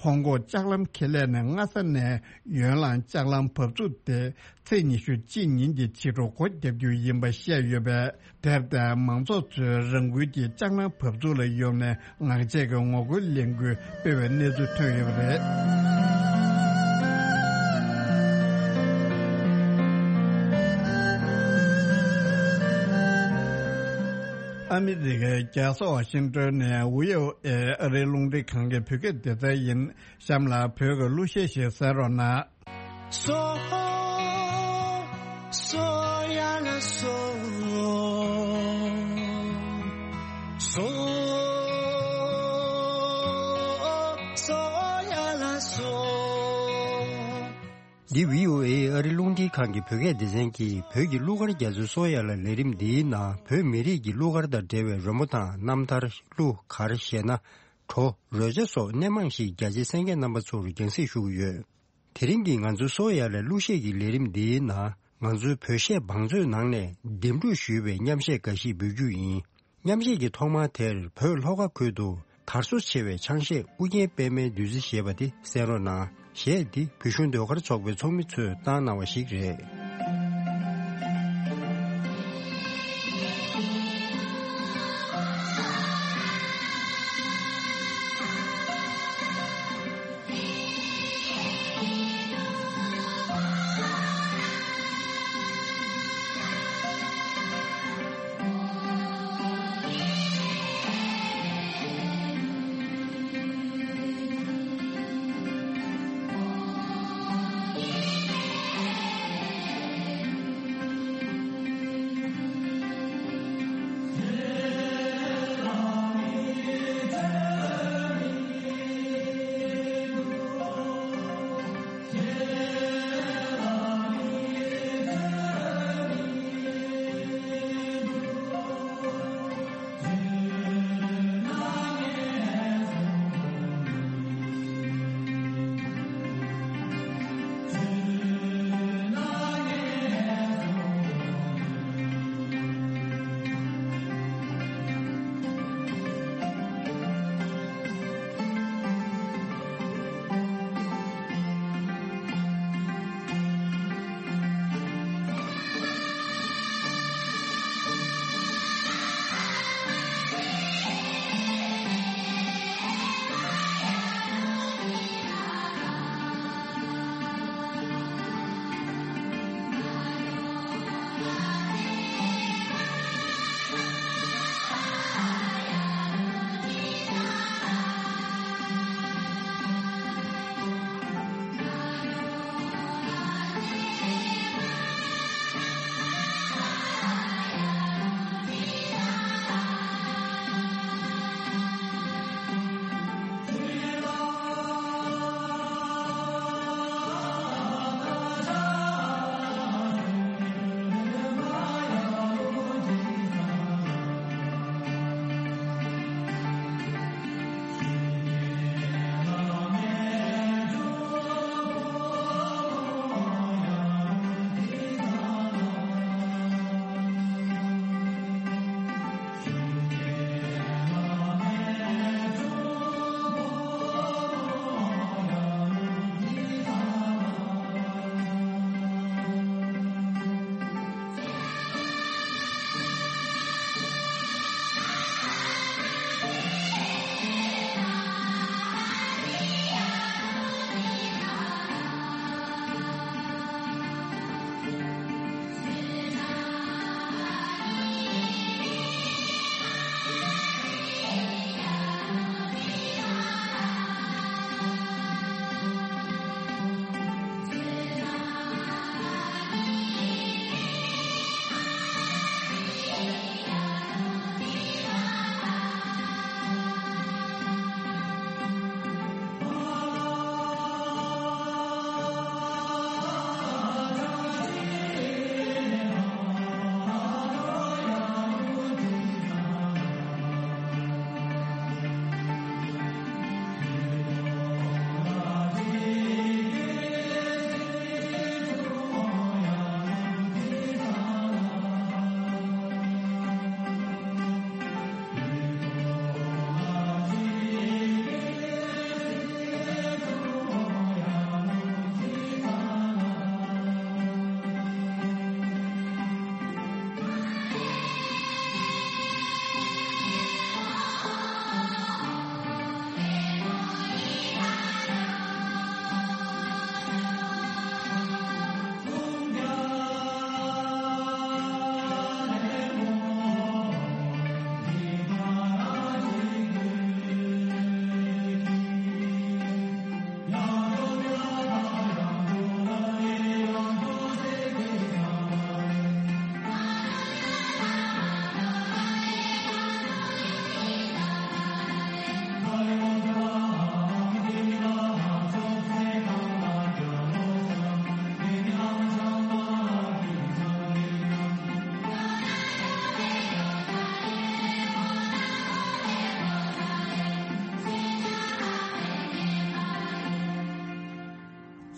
ཧོང་ཀོང་ལྕགས་ལམ་ཁེ་ལས་ནས་སྔ་ས་ནས་ཡོན་ལང་ལྕགས་ལམ་བབས་ཚུགས་དེ་ཚེས་ཉི་ཤུ་གཅིག་ཉིན་གྱི་ཕྱི་དྲོ་སྒོ་བརྒྱབ་རྒྱུ་ཡིན་པ་བཤད་ཡོད་པས། དེར་བརྟེན་མང་ཚོགས་ཚོས་རང་འགུལ་གྱིས་ལྕགས་ལམ་བབས་ཚུགས་ལ་ཡོང་ནས་ངག་བཅད་ཀྱི་ངོ་རྒོལ་ལས་འགུལ་སྤེལ་བའི་གནས་ཚུལ་ཐོན་ཡོད་པ་རེད། ཨ་མི་རི་ཀའི་རྒྱལ་ས་ཝ་ཤིང་ཏོན་ནས་བྷི་ཨོ་ཨེ་ཨ་རིའི་རླུང་འཕྲིན་ཁང་གི་བོད་སྐད་སྡེ་ཚན་ཡིན། གཤམ་ལ་བོད་ཀྱི་གླུ་གཞས་ཤིག་གསན་རོགས་གནང་། སོ། སོ་ཡ་ལ་སོ། སོ། སོ་ཡ་ལ་སོ། འདི་བྷི་ཨོ་ཨེ་ཨ་རི་རླུང་འཕྲིན་ཁང་གི་བོད་སྐད་སྡེ་ཚན་གྱིས་བོད་ཀྱི་གླུ་གར་རྒྱ་མཚོའི་སོ་ཡ་ལ་ལས་རིམ་འདིའི་ནང་བོད་མི་རིགས་ཀྱི་གླུ་གར་དང་འབྲེལ་བའི་རོལ་མོ་དང་རྣམ་ཐར། གླུ་གར་ཞེ་ན། བྲོ། རོལ་ཆ་སོགས་སྣེ་མང་ཞིག་རྒྱ་ཆེའི་གསན་མཁན་རྣམ་པ་ཚོར་རྒྱང་སྲིང་ཞུ་གི་ཡོད། དེ་རིང་གི་ང་ཚོའི་སོ་ཡ་ལ་གླུ་གཞས་ཀྱི་ལས་རིམ་འདིའི་ནང་ང་ཚོའི་བོད་གཞས་བང་མཛོད་ནང་ནས་འདེམས་སྒྲུག་ཞུས་པའི་མཉམ་གཞས་འགའ་ཞིག་འབུལ་རྒྱུ་ཡིན། མཉམ་གཞས་ཀྱི་ཐོག་མ་དེར་བོད་ལྷོ་ཁ་ཁུལ་དུ་དར་སོ་ཆེ་བའི་ཆང་གཞས་ཨུ་རྒྱན་པད་མའི་བདུད་རྩི་ཞེས་པ་དེ་གསན་རོགས་གནང་། གཞས་འདི་བོད་གཞུང་ཟློས་གར་ཚོགས་པའི་ཚོགས་མི་ཚོས་བཏང་གནང་བ་ཞིག་རེད།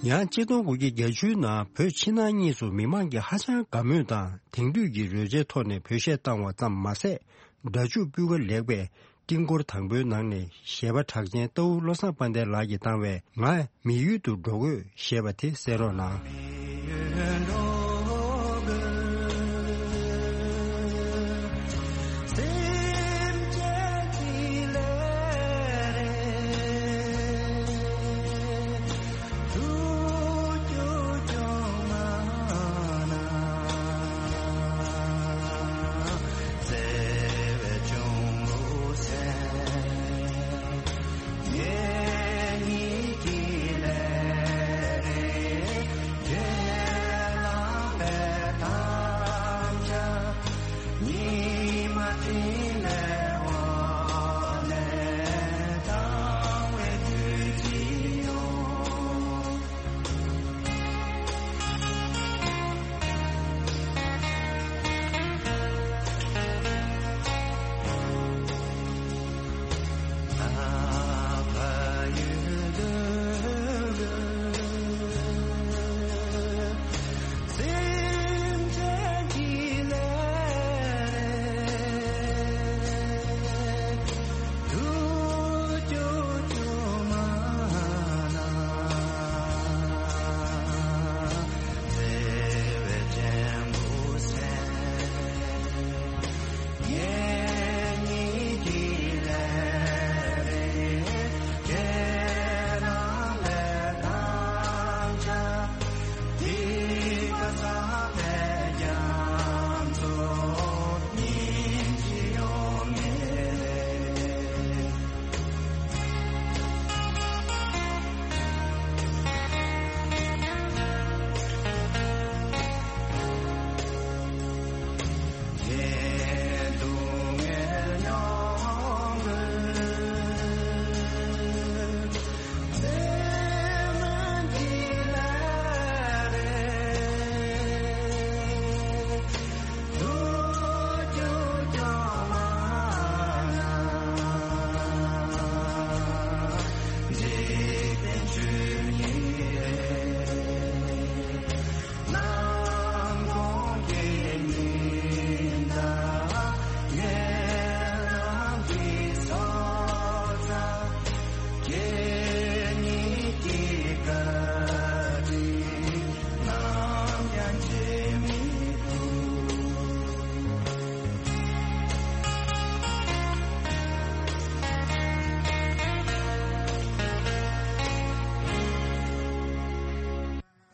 ཡང་ཆིག་སྟོང་དགུ་བརྒྱ་བརྒྱད་ཅུའི་ནང་བོད་ཕྱི་ནང་གཉིས་སུ་མི་མང་གིས་ཧ་ཅང་དགའ་མོས་དང་དེང་དུས་ཀྱི་རོལ་ཆའི་ཐོག་ནས་བོད་གཞས་བཏང་བ་ཙམ་མ་ཟད། སྒྲ་འཇུག་སྤུས་ཀ་ལེགས་པས་ཀྲིང་ཀོར་དང་པོའི་ནང་ནས་གཞས་པ་གྲགས་ཅན་རྟའུ་བློ་བཟང་དཔལ་ལྡན་ལགས་ཀྱིས་བཏང་བའི་ང་མི་ཡུལ་དུ་འགྲོ་དགོས་ཞེས་པ་དེ་གསན་རོགས་གནང་།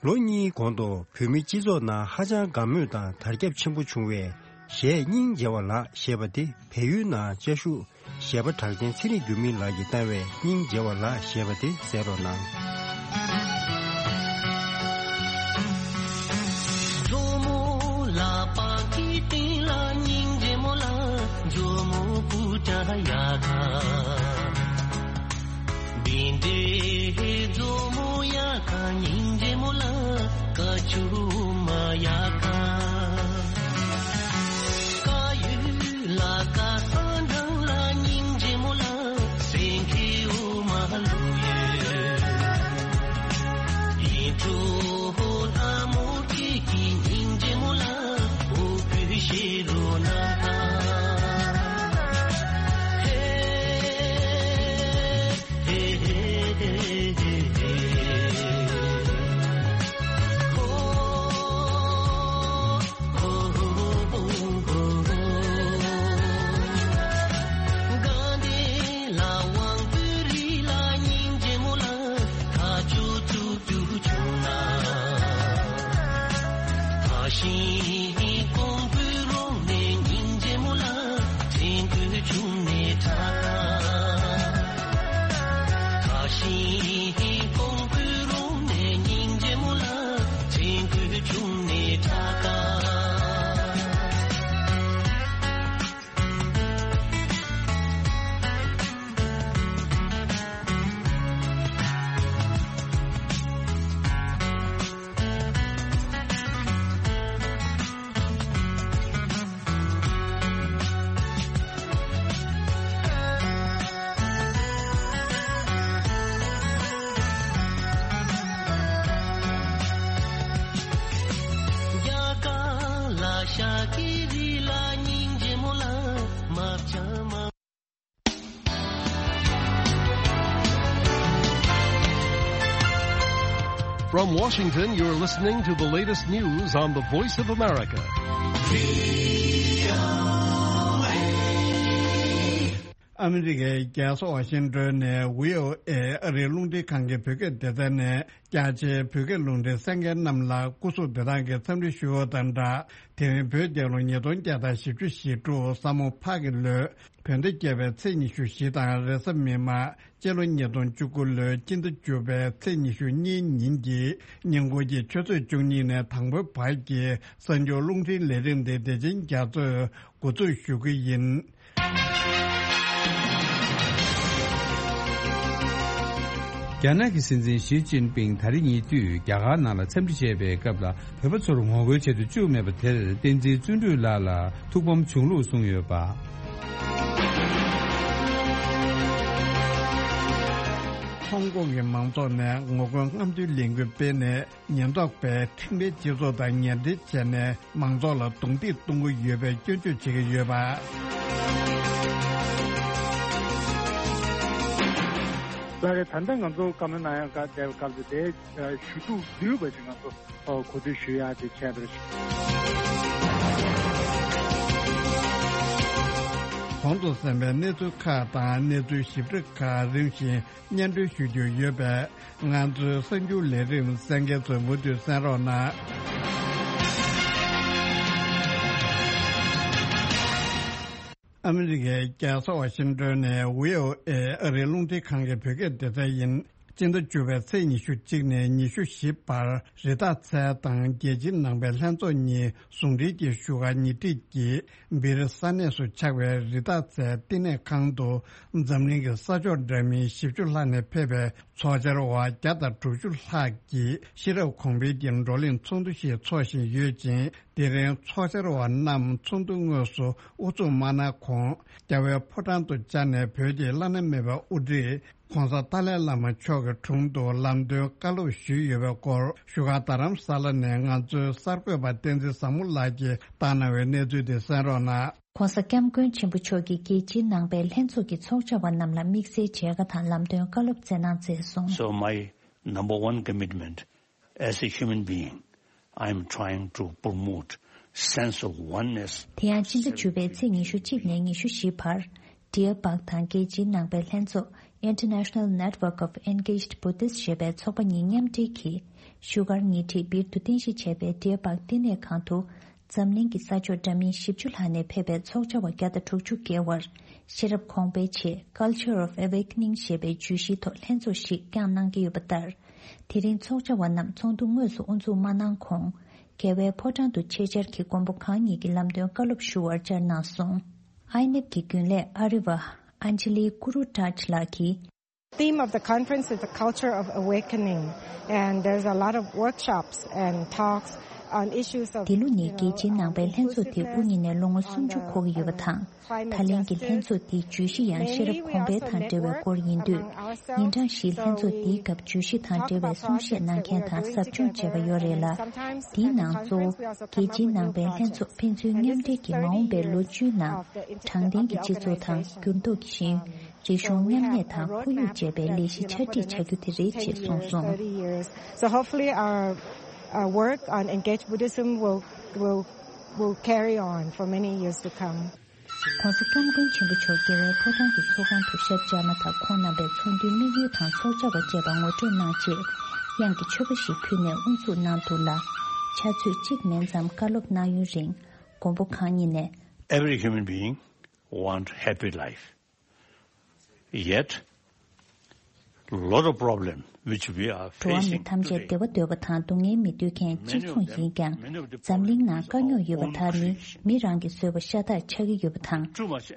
ལོ་གཉིས་གོང་དུ་བོད་མི་སྤྱི་ཚོགས་ནང་ཧ་ཅང་དགའ་མོས་དང་དར་ཁྱབ་ཆེན་པོ་བྱུང་བའི་གཞས་སྙིང་རྗེ་བ་ལགས་ཞེས་པ་དེ་བལ་ཡུལ་ནང་བཅའ་བཞུགས་གཞས་པ་གྲགས་ཅན་ཚེ་རིང་འགྱུར་མེད་ལགས་ཀྱིས་བཏང་བའི་སྙིང་རྗེ་བ་ལགས་ཞེས་པ་དེ་གསན་རོགས་གནང་། From Washington, you're listening to the latest news on the Voice of America. ཨ་མི་རི་ཀའི་རྒྱལ་ས་ཝ་ཤིང་ཏོན་ནས་བྷི་ཨོ་ཨེ་ཨ་རིའི་རླུང་འཕྲིན་ཁང་གི་བོད་སྐད་སྡེ་ཚན་ནས་རྒྱ་ཆེའི་བོད་སྐད་རླུང་འཕྲིན་གསན་མཁན་རྣམས་ལ་སྐུ་གཟུགས་བདེ་ཐང་གི་འཚམས་འདྲི་ཞུ་བ་དང་སྦྲགས། དེ་རིང་བོད་རྒྱལ་ལོ་ཉིས་སྟོང་བརྒྱ་དང་བཞི་བཅུ་ཞེ་དྲུག་ས་མོ་ཕག་གི་ལོའི་བོད་ཟླ་བརྒྱད་པའི་ཚེས་ཉི་ཤུ་བཞི་དང་རེས་གཟའ་མིག་དམར་སྤྱི་ལོ་ཉིས་སྟོང་བཅུ་དགུ་ལོའི་སྤྱི་ཟླ་བཅུ་པའི་ཚེས་ཉི་ཤུ་གཉིས་ཉིན་གྱི་ཉིན་གུང་གི་ཆུ་ཚོད་བཅུ་གཉིས་ནས་དང་པོའི་བར་གྱི་གསར་འགྱུར་རླུང་འཕྲིན་ལས་རིམ་དེ་བདེ་ཆེན་རྒྱ་མཚོས་འགོ་འཛུགས་ཞུ་གི་ཡིན། རྒྱ་ནག་གི་སྲིད་འཛིན་ཞི་ཅིན་ཕིང་ད་རེས་ཉེ་དུས་རྒྱ་གར་ནང་ལ་འཚམས་འདྲི་བྱས་པའི་སྐབས་ལ། བོད་པ་ཚོར་ངོ་རྒོལ་བྱེད་དུ་བཅུག་མེད་པ་དེར་བསྟན་འཛིན་བརྩོན་འགྲུས་ལགས་ལ་ཐུགས་ཕམ་བྱུང་ལུགས་གསུངས་ཡོད་པ། ཧོང་ཀོང་གི་མང་ཚོགས་ནས་ངོ་རྒོལ་རྔམ་སྟོན་ལས་འགུལ་སྤེལ་ནས། ཉེན་རྟོག་པས་ཁྲིམས་འགལ་སྤྱི་ཚོགས་དང་ཉེ་འབྲེལ་བྱས་ནས་མང་ཚོགས་ལ་རྡུང་རྡེག་གཏོང་གི་ཡོད་པའི་སྐྱོན་བརྗོད་བྱེད་ཀྱི་ཡོད་པ། ལགས་རེད། ད་ལྟ་ང་ཚོ་བཀའ་མོལ་གནང་ཡག་བསྡད་པའི་སྐབས་སུ་དེ་ཞུ་གཏུག་བསྡུས་པ་ཞིག་ང་ཚོ་གོ་བསྡུར་ཞུ་ཡག་དེ་བྱས་པ་རེད། གོང་དུ་གསན་པའི་གནས་ཚུལ་ཁག་དང་གནས་ཚུལ་ཞིབ་ཕྲ་ཁག་རིམ་བཞིན་སྙན་སྒྲོན་ཞུ་རྒྱུ་ཡོད་པས། ང་ཚོའི་གསར་འགྱུར་ལས་རིམ་གསན་མཁན་ཚོས་མུ་མཐུད་གསན་རོགས་གནང་། ཨ་མི་རི་ཀའི་རྒྱལ་ས་ཝ་ཤིང་ཏོན་ནས་བྷི་ཨོ་ཨེ་ཨ་རིའི་རླུང་འཕྲིན་ཁང་གི་བོད་སྐད་སྡེ་ཚན་ཡིན། སྤྱི་ཟླ་བཅུ་པའི་ཚེས་ཉི་ཤུ་གཅིག་ནས་ཉི་ཤུ་བཞི་བར་རི་དྭགས་ཚལ་དང་རྒྱལ་སྤྱིའི་ནང་པའི་ལྷན་ཚོགས་གཉིས་ཟུང་འབྲེལ་གྱིས་བཞུགས་སྒར་ཉེ་འཁྲིས་ཀྱི་སྦིར་ས་གནས་སུ་ཆགས་པའི་རི་དྭགས་ཚལ་བསྟི་གནས་ཁང་དུ་འཛམ་གླིང་གི་ས་ཕྱོགས་འདྲ་མིན་བཞི་བཅུ་ལྷག་ནས་ཕེབས་པའི་ཚོགས་བཅར་བ་བརྒྱ་དང་དྲུག་ཅུ་ལྷག་གིས་ཤེས་རབ་གོང་འཕེལ་གྱི་བགྲོ་གླེང་ཚོགས་འདུ་ཞིག་འཚོགས་བཞིན་ཡོད་ཅིང་། དེ་རིང་ཚོགས་བཅར་བ་རྣམས་ཚོགས་འདུ་དངོས་སུ་དབུ་འཛུགས་མ་གནང་གོང་། རྒྱལ་བའི་ཕོ་བྲང་དུ་བཅར་ནས་བོད་ཀྱི་བླ་ན་མེད་པའི་དབུ་ཁྲིད་༧གོང་ས་ཏཱ་ལའི་བླ་མ་མཆོག་གི་དྲུང་དུ་ལམ་སྟོན་བཀའ་སློབ་ཞུས་ཡོད་པའི་སྐོར་བཞུགས་སྒར་རྡ་རམ་ས་ལ་ནས་ང་ཚོའི་གསར་འགོད་པ་བསྟན་འཛིན་བཟང་མོ་ལགས་ཀྱིས་བཏང་གནང་བའི་གནས་ཚུལ་དེ་གསན་རོགས་གནང་། ༧གོང་ས་༧སྐྱབས་མགོན་ཆེན་པོ་མཆོག་གིས་རྒྱལ་སྤྱིའི་ནང་པའི་ལྷན་ཚོགས་ཀྱི་ཚོགས་བཅར་བ་རྣམས་ལ་དམིགས་བསལ་མཇལ་ཁ་དང་ལམ་སྟོན་བཀའ་སློབ་སྩལ་གནང་མཛད་སོང་། So my number one commitment as a human being, I am trying to promote sense of oneness. དེ་ཡང་སྤྱི་ཟླ་བཅུ་པའི་ཚེས་ཉི་ཤུ་གཅིག་ནས་ཉི་ཤུ་བཞི་བར། Dear Bhag དང་རྒྱལ་སྤྱིའི་ནང་པའི་ལྷན་ཚོགས་International Network of Engaged Buddhists ཞེས་པའི་ཚོགས་པ་གཉིས་མཉམ་འབྲེལ་གྱིས། བཞུགས་སྒར་ཉེ་འཁྲིས་སྦིར་དུ་རྟེན་གཞི་བྱས་པའི་Dear Bhag བསྟི་གནས་ཁང་དུ། འཛམ་གླིང་གི་ས་ཕྱོགས་འདྲ་མིན་བཞི་བཅུ་ལྷག་ནས་ཕེབས་པའི་ཚོགས་བཅར་བ་བརྒྱ་དང་དྲུག་ཅུ་བརྒལ་བར་ཤེས་རབ་གོང་འཕེལ་ཆེད་Culture of Awakening ཞེས་པའི་བརྗོད་གཞིའི་ཐོག་ལྷན་ཚོགས་ཤིག་བསྐྱངས་གནང་གི་ཡོད་པ་ལྟར། དེ་རིང་ཚོགས་བཅར་བ་རྣམས་ཚོགས་འདུ་དངོས་སུ་དབུ་འཛུགས་མ་གནང་གོང་། རྒྱལ་བའི་ཕོ་བྲང་དུ་ཆེད་བཅར་གྱིས་མགོན་པོ་གང་ཉིད་ཀྱི་ལམ་སྟོན་བཀའ་སློབ་ཞུ་བར་བཅར་གནང་སོང་། ཨའི་ནེབ་ཀྱི་རྒྱུན་ལས་ཨ་རི་བ་Anjali Guru Taj ལགས་ཀྱིས། Theme of the conference is the culture of awakening, and there's a lot of workshops and talks on issues of འདི་ལོ་ནི་རྒྱལ་སྤྱིའི་ནང་པའི་ལྷན་ཚོགས་དེ་དབུ་བརྙེས་ནས་ལོ་ངོ་སུམ་ཅུ་འཁོར་གྱི་ཡོད་པ་དང་། ད་ལན་གྱི་ལྷན་ཚོགས་འདིའི་བརྗོད་གཞི་ཡང་ཤེས་རབ་གོང་འཕེལ་དང་འབྲེལ་བའི་སྐོར་ཡིན་དུས། ཉིན་གྲངས་བཞིའི་ལྷན་ཚོགས་འདིའི་སྐབས་བརྗོད་གཞི་དང་འབྲེལ་བའི་གསུང་བཤད་གནང་མཁན་དང་ཟབ་སྦྱོང་བྱས་པ་ཡོད་རེད་ལ། འདིའི་ནང་གཙོ་བོ་རྒྱལ་སྤྱིའི་ནང་པའི་ལྷན་ཚོགས་ཕན་ཚུན་མཉམ་འབྲེལ་གྱིས་མ་འོངས་པའི་ལོ་བཅུའི་ནང་དྲང་བདེན་གྱི་སྤྱི་ཚོགས་དང་འགྱུར་ལྡོག་གི་ཤེས་ཡོན། རིག་གཞུང་མཉམ་གནས་དང་ཁོར་ཡུག་ཅེས་པའི་ལས་གཞི་ཆ་སྒྲིག་བྱ་རྒྱུ་དེ་རེད་ཅེས་གསུངས་སོང་། So hopefully our uh, work on engaged Buddhism will will will carry on for many years to come. ༧གོང་ས་༧སྐྱབས་མགོན་ཆེན་པོ་མཆོག་རྒྱལ་བའི་ཕོ་བྲང་གི་ཚོགས་ཁང་དུ་ཞབས་བཅར་མ་ཐག་ཁོང་རྣམ་པས་ཚོགས་འདུའི་དམིགས་ཡུལ་དང་ཚོགས་བཅར་བ་བཅས་པ་ངོ་སྤྲོད་གནང་རྗེས། དབྱངས་ཀྱི་མཆོད་པ་ཞིག་ཕུལ་ནས་དབུ་འཛུགས་གནང་འདུག་ལ། ཕྱག་ཚོད་གཅིག་མིན་ཙམ་བཀའ་སློབ་གནང་ཡུན་རིང་། མགོན་པོ་གང་ཉིད་ནས། Every human being want happy life. Yet, lot of problem which we are འགྲོ་བ་མི་facing ཐམས་ཅད་today, བདེ་བ་འདོད་པ་དང་སྡུག་བསྔལ་མི་འདོད་མཁན་གཅིག་མཚུངས་ཡིན་ཀྱང་། འཛམ་གླིང་ནང་དཀའ་རྙོག་ཡོད་པ་དག་ནི་མི་རང་གིས་བཟོས་པ་ཤ་སྟག་ཆགས་ཀྱི་ཡོད་པ་དང་།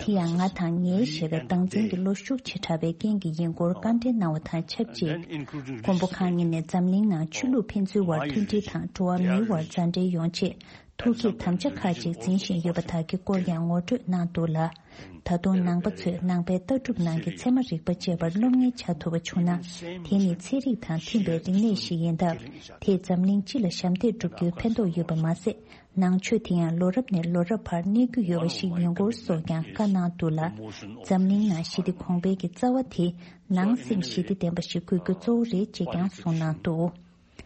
དེ་ཡང་ང་དང་ངའི་ཞེས་པའི་བདག་འཛིན་གྱི་བློ་ཤུགས་ཆེ་དྲགས་པའི་རྐྱེན་གྱིས་ཡིན་སྐོར་བཀའ་འདྲི་གནང་བ་དང་ཆབས་ཅིག། མགོན་པོ་གང་ཉིད་ནས་འཛམ་གླིང་ནང་ཆོས་ལུགས་ཕན་ཚུན་བར་མཐུན་སྒྲིལ་དང་འགྲོ་བ་མིའི་བར་མཛའ་འབྲེལ་ཡོང་ཆེད། ཐུགས་བསྐྱེད་དམ་བཅའ་ཁག་ཅིག་འཛིན་བཞིན་ཡོད་པ་དག་གི་སྐོར་ཡང་ངོ་སྤྲོད་གནང་འདུག་ལ། ད་དུང་ནང་པ་ཚོས་ནང་པའི་ལྟ་གྲུབ་ནང་གི་ཚད་མ་རིག་པ་བཅས་པར་སློབ་གཉེར་བྱ་ཐུབ་པ་བྱུང་ན། དེ་ནི་ཚན་རིག་དང་མཐུན་པའི་རིག་གནས་ཤིག་ཡིན་སྟབས། དེས་འཛམ་གླིང་སྤྱི་ལ་ཞབས་འདེགས་སྒྲུབ་རྒྱུའི་ཕན་ཐོགས་ཡོད་པ་མ་ཟད། ནང་ཆོས་དེ་ཡང་ལོ་རབས་ནས་ལོ་རབས་བར་གནས་རྒྱུ་ཡོད་པ་ཞིག་ཡིན་སྐོར་སོགས་ཀྱང་བཀའ་གནང་འདུག་ལ། འཛམ་གླིང་ནང་ཞི་བདེ་གོང་འཕེལ་གྱི་རྩ་བ་དེ་ནང་སེམས་ཞི་བདེ་ལྡན་པ་ཞིག་དགོས་རྒྱུ་གཙོ་བོ་རེད་ཅེས་ཀྱང་གསུངས་གནང་འདུག།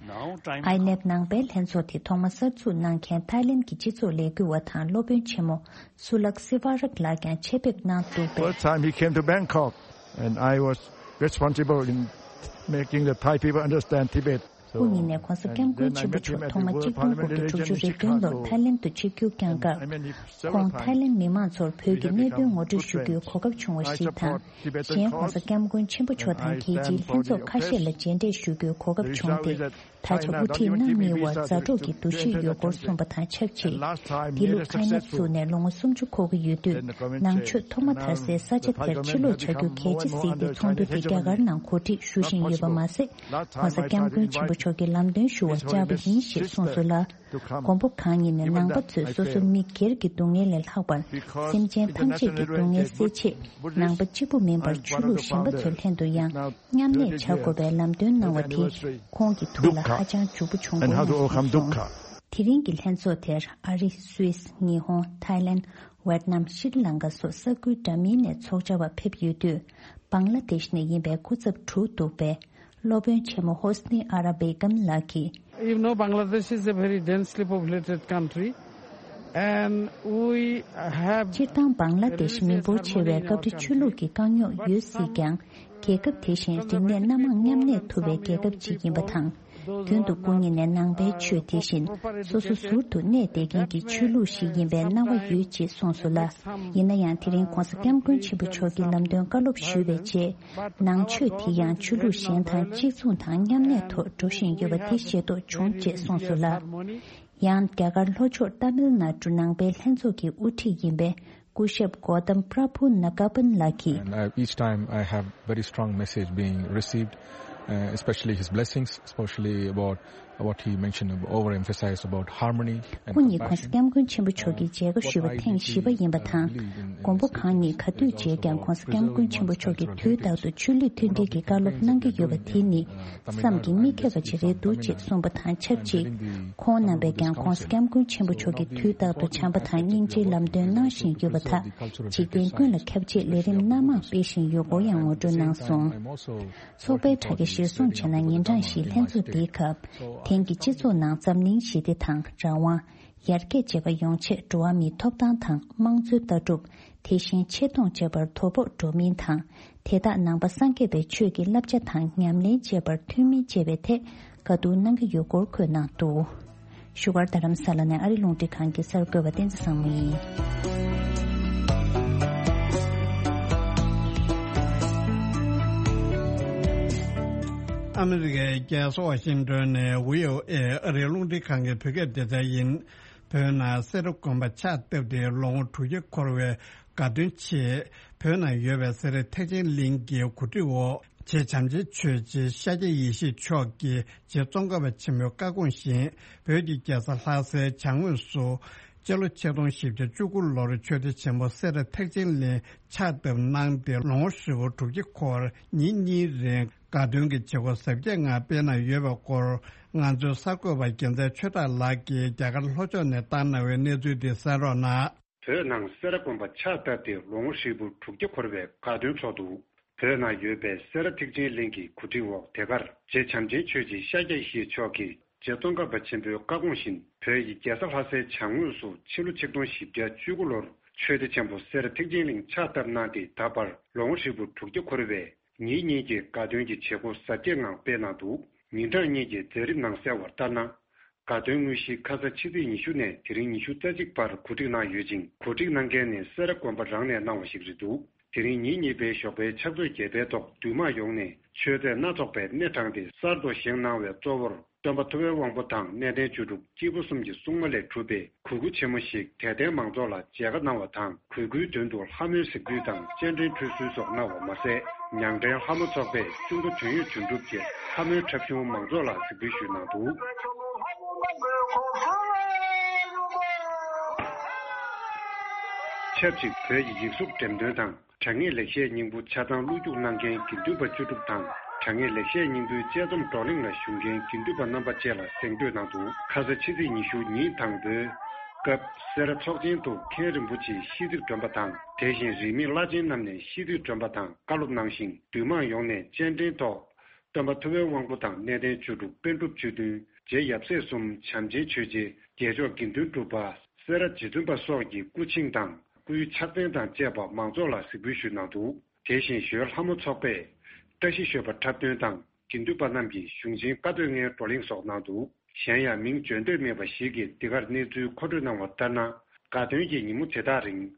ཨའི་ནེབ་ནང་པའི་ལྷན་ཚོགས་དེ་ཐོག་མ་གསར་འཛུགས་གནང་མཁན་ཐའི་ལེན་གྱི་སྤྱི་ཚོགས་ལས་འགུལ་བ་དང་སློབ་དཔོན་ཆེན་མོ་སུ་ལག་སི་ཝ་རག་ལགས་ཀྱང་ཆེད་ཕེབས་གནང་འདུག་པས། First time he came to Bangkok, and I was responsible in making the Thai people understand Tibet. སྐུ་ཉིད་ནས་༸གོང་ས་༸སྐྱབས་མགོན་ཆེན་པོ་མཆོག་ཐོག་མ་གཅིག་སྟོང་དགུ་བརྒྱ་དྲུག་ཅུ་རེ་བདུན་ལོར་ཐའི་ལེན་དུ་ཆིབས་བསྒྱུར་བསྐྱངས་སྐབས། ཁོང་ཐའི་ལེན་མི་མང་ཚོར་བོད་ཀྱི་གནད་དོན་ངོ་སྤྲོད་ཞུ་རྒྱུའི་གོ་སྐབས་བྱུང་བ་ཞིག་དང་། གཞན་༸གོང་ས་༸སྐྱབས་མགོན་ཆེན་པོ་མཆོག་དང་རྒྱལ་སྤྱིའི་ལྷན་ཚོགས་ཁ་ཤས་ལ་མཇལ་འཕྲད་ཞུ་རྒྱུའི་གོ་སྐབས་བྱུང་སྟེ། ད་ཆ་དབུ་ཁྲིད་རྣམ་གཉིས་དབར་མཛའ་གྲོགས་ཀྱི་འདུ་ཤེས་ཡོད་སྐོར་གསུངས་པ་དང་ཆབས་ཅིག་འདི་ལོ་ཨའི་ནེབ་བཙུགས་ནས་ལོ་ངོ་སུམ་ཅུ་འཁོར་གྱི་ཡོད་དུས། ནང་ཆོས་ཐོག་མ་དར་སའི་ས་ཆ་དེར་ཕྱིར་ལོག་བྱ་རྒྱུ་གལ་ཆེ་གཟིགས་ཏེ་ཚོགས་འདུ་དེ་རྒྱ་གར་ནང་གོ་སྒྲིག་ཞུ་བཞིན་ཡོད་པ་མ་ཟད། ༸གོང་ས་༸སྐྱབས་མགོན་ཆེན་པོ་མཆོག་གིས་ལམ་སྟོན་ཞུ་བར་བཅར་བ་ཡིན་ཞེས་གསུངས་སོང་ལ། མགོན་པོ་གང་ཉིད་ནས་ནང་པ་ཚོས་སོ་སོ་མི་སྒེར་གྱི་སྡུག་བསྔལ་ལས་ལྷག་པར། སེམས་ཅན་ཐམས་ཅད་ཀྱི་སྡུག་བསྔལ་སེལ་ཆེད། ནང་པ་གཅིག་པུ་མིན་པར་ཆོས་ལུགས་གཞན་པ་ཚོའི་ལྷན་དུ་ཡང་མཉམ་གནས་བྱ་དགོས་པའི་ལམ་སྟོན་གནང་བ་དེ། ཁོང་གི་ཐུགས་ལ་ཧ་ཅང་འཇུག་པོ་བྱུང་བ་ཡིན་གསུངས་སོང་། དེ་རིང་གི་ལྷན་ཚོགས་དེར་ཨ་རི། སུད་སི། ཉི་ཧོང་། ཐའི་ལེན། ཝེད་ནམ། ཤྲི་ལང་ཀ་སོགས་ས་ཁུལ་འདྲ་མིན་ནས་ཚོགས་བཅར་བ་ཕེབས་ཡོད་དུས། བང་ལ་དེཤ་ནས་ཡིན་པའི་སྐུ་ཚབ་དྲུག་འདུག་པས། སློབ་དཔོན་ཆེན་མོ་ཧོ་སི་ནི་ཨ་ར་བེ་གམ་ལགས་ཀྱིས། You know, Bangladesh is a very densely populated country, and we have སྤྱིར་བཏང་བང་ལ་དེཤ་མི་འབོར་ཆེ་བས་སྐབས་རེ་ཆོས་ལུགས་ཀྱི་དཀའ་རྙོག་ཡོད་སྲིད་ཀྱང་། རྒྱལ་ཁབ་དེ་བཞིན་རིག་གནས་སྣ་མང་མཉམ་གནས་ཐུབ་པའི་རྒྱལ་ཁབ་ཅིག་ཡིན་པ་དང་། མདུན་དུ་སྐུ་ཉིད་ནས་ནང་པའི་ཆོས་དེ་བཞིན་སོ་སོ་ཟུར་དུ་གནས་བསྡད་མཁན་གྱི་ཆོས་ལུགས་ཤིག་ཡིན་པའི་སྣང་བ་ཡོད་ཅེས་གསུངས་སོང་ལ། ཡིན་ན་ཡང་དེ་རིང་༸གོང་ས་༸སྐྱབས་མགོན་ཆེན་པོ་མཆོག་གིས་ལམ་སྟོན་བཀའ་སློབ་ཞུས་པའི་རྗེས། ནང་ཆོས་དེ་ཡང་ཆོས་ལུགས་གཞན་དང་གཅིག་མཚུངས་དང་མཉམ་གནས་ཐོག་འགྲོ་བཞིན་ཡོད་པ་དེ་ཤེས་རྟོགས་བྱུང་ཅེས་གསུངས་སོང་ལ། ཡང་རྒྱ་གར་ལྷོ་ཕྱོགས་ཏཱ་མིལ་ནཱ་ཌུ་ནང་པའི་ལྷན་ཚོགས་ཀྱི་དབུ་ཁྲིད་ཡིན་པའི་སྐུ་ཞབས་གོ་ཏམ་པྲ་བྷུ་ན་ག་པན་ལགས་ཀྱིས། And I, each time I have very strong message being received, uh, especially his blessings, especially about what he mentioned, overemphasized about harmony and སྐུ་ཉིད་༸གོང་ས་༸སྐྱབས་མགོན་ཆེན་པོ་མཆོག་གིས་མཇལ་ཁ་ཞུས་པ་ཐེངས་བཞི་པ་ཡིན་པ་དང་། མགོན་པོ་གང་ཉིད་ག་དུས་མཇལ་ཀྱང་༸གོང་ས་༸སྐྱབས་མགོན་ཆེན་པོ་མཆོག་གིས་དུས་རྟག་ཏུ་ཆོས་ལུགས་མཐུན་སྒྲིལ་གྱི་བཀའ་སློབ་གནང་གི་ཡོད་པ་དེ་ནི། བསམ་གྱིས་མི་ཁྱབ་པ་ཅིག་རེད་འདུག་ཅེས་གསུངས་པ་དང་ཆབས་ཅིག་ཁོང་རྣམ་པས་ཀྱང་༸གོང་ས་༸སྐྱབས་མགོན་ཆེན་པོ་མཆོག་གིས་དུས་རྟག་ཏུ་བྱམས་པ་དང་སྙིང་རྗེའི་ལམ་སྟོན་གནང་བཞིན་ཡོད་པ་དག་འཇིག་རྟེན་ཀུན་ལ་ཁྱབ་ཆེད་ལས་རིམ་སྣ་མང་སྤེལ་བཞིན་ཡོད་སྐོར་ཡང་ངོ་སྤྲོད་གནང་སོང་། ཚོགས་པའི་དྲ་རྒྱ་གཞིར་བཟུང་བྱས་ན། ཉིན་གྲངས་བཞིའི་ལྷན་ཚོགས་འདིའི་སྐབས། དེང་གི་སྤྱི་ཚོགས་ནང་འཛམ་གླིང་ཞི་བདེ་དང་། རང་དབང་། ཡར་རྒྱས་བཅས་པ་ཡོང་ཆེད་འགྲོ་བ་མིའི་ཐོབ་ཐང་དང་དམངས་གཙོའི་ལྟ་གྲུབ། དེ་བཞིན་ཆེ་མཐོང་བཅས་པར་དོ་ཕོག་འགྲོ་མིན་དང་། དེ་དག་ནང་པ་སངས་རྒྱས་པའི་ཆོས་ཀྱི་བསླབ་བྱ་དང་ཉམས་ལེན་བྱེད་པར་མཐུན་མིན་བཅས་པའི་ཐད་བཀའ་བསྡུར་གནང་གི་ཡོད་སྐོར་འཁོད་གནང་འདུག་བཞུགས་སྒར་རྡ་རམ་ས་ལ་ནས་ཨ་རི་རླུང་འཕྲིན་ཁང་གི་གསར་འགོད་པ་བསྟན་འཛིན་བཟང་མོ་ཡིན། ཨ་མི་རི་ཀའི་རྒྱལ་ས་ཝ་ཤིང་ཏོན་ནས་བྷི་ཨོ་ཨེ་ཨ་རིའི་རླུང་འཕྲིན་ཁང་གི་བོད་སྐད་སྡེ་ཚན་ཡིན། བོད་ནང་སེ་ར་དགོན་པ་ཕྱག་བཏབ་སྟེ་ལོ་ངོ་དྲུག་བརྒྱ་འཁོར་བའི་དགའ་སྟོན་ཆེད། བོད་ནང་ཡོད་པའི་སེ་ར་ཐེག་ཆེན་གླིང་གི་གོ་སྒྲིག་འོག་རྗེ་བྱམས་ཆེན་ཆོས་རྗེ་ཤཱཀྱ་ཡེ་ཤེས་མཆོག་གིས་རྗེ་ཙོང་ཁ་པ་ཆེན་པོའི་བཀའ་དགོངས་བཞིན། བོད་ཀྱི་རྒྱལ་ས་ལྷ་སའི་བྱང་ངོས་སུ། སྤྱི་ལོ་ཆིག་སྟོང་བཞི་བརྒྱ་བཅུ་དགུ་ལོར་ཆོས་སྡེ་ཆེན་མོ་སེ་ར་ཐེག་ཆེན་གླིང་ཕྱག་བཏབ་གནང་སྟེ་ལོ་ངོ་ཧྲིལ་པོ་དྲུག་བརྒྱ་འཁོར་ཉིན་གཉིས་རིང་དགའ་སྟོན་གྱི་བྱེད་སྒོ་གཟབ་རྒྱས་ངང་སྤེལ་གནང་ཡོད་པའི་སྐོར་ང་ཚོའི་གསར་འགོད་པ་རྒྱལ་མཚན་ཆོས་གྲགས་ལགས་ཀྱིས་རྒྱ་གར་ལྷོ་ཕྱོགས་ནས་བཏང་གནང་བའི་གནས་ཚུལ་འདི་གསན་རོགས་གནང་། བོད་ནང་སེ་ར་དགོན་པ་ཕྱག་བཏབ་སྟེ་ལོ་ངོ་ཧྲིལ་པོ་དྲུག་བརྒྱ་འཁོར་བའི་དགའ་སྟོན་ཚོགས་འདུག་བོད་ནང་ཡོད་པའི་སེ་ར་ཐེག་ཆེན་གླིང་གི་གོ་སྒྲིག་འོག་དེ་གར་རྗེ་བྱམས་ཆེན་ཆོས་རྗེ་ཤཱཀྱ་ཡེ་ཤེས་མཆོག་གིས་རྗེ་ཙོང་ཁ་པ་ཆེན་པོའི་བཀའ་དགོངས་བཞིན་བོད་ཀྱི་རྒྱལ་ས་ལྷ་སའི་བྱང་ངོས་སུ་ཕྱི་ལོ་ཆིག་སྟོང་བཞི་བརྒྱ་བཅུ་དགུ་ལོར་ཆོས་སྡེ་ཆེན་པོ་སེ་ར་ཐེག་ཆེན་གླིང་ཕྱག་བཏབ་གནང་སྟེ་ད་བར་ལོ་ངོ་ཧྲིལ་པོ་དྲུག་བརྒྱ་འཁོར་བའི་ཉིན་གཉིས་ཀྱི་དགའ་སྟོན་གྱི་བྱེད་སྒོ་གཟབ་རྒྱས་ངང་སྤེལ་གནང་འདུག་ཉིན་གྲངས་གཉིས་ཀྱི་མཛད་རིམ་ནང་གསལ་བ་ལྟར་ན། དགའ་སྟོན་དངོས་གཞི་ཁ་ས་ཕྱི་ཚེས་ཉི་ཤུ་ནས་དེ་རིང་ཉི་ཤུ་རྩ་གཅིག་བར་གོ་སྒྲིག་གནང་ཡོད་ཅིང་། གོ་སྒྲིག་གནང་མཁན་ནི་སེ་ར་དགོན་པ་རང་ནས་གནང་བ་ཞིག་རེད་འདུག་དེ་རིང་ཉིན་གཉིས་པའི་ཞོགས་པའི་ཕྱག་ཚོད་བརྒྱད་པའི་ཐོག་འདུས་མང་ཡོངས་ནས་མཆོད་རྫས་སྣ་ཚོགས་པའི་སྣེ་དྲངས་ཏེ་གསར་དུ་བཞེངས་གནང་བའི་གཙོ་བོར་སྟོན་པ་ཐུབ་པའི་དབང་པོ་དང་གནས་བརྟན་བཅུ་དྲུག་སྐྱེས་བུ་གསུམ་གྱི་སྲུང་མ་ལས་གྲུབ་པའི་གུར་དགུ་ཆེན་མོ་ཞིག་དད་ལྡན་མང་ཚོགས་ལ་མཇལ་ཁ་གནང་བ་དང་། གུར་དགུའི་མདུན་དུ་ལྷ་མོའི་གཟིགས་འབུལ་དང་སྤྱན་འདྲེན་ཁྲུས་གསོལ་སོགས་གནང་བ་མ་ཟད། ཉང་བྲན་ལྷ་མོ་ཚོགས་པས་གཅུང་པོ་དོན་ཡོད་དོན་གྲུབ་ཀྱི་ལྷ་མོའི་འཁྲབ་གཞུང་མང་ཚོགས་ལ་གཟིགས་འབུལ་ཞུས་གནང་འདུག་ཆབས་ཅིག་བོད་ཀྱི་ཡིག་གཟུགས་འགྲེམས་སྟོན་དང་། དྲ་བརྙན་ལེགས་བཤད་སྙིང་པོ་ཆ་ཚང་བློ་རྒྱུགས་གནང་མཁན་དགེ་འདུན་པ་བཅུ་དྲུག་དང་། དྲ་བརྙན་ལེགས་བཤད་སྙིང་པོའི་དཔྱད་རྩོམ་བགྲོ་གླེང་ལ་ཞུགས་མཁན་དགེ་འདུན་པ་རྣམ་པ་བཅས་ལ་གཟེངས་བསྟོད་གནང་འདུག་ཁ་ས་ཕྱི་ཚེས་ཉི་ཤུ་ཉིན་དང་པོའི་སྐབས་སེ་ར་ཚོགས་ཆེན་དུ་མཁན་རིན་པོ་ཆེ་ཤིས་ཚིག་སྒྲོན་པ་དང་། དེ་བཞིན་རིས་མེད་བླ་ཆེན་རྣམས་ནས་ཤིས་ཚིག་སྒྲོན་པ་དང་བཀའ་སློབ་གནང་ཞིང་། འདུས་མང་ཡོངས་ནས་སྤྱན་འདྲེན་ཐོག་སྟོན་པ་ཐུབ་པའི་དབང་པོ་དང་གནས་བརྟན་ཆོས་དྲུག་པཎ་གྲུབ་ཆོས་མཐུན། རྗེ་ཡབ་སྲས་གསུམ། བྱམས་ཆེན་ཆོས་རྗེ། རྒྱལ་མཆོག་དགེ་འདུན་གྲུབ་པ། སེ་ར་རྗེ་བཙུན་པ་སོགས་ཀྱི་སྐུ་ཆིངས་དང་སྐུའི་ཕྱག་མཚན་དང་བཅས་པ་མང་ཚོགས་ལ་གཟིགས་འབུལ་ཞུས་གནང་འདུག་དེ་བཞིན་ཞོལ་ལྷ་མོ་ཚོགས་པས་བཀྲ་ཤིས་ཞོལ་པ་འཁྲབ་སྟོན་དང་། དགེ་འདུན་པ་རྣམས་ཀྱིས་གཞུང་ཆེན་བཀའ་སྡོད་ལྔའི་བགྲོ་གླེང་སོགས་གནང་འདུག་གཞན་ཡང་མིང་བརྗོད་འདོད་མེད་པ་ཞིག་གིས་འདི་གར་གནས་ཚུལ་མཁོ་སྤྲོད་གནང་བ་ལྟར་ན། དགའ་སྟོན་གྱི་ཉིན་མོ་དེ་དག་རིང་།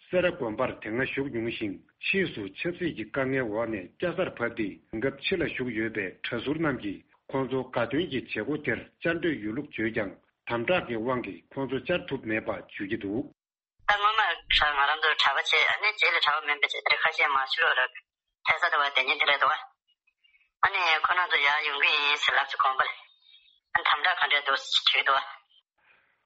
སེ་ར་དགོན་པར་དེ་སྔ་བཞུགས་མྱོང་ཞིང་། ཕྱིས་སུ་ཆབ་སྲིད་ཀྱི་དཀའ་ངལ་འོག་ནས་སྐྱ་སར་བབས་ཏེ། དེང་སྐབས་ཕྱི་ལ་བཞུགས་ཡོད་པའི་གྲྭ་ཟུར་རྣམས་ཀྱིས་ཁོང་ཚོ་དགའ་སྟོན་གྱི་བྱེད་སྒོ་དེར་བཅར་འདོད་ཡོད་ལུགས་བརྗོད་ཀྱང་། དམ་དྲག་གི་དབང་གིས་ཁོང་ཚོ་བཅར་ཐུབ་མེད་པ་བརྗོད་ཀྱི་འདུག་ད་སྔོན་མ་ང་རང་ཚོ་གྲྭ་པ་བྱས། ཨ་ནི་རྗེས་ལ་གྲྭ་པ་མིན་པ་བྱས། དེ་ཁ་ཤས་མར་ཕྱི་ལོགས་ལ་ཕེབས་ས་དེ་བ་དེ་ཉིད་དེ་རེད་འདུག་ཨ་ནི་ཁོ་རང་ཚོ་ཡར་ཡོང་གི་ཡིན་ཟེར་ལབ་ཚེ་དགོན་པ་ལ། ཨ་ནི་དམ་དྲག་ག་འདྲས་འདུག་ཟེར་དྲིས་འདུག་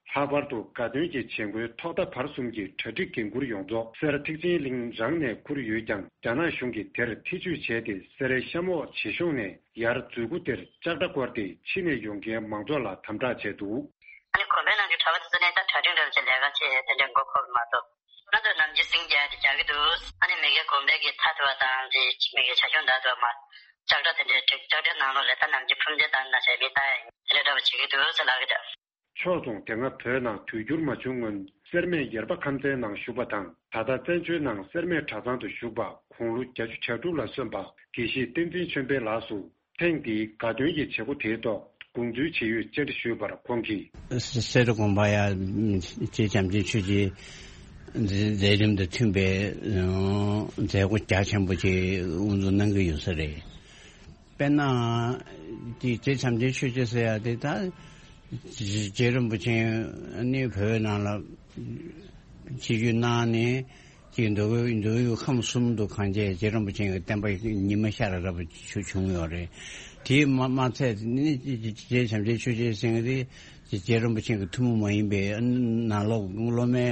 ལྷག་པར་དུ་དགའ་སྟོན་གྱི་བྱེད་སྒོའི་ཐོག་མཐའ་བར་གསུམ་གྱི་གྲ་སྒྲིག་འགན་འཁུར་ཡོངས་རྫོགས་སེ་ར་ཐེག་ཆེན་གླིང་རང་ནས་འཁུར་ཡོད་ཀྱང་། རྒྱ་ནག་གཞུང་གིས་དེར་ཐེ་ཇུས་བྱས་ཏེ། སེ་རའི་གཤམ་འོག་བྱེ་གཤོང་ནས་ཡར་འཛུལ་སྒོ་དེར་ལྕགས་དྲ་བསྐོར་ཏེ། ཕྱི་ནས་ཡོང་མཁན་མང་ཚོགས་ལ་དམ་དྲག་བྱས་འདུག་ཨ་ནི་དགོན་པའི་ནང་གི་གྲྭ་པ་དེ་ཚོ་ནས་ད་གྲ་སྒྲིག་འདྲ་བྱས། ལས་ཀ་བྱས། དེ་འདྲའི་མགོ་འཁོར་མ་གཏོགས། ང་ཚོས་ནམ་རྒྱུན་སེང་རྒྱག་དེ་རྒྱག་གི་འདུག་ཨ་ནི་མི་གའི་དགོན་པའི་གི་མཐའ་དེ་བ་དང་། དེ་མི་གའི་བྱ་ཁྱུང་དག་དེ་བ་མར་ལྕགས་དྲ་དེ་འདྲའི་བསྒྲིགས། ལྕགས་དྲའི་ནང་ལོགས་ལ་ད་ནམ་རྒྱུན་ཕུམ་ཆེན་དང་ན་བྱས་མི་ལྟ་ཡ་ཡིན། དེ་འདྲའི་འདྲ་བ་བྱེད་ཀྱི་འདུག་ཟེར་ལབ་ཀྱི་འདུག་ཕྱོགས་མཚུངས། དེ་སྔ་བོད་ནང་དུས་འགྱུར་མ་བྱུང་སྔོན། སེར་སྨད་ཡེར་པ་ཁམས་ཚན་ནང་བཞུགས་པ་དང་། ད་ལྟ་བཙན་བྱོལ་ནང་སེར་སྨད་གྲྭ་ཚང་དུ་བཞུགས་པ། དགུང་ལོ་བརྒྱད་ཅུ་གྱ་དྲུག་ལ་སོན་པ་དགེ་བཤེས་བསྟན་འཛིན་ཆོས་འཕེལ་ལགས་སུ། ཐེངས་འདིའི་དགའ་སྟོན་གྱི་བྱེད་སྒོ་དེའི་ཐོག་དགོངས་ཚུལ་ཇི་ཡོད་བཅར་འདྲི་ཞུས་པར། ཁོང་གིས། སེ་ར་དགོན་པ་ཡ། རྗེ་བྱམས་ཆེན་ཆོས་རྗེའི་མཛད་རིམ་དང་མཐུན་པའི་མཛད་སྒོ་རྒྱ་ཆེན་པོ་ཅིག་དབུ་འཛུགས་གནང་གི་ཡོད་ས་རེད། དཔེར་ན། དེ་རྗེ་བྱམས་ཆེན་ཆོས་རྗེ་ཟེར་ཡ་དེ་ད། རྗེ་རིན་པོ་ཆེ་ནི་བོད་ནང་ལ་ཆིབས་བསྒྱུར་གནང་ནས། ཅིག་མདོ་དབུས། མདོ་དབུས་ཁམས་གསུམ་དུ་གང་བྱས་རྗེ་རིན་པོ་ཆེ་གི་བསྟན་པ་ཉི་མ་ཤར་རབ་བྱུང་ཡོད་རེད། དེས་མ་མ་ཚད་ནི། རྗེ་བྱམས་ཆེན་ཆོས་རྗེ་ཟེར་མཁན་དེ་རྗེ་རིན་པོ་ཆེ་གི་ཐུན་མོང་མ་ཡིན་པའི་ནང་ལོགས་སློབ་མའི་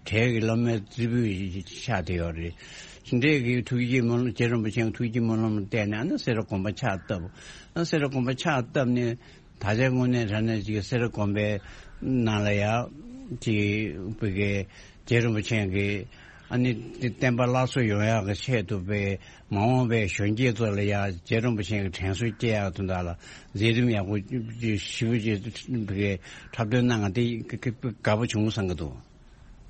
གྲས་ཀྱི་སློབ་མའི་རྩེ་ཕུད་ཆགས་བསྡད་ཡོད་རེད། དེ་འདྲའི་གི་ཐུགས་བསྐྱེད་སྨོན། རྗེ་རིན་པོ་ཆེ་གི་ཐུགས་བསྐྱེད་སྨོན་ལམ་བརྟེན་ནས། ཨ་ནི་སེ་ར་དགོན་པ་ཕྱག་བཏབ། ཨ་སེ་ར་དགོན་པ་ཕྱག་བཏབ་ནས། ད་ཆའི་དངོས་གནས་དྲང་གནས་ཅིག་སེ་ར་དགོན་པའི་ནང་ལ་ཡ། ཅིག་བོད་ཀྱི་རྗེ་རིན་པོ་ཆེ་གི། ཨ་ནི་བསྟན་པ་སླར་གསོ་ཡོང་ཡག་གི་ཆེད་དུ་བའི་མ་འོངས་པའི་གཞོན་སྐྱེས་ཚོ་ལ་ཡ་རྗེ་རིན་པོ་ཆེ་གི་དྲན་གསོ་སྐྱེ་ཡག་དོན་དག་ལ་མཛད་རིམ་ཡག་པོ་ཞེ་པོ་ཅིག་བོད་ཀྱི་འཁྲབ་སྟོན་གནང་བ་དེ་དགའ་པོ་བྱུང་བསམ་གྱི་འདུག་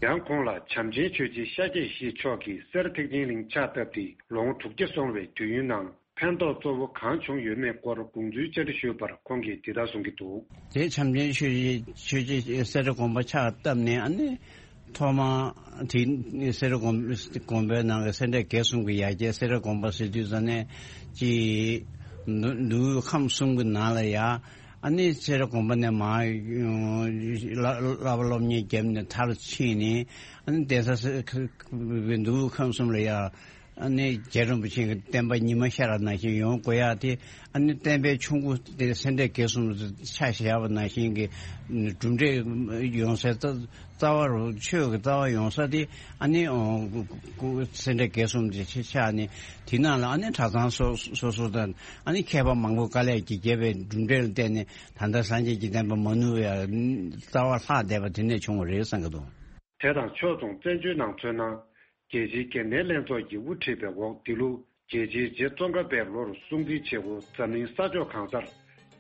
ཡང་ཁོང་ལ་བྱམས་ཆེན་ཆོས་རྗེ་ཤཱཀྱ་ཡེ་ཤེས་མཆོག་གིས་སེ་ར་ཐེག་ཆེན་གླིང་ཕྱག་བཏབ་སྟེ་ལོ་ངོ་དྲུག་བརྒྱ་སོང་བའི་དུས་ཡུན་ནང་ཕན་ཐོགས་གཙོ་བོ་གང་བྱུང་ཡོད་མེད་སྐོར་དགོངས་ཚུལ་བཅར་འདྲི་ཞུས་པར། ཁོང་གིས་འདི་ལྟར་གསུང་གི་འདུག་རྗེ་བྱམས་ཆེན་ཆོས་རྗེ། ཆོས་རྗེ་སེ་ར་དགོན་པ་ཕྱག་བཏབ་ནས། ཨ་ནི་ཐོག་མ་དེ་སེ་ར་དགོན། དགོན་པའི་ནང་གི་སེ་འབྲས་དགེ་གསུམ་གྱི་ཡ་གྱལ་སེ་ར་དགོན་པ་ཟེར་དུས་ཙམ་ནས་ཅིག་མདོ་མདོ་དབུས་ཁམས་གསུམ་གྱི་ནང་ལ་ཡ། ཨ་ནི་སེ་ར་དགོན་པ་ནས་མར་བསླབ་པ་སློབ་གཉེར་བརྒྱབ་ནས་མཐར་ཕྱིན་ནས། ཨ་ནི་གདན་ས་སེ་མདོ་དབུས་ཁམས་གསུམ་ལ་ཡ། ཨ་ནི་རྗེ་རིན་པོ་ཆེ་གི་བསྟན་པ་ཉི་མ་ཤར་བ་ནང་བཞིན་ཡོང་དགོས་ཡ་དེ། ཨ་ནི་བསྟན་པའི་ཆུ་མགོ་དེ་སེ་འབྲས་དགེ་གསུམ་ཆ་བཞག་པ་ནང་བཞིན་གྱི་གྲུབ་འབྲས་ཡོང་སའི་རྩ་རྩ་བ་རུ། ཆོས་ཀྱི་རྩ་བ་ཡོང་ས་དེ། ཨ་ནི་སེ་འབྲས་དགེ་གསུམ་དེ་ཆགས་ནས། དེ་ནང་ལ་ཨ་ནི་གྲྭ་ཚང་སོ་སོ་སོ་དང་། ཨ་ནི་མཁས་པ་མང་པོ་དཀའ་ལས་ཀྱིས་རྒྱབ་པའི་གྲུབ་འབྲས་ལ་བརྟེན་ནས། ད་ལྟ་སངས་རྒྱས་ཀྱི་བསྟན་པ་མ་ནུབ་པའི་རྩ་བ་ལྷག་བསྡད་པ་དེ་ནས་བྱུང་བ་རེད་བསམ་གྱི་འདུག་དེ་དང་ཕྱོགས་མཚུངས། བཙན་བྱོལ་ནང་མཚོན་ན། རྒྱལ་སྤྱིའི་འགན་ལྡན་ལྷན་ཚོགས་ཀྱི་དབུ་ཁྲིད་པའི་འོག་འདི་ལོ་རྒྱལ་སྤྱིའི་རྗེ་ཙོང་ཁ་པའི་ལོར་སྲུང་བརྩི་བྱེད་སྒོ་འཛམ་གླིང་ས་ཕྱོགས་གང་སར་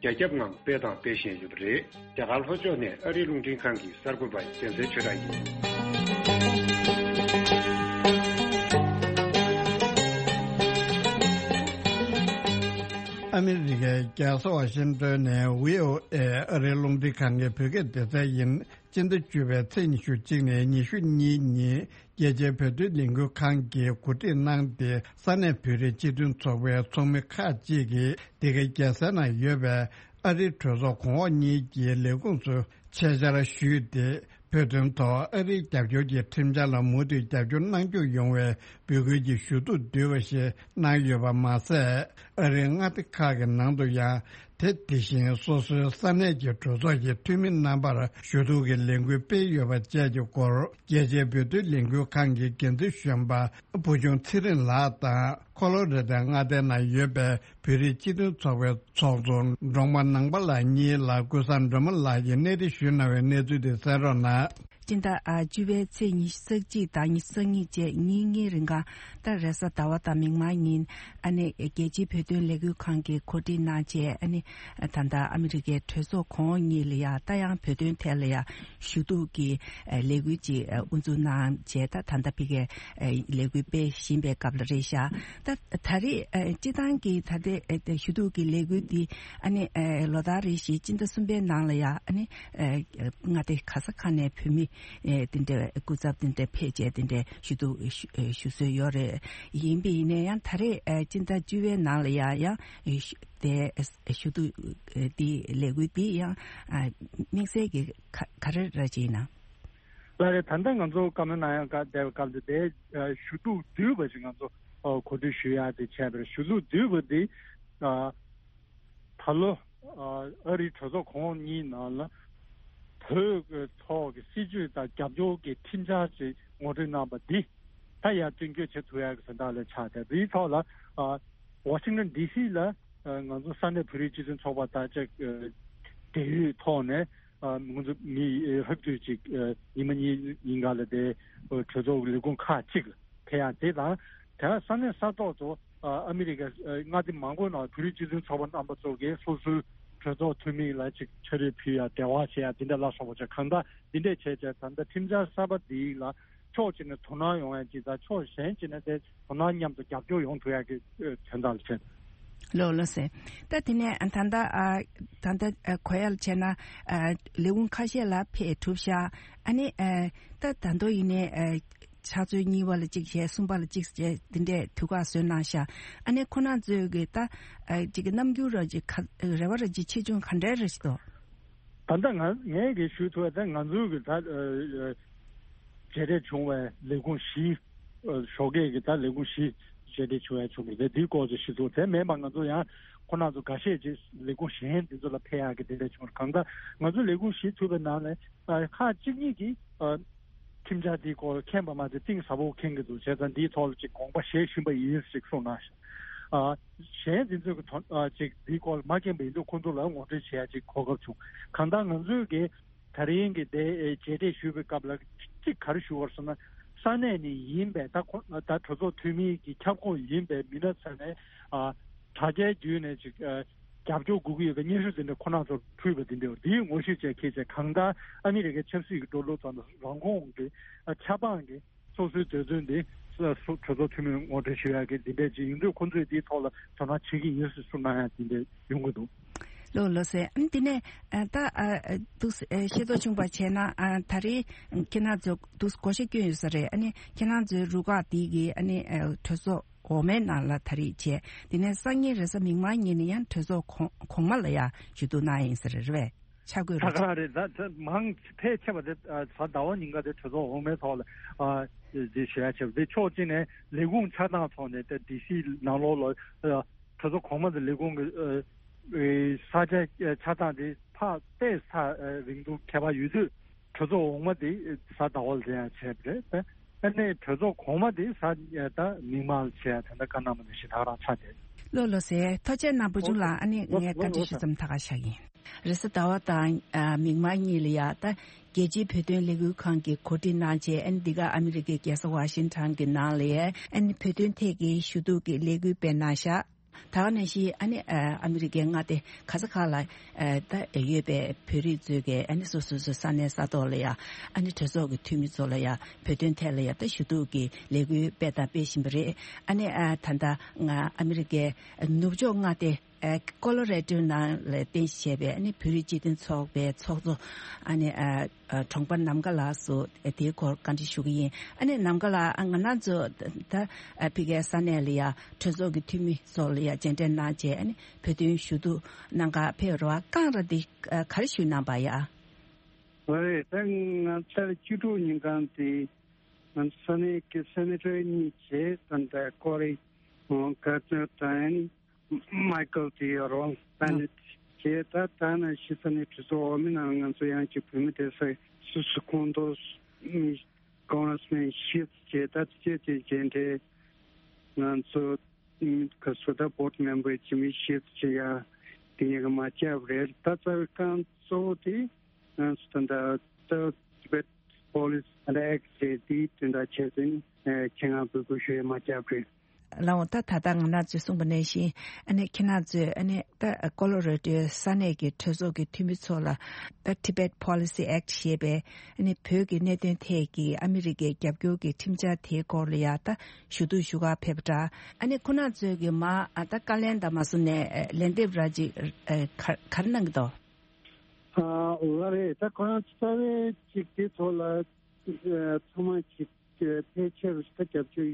རྒྱ་ཁྱབ་ངང་སྤེལ་དང་སྤེལ་བཞིན་ཡོད་པ་རེད། རྒྱ་གར་ལྷོ་ཕྱོགས་ནས་ཨ་རིའི་རླུང་འཕྲིན་ཁང་གི་གསར་འགོད་པ་རྒྱལ་མཚན་ཆོས་གྲགས་ཡིན། ཨ་མི་རི་ཀའི་རྒྱལ་ས་ཝ་ཤིང་ཏོན་ནས་བྷི་ཨོ་ཨེ་ཨ་རིའི་རླུང་འཕྲིན་ཁང་གི་བོད་སྐད་སྡེ་ཚན་ཡིན། སྤྱི་ཟླ་བཅུ་པའི་ཚེས་ཉི་ཤུ་གཅིག་ནས་ཉི་ཤུ་གཉིས་ཉིན། རྒྱལ་སྤྱིའི་བོད་དོན་ལས་འགུལ་ཁང་གིས་གོ་སྒྲིག་གནང་སྟེ། ས་གནས་བོད་རིགས་སྤྱི་མཐུན་ཚོགས་པའི་ཚོགས་མི་ཁག་ཅིག་གིས་འདི་གའི་རྒྱལ་སའི་ནང་ཡོད་པའི་ཨ་རིའི་གྲོས་ཚོགས་གོང་འོག་གཉིས་ཀྱི་ལས་ཁུངས་སུ་ཆེད་བཅར་ཞུས་ཏེ། བོད་དོན་ཐོག་ཨ་རིའི་རྒྱབ་སྐྱོར་གྱི་ཁྲིམས་འཆར་ལ་མུ་མཐུད་རྒྱབ་སྐྱོར་གནང་རྒྱུ་ཡོང་བའི་འབོད་སྐུལ་གྱི་ཞུ་གཏུག་བསྡུས་པ་ཞིག་གནང་ཡོད་པ་མ་ཟད། ཨ་རིའི་མངའ་སྡེ་ཁག་གི་ནང་དུ་ཡང་། དེ་དེ་བཞིན་སོ་སོའི་ས་གནས་ཀྱི་གྲོས་ཚོགས་ཀྱི་འཐུས་མི་རྣམ་པར་ཞུ་གཏུག་གི་ལས་འགུལ་སྤེལ་ཡོད་པ་བཅས་ཀྱི་སྐོར། རྒྱལ་སྤྱིའི་བོད་དོན་ལས་འགུལ་ཁང་གི་འགན་འཛིན་གཞོན་པ་བུ་ཆུང་ཚེ་རིང་ལགས་དང་། ཁོ་ལོ་རེ་ཏའི་མངའ་སྡེའི་ནང་ཡོད་པའི་བོད་རིགས་སྤྱི་མཐུན་ཚོགས་པའི་ཚོགས་གཙོ་འབྲོང་པ་ནང་པ་ལགས་གཉིས་ལ་ཀུན་བཟང་སྒྲོལ་མ་ལགས་ཀྱིས་གནས་འདྲི་ཞུས་གནང་བའི་གནས་ཚུལ་དེ་གསན་རོགས་གནང་། སྤྱི་ཟླ་ཨ་བཅུ་པའི་ཚེས་ཉི་ཤུ་རྩ་གཅིག་དང་ཉི་ཤུ་རྩ་གཉིས་བཅས་ཉིན་གཉིས་རིང་ག་ད་རེས་གཟའ་ཟླ་བ་དང་མིག་དམར་ཉིན་ཨ་ནི་རྒྱལ་སྤྱིའི་བོད་དོན་ལས་འགུལ་ཁང་གིས་གོ་སྒྲིག་གནང་བྱས། ཨ་ནི་ད་ལྟ་ཨ་མི་རི་ཀའི་གྲོས་ཚོགས་གོང་འོག་གཉིས་ལ་ཡ་ད་ཡང་བོད་དོན་ཐད་ལ་ཡ་ཞུ་གཏུག་གི་ལས་འགུལ་ཅིག་དབུ་འཛུགས་གནང་བྱས། ད་ད་ལྟ་ཕ་གིའི་ལས་འགུལ་སྤེལ་བཞིན་པའི་སྐབས་ལ་རེད་ཤག་ད་ད་རེས་སྤྱི་བཏང་གི་ད་ལྟའི་ཞུ་གཏུག་གི་ལས་འགུལ་འདི་ཨ་ནི་ལོ་ལྟར་རེ་བཞིན་སྤྱི་ཟླ་གསུམ་པའི་ནང་ལ་ཡ་ཨ་ནི་མངའ་སྡེ་ག་ས་ག་ནས་བོད་མི་དེ་འདྲའི་སྐུ་ཚབ་དེ་འདྲ་ཕེབས་བྱས་དེ་འདྲའི་ཞུ་གཏུག་ཞུ་སྲོལ་ཡོད་རེད། ཡིན་པ་ཡིན་ན་ཡང་ད་རེས་སྤྱི་ཟླ་བཅུ་པའི་ནང་ལ་ཡ་ཡང་དེ་ཞུ་གཏུག་འདི་ལས་འགུལ་འདི་ཡང་དམིགས་བསལ་གྱི་ག་རེ་ར་ཅིག་ཡིན་ན། ལགས་རེད། ད་ལྟ་ང་ཚོ་བཀའ་མོལ་གནང་ཡག་བསྡད་པའི་སྐབས་འདི་དེ་ཞུ་གཏུག་བསྡུས་པ་ཞིག་ང་ཚོ་གོ་སྒྲིག་ཞུ་ཡག་དེ་བྱས་པ་རེད། ཞུ་གཏུག་བསྡུས་པ་འདི་ད་ལོ་ཨ་རིའི་གྲོས་ཚོགས་གོང་འོག་གཉིས་ནང་ལ་བོད་ཀྱི་ཐོག་གི་སྲིད་བྱུས་དང་རྒྱབ་སྐྱོར་གྱི་ཁྲིམས་འཆར་ཅིག་ངོ་སྤྲོད་གནང་པ་འདི་ད་ཡར་བསྟན་བཅོས་བྱེད་ཐུབ་ཡག་གི་དོན་དག་ལ་ཆགས་ཏེ། འདིའི་ཐོག་ལ་ཨ་ཝ་ཤིང་ཊོན་ཌི་སི་ལ་ཨ་ང་ཚོ་ས་གནས་བོད་རིགས་སྤྱི་མཐུན་ཚོགས་པ་དང་བཅས་འབྲེལ་ཡོད་ཐོག་ནས་ཨ་ང་ཚོ་མི་ལྷག་བསྡུས་ཅིག་ཨ་ཉི་མ་གཉིས་ཉིན་གང་ལ་དེ་གྲོས་ཚོགས་ཀྱི་ལས་ཁུངས་ཁག་ཅིག་ལ་ཕེབས་ཡག་དེ་དང་། དེ་ས་གནས་ས་ཐོག་ཏུ་ཨ་ཨ་མི་རི་ཀའི་ཨ་མངའ་སྡེ་མང་པོའི་ནང་བོད་རིགས་སྤྱི་མཐུན་ཚོགས་པ་རྣམ་པ་ཚོ་གིས་སོ་སོའི་གྲོས་ཚོགས་འཐུས་མི་ལ་ཅིག་ཕྱག་བྲིས་ཕུལ་ཡག་འབྲེལ་བ་བྱེད་ཡག་འདི་འདྲ་ལ་སོགས་པ་བྱས། གང་ལྟར་འདི་འདྲས་བྱས་བྱས་ད་ལྟ་ཁྲིམས་འཆར་གསར་པ་འདི་ལ་ཕྱོགས་གཅིག་ནས་དོ་སྣང་ཡོང་ཡག་ཅིག་དང་ཕྱོགས་གཞན་གཅིག་ནས་དེ་དོ་སྣང་མཉམ་དུ་རྒྱབ་སྐྱོར་ཡོང་ཐུབ་ཡག་གི་དོན་དག་ལ་བྱས། ལགས་ལགས་སེ། ད་དེ་ནས་ད་ལྟ་ཨ་ད་ལྟ་ཨ་གོ་ཡག་ལ་བྱས་ན་ཨ་ལས་ཁུངས་ཁ་ཤས་ལ་ཕེབས་གྲུབ་ཤག་ཨ་ནི་ཨ་ད་ད་དུང་ཡིན་ནའི་ཨ་ཕྱག་ཚོད་གཉིས་པ་ལ་གཅིག་བྱས། གསུམ་པ་ལ་གཅིག་བྱས། འདི་འདྲས་དུས་བཀག་བཟོས་གནང་ཤག་ཨ་ནི་ཁོ་རང་ཚོའི་གི་ད་ཨ་ཅིག་གི་རྣམ་འགྱུར་ར་ཅིག་ག་རེ་བ་ར་ཅིག་ཆེ་ཆུང་ག་འདྲས་རེད་ཤག་དོ། ད་ལྟ་ང་ངས་གི་ཞུ་ཐུབ་པ་ད་ང་ཚོའི་གི་ད་ཨ་མཇལ་འཕྲད་བྱུང་བའི་ལས་ཁུངས་བཞི། ཨ་ཞོགས་ཀས་གི་ད་ལས་ཁུངས་བཞི་མཇལ་འཕྲད་བྱུང་ཡག་བྱུང་བ་རེད། དེའི་སྐོར་ཅིག་ཞུ་ཐུབ། དེ་མིན་པ་ང་ཚོ་ཡང་ཁོ་རང་ཚོ་འགའ་ཤས་ཅིག་ལས་ཁུངས་གཞན་དེ་ཚོ་ལ་ཕེབས་ཡག་གི་དེ་འདྲས་བྱུང་བ་རེད། གང་ལྟར་ང་ཚོ་ལས་ཁུངས་བཞི་ཐུབ་པའི་ནང་ནས་ཨ་ཁག་གཅིག་གཉིས་ཀྱིས་ཨ་ཁྲིམས་འཆར་འདིའི་སྐོར་མཁྱེན་པ་མ་ཚད་གཏིང་ཟབ་པོ་མཁྱེན་གྱི་འདུག་བྱས་ཙང་འདིའི་ཐོག་ལ་ཅིག་དགོངས་པ་བཞེས་བཞིན་པ་ཡིན་ཞེས་གསུངས་གནང་ཤག་ཨ་གཞན་འཛིན་ཚོད་ཀྱི་དོན་ཨ་ཅིག་འདིའི་སྐོར་ལ་མ་མཁྱེན་པ་ཡིན་དུས་ཁོང་ཚོ་ལ་ངོ་སྤྲོད་བྱེད་ཡ་ཅིག་གོ་སྐབས་བྱུང་། གང་ལྟར་ང་ཚོས་ཀྱི་ད་རིང་གི་དེ་ཨེ་མཇལ་འཕྲད་ཞུས་པའི་སྐབས་ལ་གཅིག་ག་རེ་ཞུ་བར་སོང་ན། ས་གནས་ནས་ཡིན་པའི་ད་ཁོ་ད་གྲོས་ཚོགས་འཐུས་མི་གི་ཁྱབ་ཁོངས་ཡིན་པའི་མི་སྣ་ཚོ་ནས་ཨ་དྲ་རྒྱའི་བརྒྱུད་ནས་ཅིག་ཨ་རྒྱབ་སྐྱོར་དགོས་ཀྱི་ཡོད་པའི་སྙན་ཞུ་དེ་འདྲ་ཁོ་རང་ཚོར་ཕུལ་བ་དེ་འདྲ་འདིའི་ངོ་ཤེས་བཅས་ཁྱེད་ཚོས་གང་ལྟར་ཨ་མི་རི་ཀའི་ཆབ་སྲིད་ཀྱི་འགྲོ་ལུགས་དང་རང་ཁོངས་ཀྱི་ཨ་ཆབ་འབངས་ཀྱི་སོ་སོའི་འདོད་འདུན་དེ་གྲོས་ཚོགས་འཐུས་མིར་ངོ་སྤྲོད་ཞུ་ཡག་གི་འདི་འདྲས་ཅིག་ཡིན་དུས་ཁོང་ཚོས་འདིའི་ཐོག་ལ་དོ་སྣང་བྱེད་ཀྱི་ཡིན་ཟེར་གསུངས་གནང་ཡག་འདི་འདྲས་ཡོང་གི་འདུག་ལགས་ལགས་སེ། ཨ་ནི་དེ་ནས་ཨ་ད་ཨ་ཨ་འདུག་སེ་ཨ་ཤེས་རྟོགས་བྱུང་བ་བྱས་ན་ཨ་ད་རེས་ཁྱེད་རང་ཚོ་འདུག་སེ་བགོ་བཤའ་བསྐྱོན་ཡོད་ས་རེད། ཨ་ནི་ཁྱེད་རང་ཚོའི་རུ་ཁག་འདི་གི་ཨ་ནི་ཨ་གྲོས་ཚོགས་འོག་མའི་ནང་ལ་ད་རེས་བྱས། དེ་ནས་སང་ཉིན་རེས་གཟའ་མིག་དམར་ཉིན་ནས་ཡང་གྲོས་ཚོགས་གོང་གོང་མ་ལ་ཡང་ཞུ་གཏུག་གནང་ཡིན་ས་རེད། རེད་པས། ཆ་བགོས་ད་རེད། ག་རེད། ད་ད་མང་ཕལ་ཆེ་བ་དེ་ཨ་གཟའ་ཟླ་བ་ཉིན་ཀ་དེ་གྲོས་ཚོགས་འོག་མའི་ཐོག་ལ་ཨ་དེ་ཞུ་ཡ་བྱས་པ་དེ་ཕྱོགས་གཅིག་ནས་ལས་ཁུངས་ཆགས་སྟངས་ཐོག་ནས་ད་ཌི་སི་ནང་ལོགས་ལ་ཨ་གྲོས་ཚོགས་གོང་མ་དང་ལས་ཁུངས་ཀྱི་ཨ་ཨེ་ས་ཆ་ཨ་ཆགས་སྟངས་དེ་ཕར་ཏོག་ཙམ་ཨ་རིང་ཐུང་ཁྱད་པར་ཡོད་དུས། གྲོས་ཚོགས་འོག་མ་དེ་གཟའ་ཟླ་བ་ལ་འཛིན་ཡ་བྱས་པ་རེད། ཨ་ནི་གྲོས་ཚོགས་གོང་མ་དེ་གཟའ་ད་མིག་དམར་ལ་བྱས་ཡ་དེ་འདྲ་བཀའ་གནང་བ་ནང་བཞིན་ད་ག་རང་ཆགས་བསྡད། ལགས་ལགས་སེ། ཐུགས་རྗེ་གནང་བུ་ཆུང་ལགས། ཨ་ནི་ངས་བཀའ་འདྲི་ཞུ་མཚམས་ད་ག་བཞག་ཡིན། རེས་གཟའ་ཟླ་བ་དང་ཨ་མིག་དམར་གཉིས་ལ་ཡ་ད་རྒྱལ་སྤྱིའི་བོད་དོན་ལས་འགུལ་ཁང་གིས་གོ་སྒྲིག་གནང་བྱས། ཨ་ནི་འདི་ག་ཨ་མི་རི་ཀའི་རྒྱལ་ས་ཝ་ཤིང་ཊོན་གྱི་ནང་ལ་ཡ་ཨ་ནི་བོད་དོན་ཐད་ཀྱི་ཞུ་གཏུག་གི་ལས་འགུལ་སྤེལ་གནང་ཤག་ད་ག་ནང་བཞིན་ཨ་ནི་ཨ་ཨ་མི་རི་ཀའི་མངའ་སྡེ་ག་ས་ག་ལ་ཨ་ད་ཡོད་པའི་བོད་རིགས་ཚོས་ཀྱི་ཨ་ནི་སོ་སོ་སོ་ས་གནས་ས་ཐོག་ལ་ཡ་ཨ་ནི་གྲོས་ཚོགས་ཀྱི་འཐུས་མི་ཚོ་ལ་ཡ་བོད་དོན་ཐད་ལ་ཡ་ད་ཞུ་གཏུག་གི་ལས་འགུལ་སྤེལ་དང་སྤེལ་བཞིན་པ་རེད། ཨ་ནི་ཨ་ད་ལྟ་ང་ཨ་མི་རི་ཀའི་ནུབ་ཕྱོགས་མངའ་སྡེ་ཨ་ཀོ་ལོ་རེ་ཌོའི་ནང་ལ་རྟེན་གཞི་བྱས་པའི་ཨ་ནི་བོད་རིགས་སྤྱི་མཐུན་ཚོགས་པའི་ཚོགས་གཙོ་ཨ་ནི་ཨ་ཨ་གྲོང་པ་ནམ་མཁའ་ལགས་སུ་དེའི་སྐོར་བཀའ་འདྲི་ཞུ་གི་ཡིན། ཨ་ནི་ནམ་མཁའ་ལགས། ཨ་ང་རང་ཚོ་ད་ཨ་ཕ་གིའི་ས་གནས་ལ་ཡ་གྲོས་ཚོགས་ཀྱི་འཐུས་མི་ཚོ་ལ་ཡ་མཇལ་འཕྲད་གནང་བྱས། ཨ་ནི་བོད་དོན་ཞུ་གཏུག་གནང་ག་ཕེབས་རོགས་བསྐངས་ར་འདི་ཨ་ག་རེ་ཞུས་གནང་པ་ཡ། ཨོ་རེད། ད་ང་ཚར་བཅུ་དྲུག་ཉིན་གང་དེ་ང་ཚོ་ས་གནས་ཀྱི་སེ་ནེ་ཊར་གཉིས་བྱས། ད་ལྟ་ཀོ་རི་ཀར་ཏེར་དང་མའི་ཀལ་དེ་ཡོད་རོགས་ད་ནི་བྱས། ད་ད་ནང་བཞིན་ས་གནས་གྲོས་ཚོགས་འོག་མའི་ནང་ང་ཚོ་ཡང་ཅིག་བོད་མི་སྡེ་ས་སུ་སུ་ཁོངས་གཏོགས་ཀོང་རེ་སི་མེན་བཞི་བྱས། ད་དེ་བྱས་དེ་མཇལ་འཕྲད་ང་ཚོ་ཁ་སོ་ད་བོར་ཌི་མེམ་བར་ཅིག་མི་བཞི་བྱས་ཡ་དེ་གཉིས་ཀ་མ་བཅར་བ་རེད། ད་རྩ་བའི་རྐང་གཙོ་བོ་དེ་ང་ཚོ་ད་ལྟ་ད་ཊི་བེཊ་ Policy and Act ཞེས་དེའི་དོན་དག་ཆེད་དུ་ནི་ཁྱེད་རང་འབོད་སྐུལ་ཞུ་ཡས་མ་བརྒྱབ་རེད། ལགས་འོང་། ད་ད་ལྟ་ང་རང་ཚོས་གསུངས་པ་ནང་བཞིན་ཨ་ནི་ཁྱེད་རང་ཚོས་ཨ་ནི་ད་ཀོ་ལོ་ར་ཌོའི་ས་གནས་ཀྱི་གྲོས་ཚོགས་ཀྱི་འཐུས་མི་ཚོ་ལ་ད་Tibet Policy Act ཞེས་པའི་ཨ་ནི་བོད་ཀྱི་གནད་དོན་ཐད་ཀྱི་ཨ་མི་རི་ཀའི་རྒྱབ་སྐྱོར་གྱི་ཁྲིམས་འཆར་དེའི་སྐོར་ལ་ཡང་ད་ཞུ་གཏུག་ཞུ་གར་ཕེབས་པ་འདྲ། ཨ་ནི་ཁོ་རང་ཚོས་ཀྱི་མ་ཨ་ད་བཀའ་ལན་དང་མ་སོང་ནས་ལན་འདེབས་ར་ཅིག་ག་ག་རེ་གནང་གི་འདུག་ཨ་ལགས་རེད། ད་ཁོ་རང་རྩ་བའི་ཅིག་དེ་ཐོག་ལ་ཚང་མ་ཅིག་ཕལ་ཆེར་རུ་ཞིག་ད་རྒྱབ་སྐྱོར་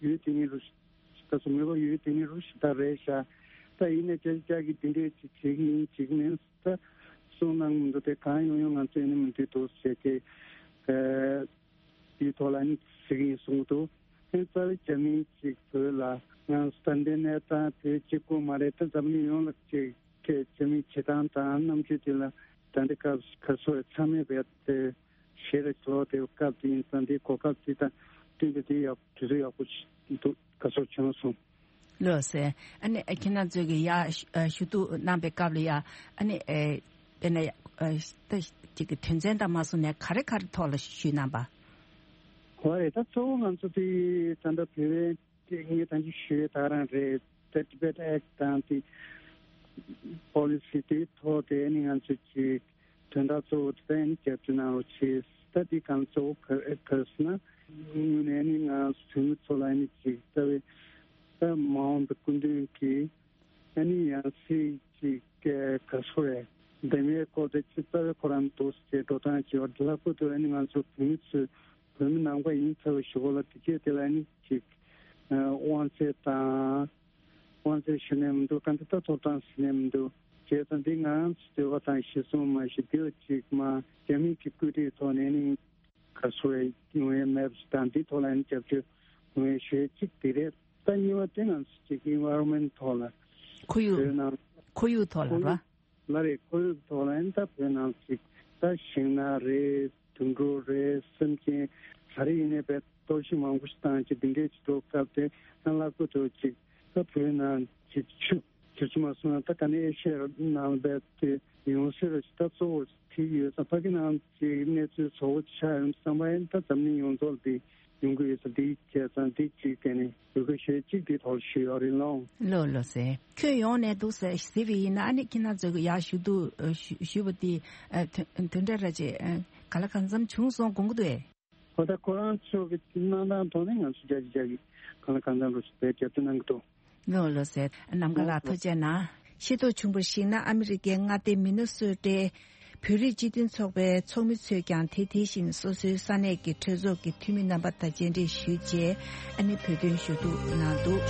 ཡོད་དེ་ནི་རུ་ཞིག་ད་སོ་མེད་པ་ཡོད་དེ་ནི་རུ་ཞིག་ད་རེད་ཤག་ད་ཡིན་ན་ཅག་ཅག་གིས་འདི་འདྲས་ཅིག་བྱེད་ཀྱི་ཡིན་བྱེད་ཀྱི་མིན་ད་གསུངས་གནང་མི་འདུག་དེ་གང་ཡོང་ཡོང་ང་ཚོས་ནི་མི་འདུག་འདུག་ཟེར་ཏེ་དེའི་ཐོག་ལ་ནི་བྱེད་ཀྱི་ཡིན་གསུངས་འདུག་དེ་རྩ་བའི་རྒྱ་མིའི་ཅིག་བོད་ལ་ང་ཚོ་ད་འདི་གནས་སྟངས་དེ་གཅིག་པུ་མ་རེད། ད་འཛམ་གླིང་ཡོངས་ལ་ཅིག་གི་རྒྱ་མིའི་བྱེད་སྟངས་དང་རྣམ་དཔྱོད་དེ་ལ་ད་འདི་སྐབས་ག་ཚོད་ཚང་མས་བས་དེ་ཞེ་རེ་ལོ་དེ་སྐབས་དེ་ཡིན་ཙང་དེ་གོ་སྐབས་དེ་དང་བསྟུན་ཏེ་དེ་ཡག་དུས་ཚོད་ཡག་པོ་ཞིག་འདུག་ག་ཚོད་བྱུང་སོང་། ལགས་སེ། ཨ་ནི་ཁྱེད་རང་ཚོས་ཀྱི་ཡ་ཞུ་གཏུག་གནང་པའི་སྐབས་ལ་ཡ་ཨ་ནི་དཔེར་ན་ད་ཅིག་གི་དོན་ཚན་དང་མ་སོང་ནས་ག་རེ་ག་རེ་ཐོག་ལ་ཞུས་གནང་པ། ཧོ་རེད། ད་གཙོ་བོ་ང་ཚོ་དེ་ད་ལྟ་བོད་པའི་དེ་ངས་ད་ཅི་ཞུས་ད་རང་རེད། ད་Tibet Act དང་དེ་Policy དེའི་ཐོག་དེ་ནི་ང་ཚོས་ཀྱི་དོན་དག་གཙོ་བོ་དེ་ནི་རྒྱབ་སྐྱོར་གནང་རོགས་བྱེད། ད་དེ་གང་གཙོ་བོ་ག་ག་ཟེར་ན་དངོས་གནས་ནི་ང་ཚོ་བོད་མི་ཚོ་ལ་ནི་ཅིག་ལྟ་བའི་ད་མ་འོངས་པའི་སྐུ་མདུན་གྱི་ཨ་ནི་ཡང་སྲིད་ཅིག་ག་སོ་རེད། འདེམས་ཡས་སྐོར་དེ་ཅི་ལྟ་བའི་ཁོ་རང་འདུག་ཅེས་འགྲོ་སྟངས་ཀྱི་བར་དུ་ལྷག་པར་དུ་ཨ་ནི་ང་ཚོ་བོད་མི་ཚོས་བོད་མི་ནང་པ་ཡིན་ཚར་བའི་གཞུག་གུ་ལ་དེ་སྐད་དེ་ལ་ནི་ཅིག་དབང་ཚད་དང་དབང་ཚད་ཞུ་ནས་མི་འདུག་ག་འདི་ལྟ་ཐོབ་ཐང་ཞུ་ནས་མི་འདུག་བྱས་ཙང་འདི་ང་རང་ཚོ་འདོད་པ་དང་གཞི་བཟུང་མ་ཞིག་འདི་ལ་ཅིག་མ་རྒྱ་མི་གི་བཀོད་སྒྲིག་ཐོག་ནས་ནི་ག་སོ་ཡོང་ཡས་མེད་པ་ཞིག་དང་འདི་ཐོག་ལ་ནི་རྒྱབ་སྐྱོར་ཡོང་ཡས་ཞུ་ཡས་གཅིག་དེ་རེད། ད་གཉིས་པ་དེ་ང་ཚོ་ཅིག་environment ཐོག་ལ་ཁོར་ཡུག་བོད་ནང་ཁོར་ཡུག་ཐོག་ལ་ཁོར་ར། ཡུག་ལ་རེད། ཁོར་ཡུག་ཐོག་ལ་ཡིན་ད་བོད་ནང་ཅིག་ད་ཤིང་ནགས་རེད། དུད་འགྲོ་རེད། སེམས་ཅན་ག་རེ་ཡིན་ནའི་བས་གཏོར་བཤིག་མང་པོ་ཞིག་བཏང་ཅིག་འདི་འདྲས་ཅིག་འགྲོ་སྐབས་དེ་ཡང་ལྷག་པར་དུ་ཅིག་ད་བོད་ནང་ཅིག་ཆུ་ཆུ་ཆུ་མ་སོང་ན་ད་ག་ནས་ཨེ་ཤེ་ཡ་ནང་བས་དེ་ཡོང་སྲིད་རེད། ཅིག་ད་གཙོ་བོ་དེ་ཡོད་ཙང་ཕ་གི་ནང་ཅིག་གནས་ཚུལ་བཟོ་བོ་ཆགས་ཡོང་བསམ་པ་ཡིན་ད་འཛམ་གླིང་ཡོངས་རྫོགས་ལ་དེ་ཡོང་གི་ཡོད་ས་འདི་བྱས་ཙང་འདི་གཅིག་དེ་ནི་ཡོད་གི་ཞེས་གཅིག་འདི་ཐོག་ཞུས་ཡོད་རེད་ལོ། ལོ་ལོ་ཟེར། ཁྱོད་ཡོང་ནས་འདུག་ཟེར་ཟེར་བ་ཡིན་ན་ཨ་ནི་ཁྱེད་རང་ཚོ་གི་ཡར་ཞུ་གཏུག་ཞུ་ཞུ་བ་དེ་དོན་དོན་འདྲ་ར་ཅེ་ག་ལ་གང་འཚམ་བྱུང་སོང་དགོངས་ཀྱི་འདུག་ཨེ། ཧོ་ད་ཁོ་རང་ཚོ་གི་གནང་སྟངས་ཐོག་ནས་ང་ཚོ་རྒྱ་ཆེ་རྒྱ་གི་གང་ལ་གང་འཚམ་རུ་ཞིག་བེད་སྤྱོད་དུ་གནང་གི་འདུག་ལོ་ལོ་ཟེར། ནམ་མཁའ་ལགས་ཐུགས་རྗེ་གནང་། ཤེས་རྟོགས་བྱུང་བར་གཞིགས་ན་ཨ་མི་རི་ཀའི་མངའ་སྡེ་མི་ནི་སོ་ཊའི་བོད་རིགས་སྤྱི་མཐུན་ཚོགས་པའི་ཚོགས་མི་ཚོས་ཀྱང་དེ་དེ་བཞིན་སོ་སོའི་ས་གནས་ཀྱི་གྲོས་ཚོགས་ཀྱི་འཐུས་མི་རྣམ་པ་དང་མཇལ་འཕྲད་ཞུས་རྗེས་ཨ་ནི་བོད་དོན་ཞུ་གཏུག་གནང་འདུག་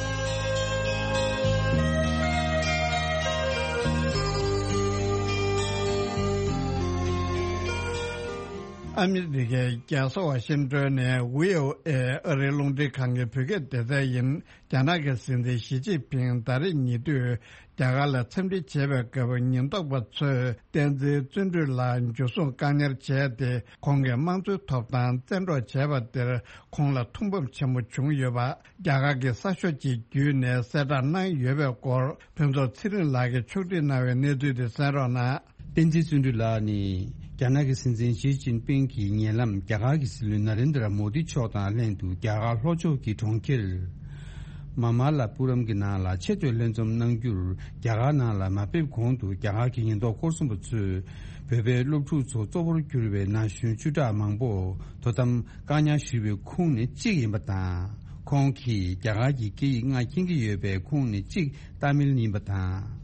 ཨ་མི་རི་ཀའི་རྒྱལ་ས་ཝ་ཤིང་ཏོན་ནས་ཝི་ཨོ་ཨེ་ཨ་རིའི་རླུང་འཕྲིན་ཁང་གི་བོད་སྐད་སྡེ་ཚན་ཡིན། རྒྱ་ནག་གི་སྲིད་འཛིན་ཞི་ཅིན་ཕིང་ད་རེས་ཉེ་དུས་རྒྱ་གར་ལ་འཚམས་འདྲི་བྱེད་པའི་སྐབས་ཉེན་རྟོག་པ་ཚོས་བསྟན་འཛིན་བརྩོན་འགྲུས་ལགས་འཇུ་བཟུང་བཀག་ཉར་བྱས་ཏེ་ཁོང་གི་དམངས་གཙོའི་ཐོབ་ཐང་བཙན་འཕྲོག་བྱས་པ་དེར་ཁོང་ལ་ཐུགས་ཕམ་ཆེན་པོ་བྱུང་ཡོད་པ་རྒྱ་གར་གྱི་གསར་ཤོག་ཅིག་བརྒྱུད་ནས་གསལ་བསྒྲགས་གནང་ཡོད་པའི་སྐོར་ཕུན་ཚོགས་ཚེ་རིང་ལགས་ཀྱིས་ཕྱོགས་སྒྲིག་གནང་བའི་གནས་ཚུལ་དེ་གསན་རོགས་གནང་། བསྟན་འཛིན་བརྩོན་འགྲུས་ལགས་ནི་རྒྱ་ནག་གི་སྲིད་འཛིན་ཞི་ཅིན་ཕིང་གི་ཉེ་ལམ་རྒྱ་གར་གྱི་སྲིད་བློན་ན་རེན་དྲ་མོ་དི་མཆོག་དང་ལྷན་དུ་རྒྱ་གར་ལྷོ་ཕྱོགས་ཀྱི་གྲོང་ཁྱེར་མ་མ་ལ་པུ་རམ་གྱི་ནང་ལ་ཆེས་མཐོའི་ལྷན་འཛོམས་གནང་རྒྱུར་རྒྱ་གར་ནང་ལ་མ་ཕེབས་གོང་དུ་རྒྱ་གར་གྱི་ཉེན་རྟོག་སྐོར་སྲུང་པ་ཚོས་བོད་པའི་སློབ་ཕྲུག་ཚོ་གཙོ་བོར་གྱུར་པའི་ན་གཞོན་བཅུ་ཕྲག་མང་པོ་དོ་དམ་བཀག་ཉར་ཞུས་པའི་ཁོངས་ནས་གཅིག་ཡིན་པ་དང་། ཁོང་གིས་རྒྱ་གར་གྱི་སྐད་ཡིག་ལྔ་མཁྱེན་གྱི་ཡོད་པའི་ཁོངས་ནས་གཅིག་ཏཱ་མིལ་ཡིན་པ་དང་།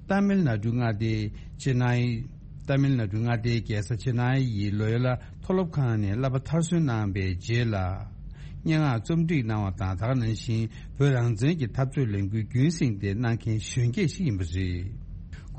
ཏཱ་མིལ་ནཱ་ཌུ་མངའ་སྡེའི་ཅེ་ནའི། ཏཱ་མིལ་ནཱ་ཌུ་མངའ་སྡེའི་རྒྱལ་ས་ཅེ་ནའི་ཡི་ལོ་ཡོ་ལ་མཐོ་སློབ་ཁང་ནས་བསླབ་པ་མཐར་སོན་གནང་བའི་རྗེས་ལ། སྙན་ངག་རྩོམ་སྒྲིག་གནང་བ་དང་། ད་ག་ནང་བཞིན་བོད་རང་བཙན་གྱི་འཐབ་རྩོད་ལས་འགུལ་རྒྱུན་བསྲིངས་ཏེ་གནང་མཁན་གཞོན་སྐྱེས་ཤིག་ཡིན་པ་རེད།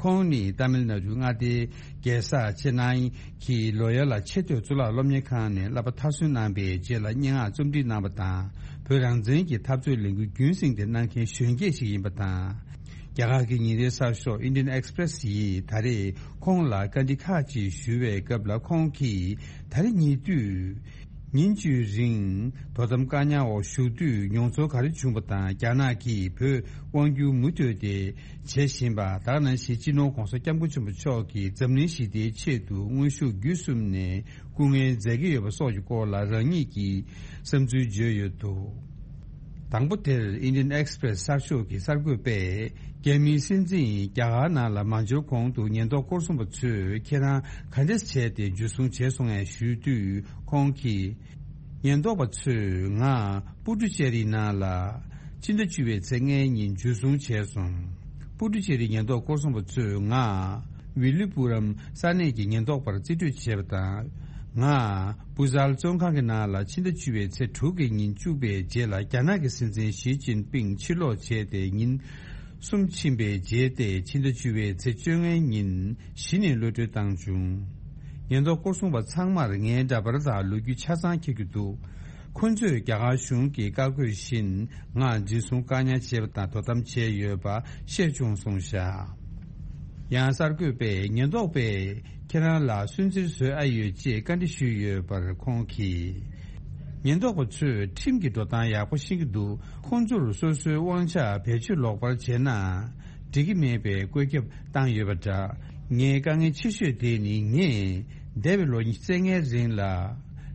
ཁོང་ནི་ཏཱ་མིལ་ནཱ་ཌུ་མངའ་སྡེའི་རྒྱལ་ས་ཅེ་ནའི་གི་ལོ་ཡོ་ལ་ཆེས་མཐོའི་གཙུག་ལག་སློབ་གཉེར་ཁང་ནས་བསླབ་པ་མཐར་སོན་གནང་བའི་རྗེས་ལ་སྙན་ངག་རྩོམ་སྒྲིག་གནང་བ་དང་། བོད་རང་བཙན་གྱི་འཐབ་རྩོད་ལས་འགུལ་རྒྱུན་བསྲིངས་ཏེ་གནང་མཁན་གཞོན་སྐྱེས་ཤིག་ཡིན་པ་དང་། རྒྱ་གར་གྱི་ཉིན་རེའི་གསར་ཤོག་Indian Express ཡིས་ད་རེས་ཁོང་ལ་བཀའ་འདྲི་ཁག་ཅིག་ཞུ་བའི་སྐབས་ལ་ཁོང་གིས་ད་རེས་ཉེ་དུས། ཉིན་བཅུའི་རིང་དོ་དམ་བཀག་ཉར་འོག་བཞུགས་དུས་མྱོང་ཚོར་ག་རེ་བྱུང་པ་དང་། རྒྱ་ནག་གིས་བོད་དབང་བསྒྱུར་མུ་མཐུད་དེ་བྱེད་བཞིན་པ། ད་ག་ནང་བཞིན་སྤྱི་ནོར་༧གོང་ས་༧སྐྱབས་མགོན་ཆེན་པོ་མཆོག་གིས་འཛམ་གླིང་ཞི་བདེའི་ཆེད་དུ་དངོས་ཤུགས་བརྒྱུད་གསུམ་ནས་སྐུ་ངལ་འཛེམ་གྱི་ཡོད་པ་སོགས་ཀྱི་སྐོར་ལ་རང་ཉིད་ཀྱི་བསམ་ཚུལ་བརྗོད་ཡོད་འདུག། དང་པོ་དེར་Indian Express་གསར་ཤོག་གི་གསར་འགོད་པས། རྒྱ་མིའི་སྲིད་འཛིན་རྒྱ་གར་ནང་ལ་མ་འབྱོར་གོང་དུ་ཉེན་རྟོག་སྐོར་སྲུང་པ་ཚོས་ཁྱེད་རང་ག་འདྲས་བྱས་ཏེ་འཇུ་བཟུང་བྱས་སོང་ངས་ཞུས་དུས། ཁོང་གིས། ཉེན་རྟོག་པ་ཚོས་ང་པུ་ཏུ་ཅེ་རི་ནང་ལ་ཕྱི་ཟླ་བཅུ་པའི་ཚེས་ལྔའི་ཉིན་འཇུ་བཟུང་བྱས་སོང་། པུ་ཏུ་ཅེ་རི་ཉེན་རྟོག་སྐོར་སྲུང་པ་ཚོས་ང་ཝི་ལི་པུ་རམ་ས་གནས་ཀྱི་ཉེན་རྟོག་པར་རྩིས་སྤྲོད་བྱས་པ་དང་། ང་བུ་ཟལ་བཙོན་ཁང་གི་ནང་ལ་ཕྱི་ཟླ་བཅུ་པའི་ཚེས་དྲུག་གི་ཉིན་བཅུག་པའི་རྗེས་ལ། རྒྱ་ནག་གི་སྲིད་འཛིན་ཞི་ཅིན་ཕིང་ཕྱིར་ལོག་བྱས་ཏེ་ཉིན་གསུམ་ཕྱིན་པའི་རྗེས་ཏེ། ཕྱི་ཟླ་བཅུ་པའི་ཚེས་བཅོ་ལྔའི་ཉིན་གཞི་ནས་གློད་གྲོལ་བཏང་བྱུང་། ཉེན་རྟོག་སྐོར་སྲུང་པ་ཚང་མར་ངའི་འདྲ་པར་དང་ལོ་རྒྱུས་ཆ་ཚང་འཁྱེར་གྱི་འདུག། ཁོ་ཚོས་རྒྱ་གར་གཞུང་གི་བཀའ་བཀོད་བཞིན་ང་འཛིན་བཟུང་བཀག་ཉར་བྱས་པ་དང་དོ་དམ་བྱས་ཡོད་པ་ཤེས་བྱུང་གསུངས་བཞག། ཡང་གསར་འགོད་པས་ཉེན་རྟོག་པས་ཁྱེད་རང་ལ་སུན་གཙེར་བཟོས་ཨ་ཡོད་ཅེས་བཀའ་འདྲི་ཞུས་ཡོད་པར་ཁོང་གིས། ཉེན་རྟོག་པ་ཚོས་ཁྲིམས་ཀྱི་འགྲོ་སྟངས་ཡག་པོ་ཤེས་ཀྱི་འདུག། ཁོང་ཚོར་སོ་སོའི་དབང་ཆ་བེད་སྤྱོད་ལོག་པར་བྱས་ན་འགྲིག་གི་མེད་པའི་བཀོད་ཁྱབ་བཏང་ཡོད་པ་འདྲ། ངའི་དཀའ་ངལ་ཆེ་ཤོས་དེ་ནི། ངས་འདས་པའི་ལོ་ཉི་ཤུ་རྩ་ལྔའི་རིང་ལ་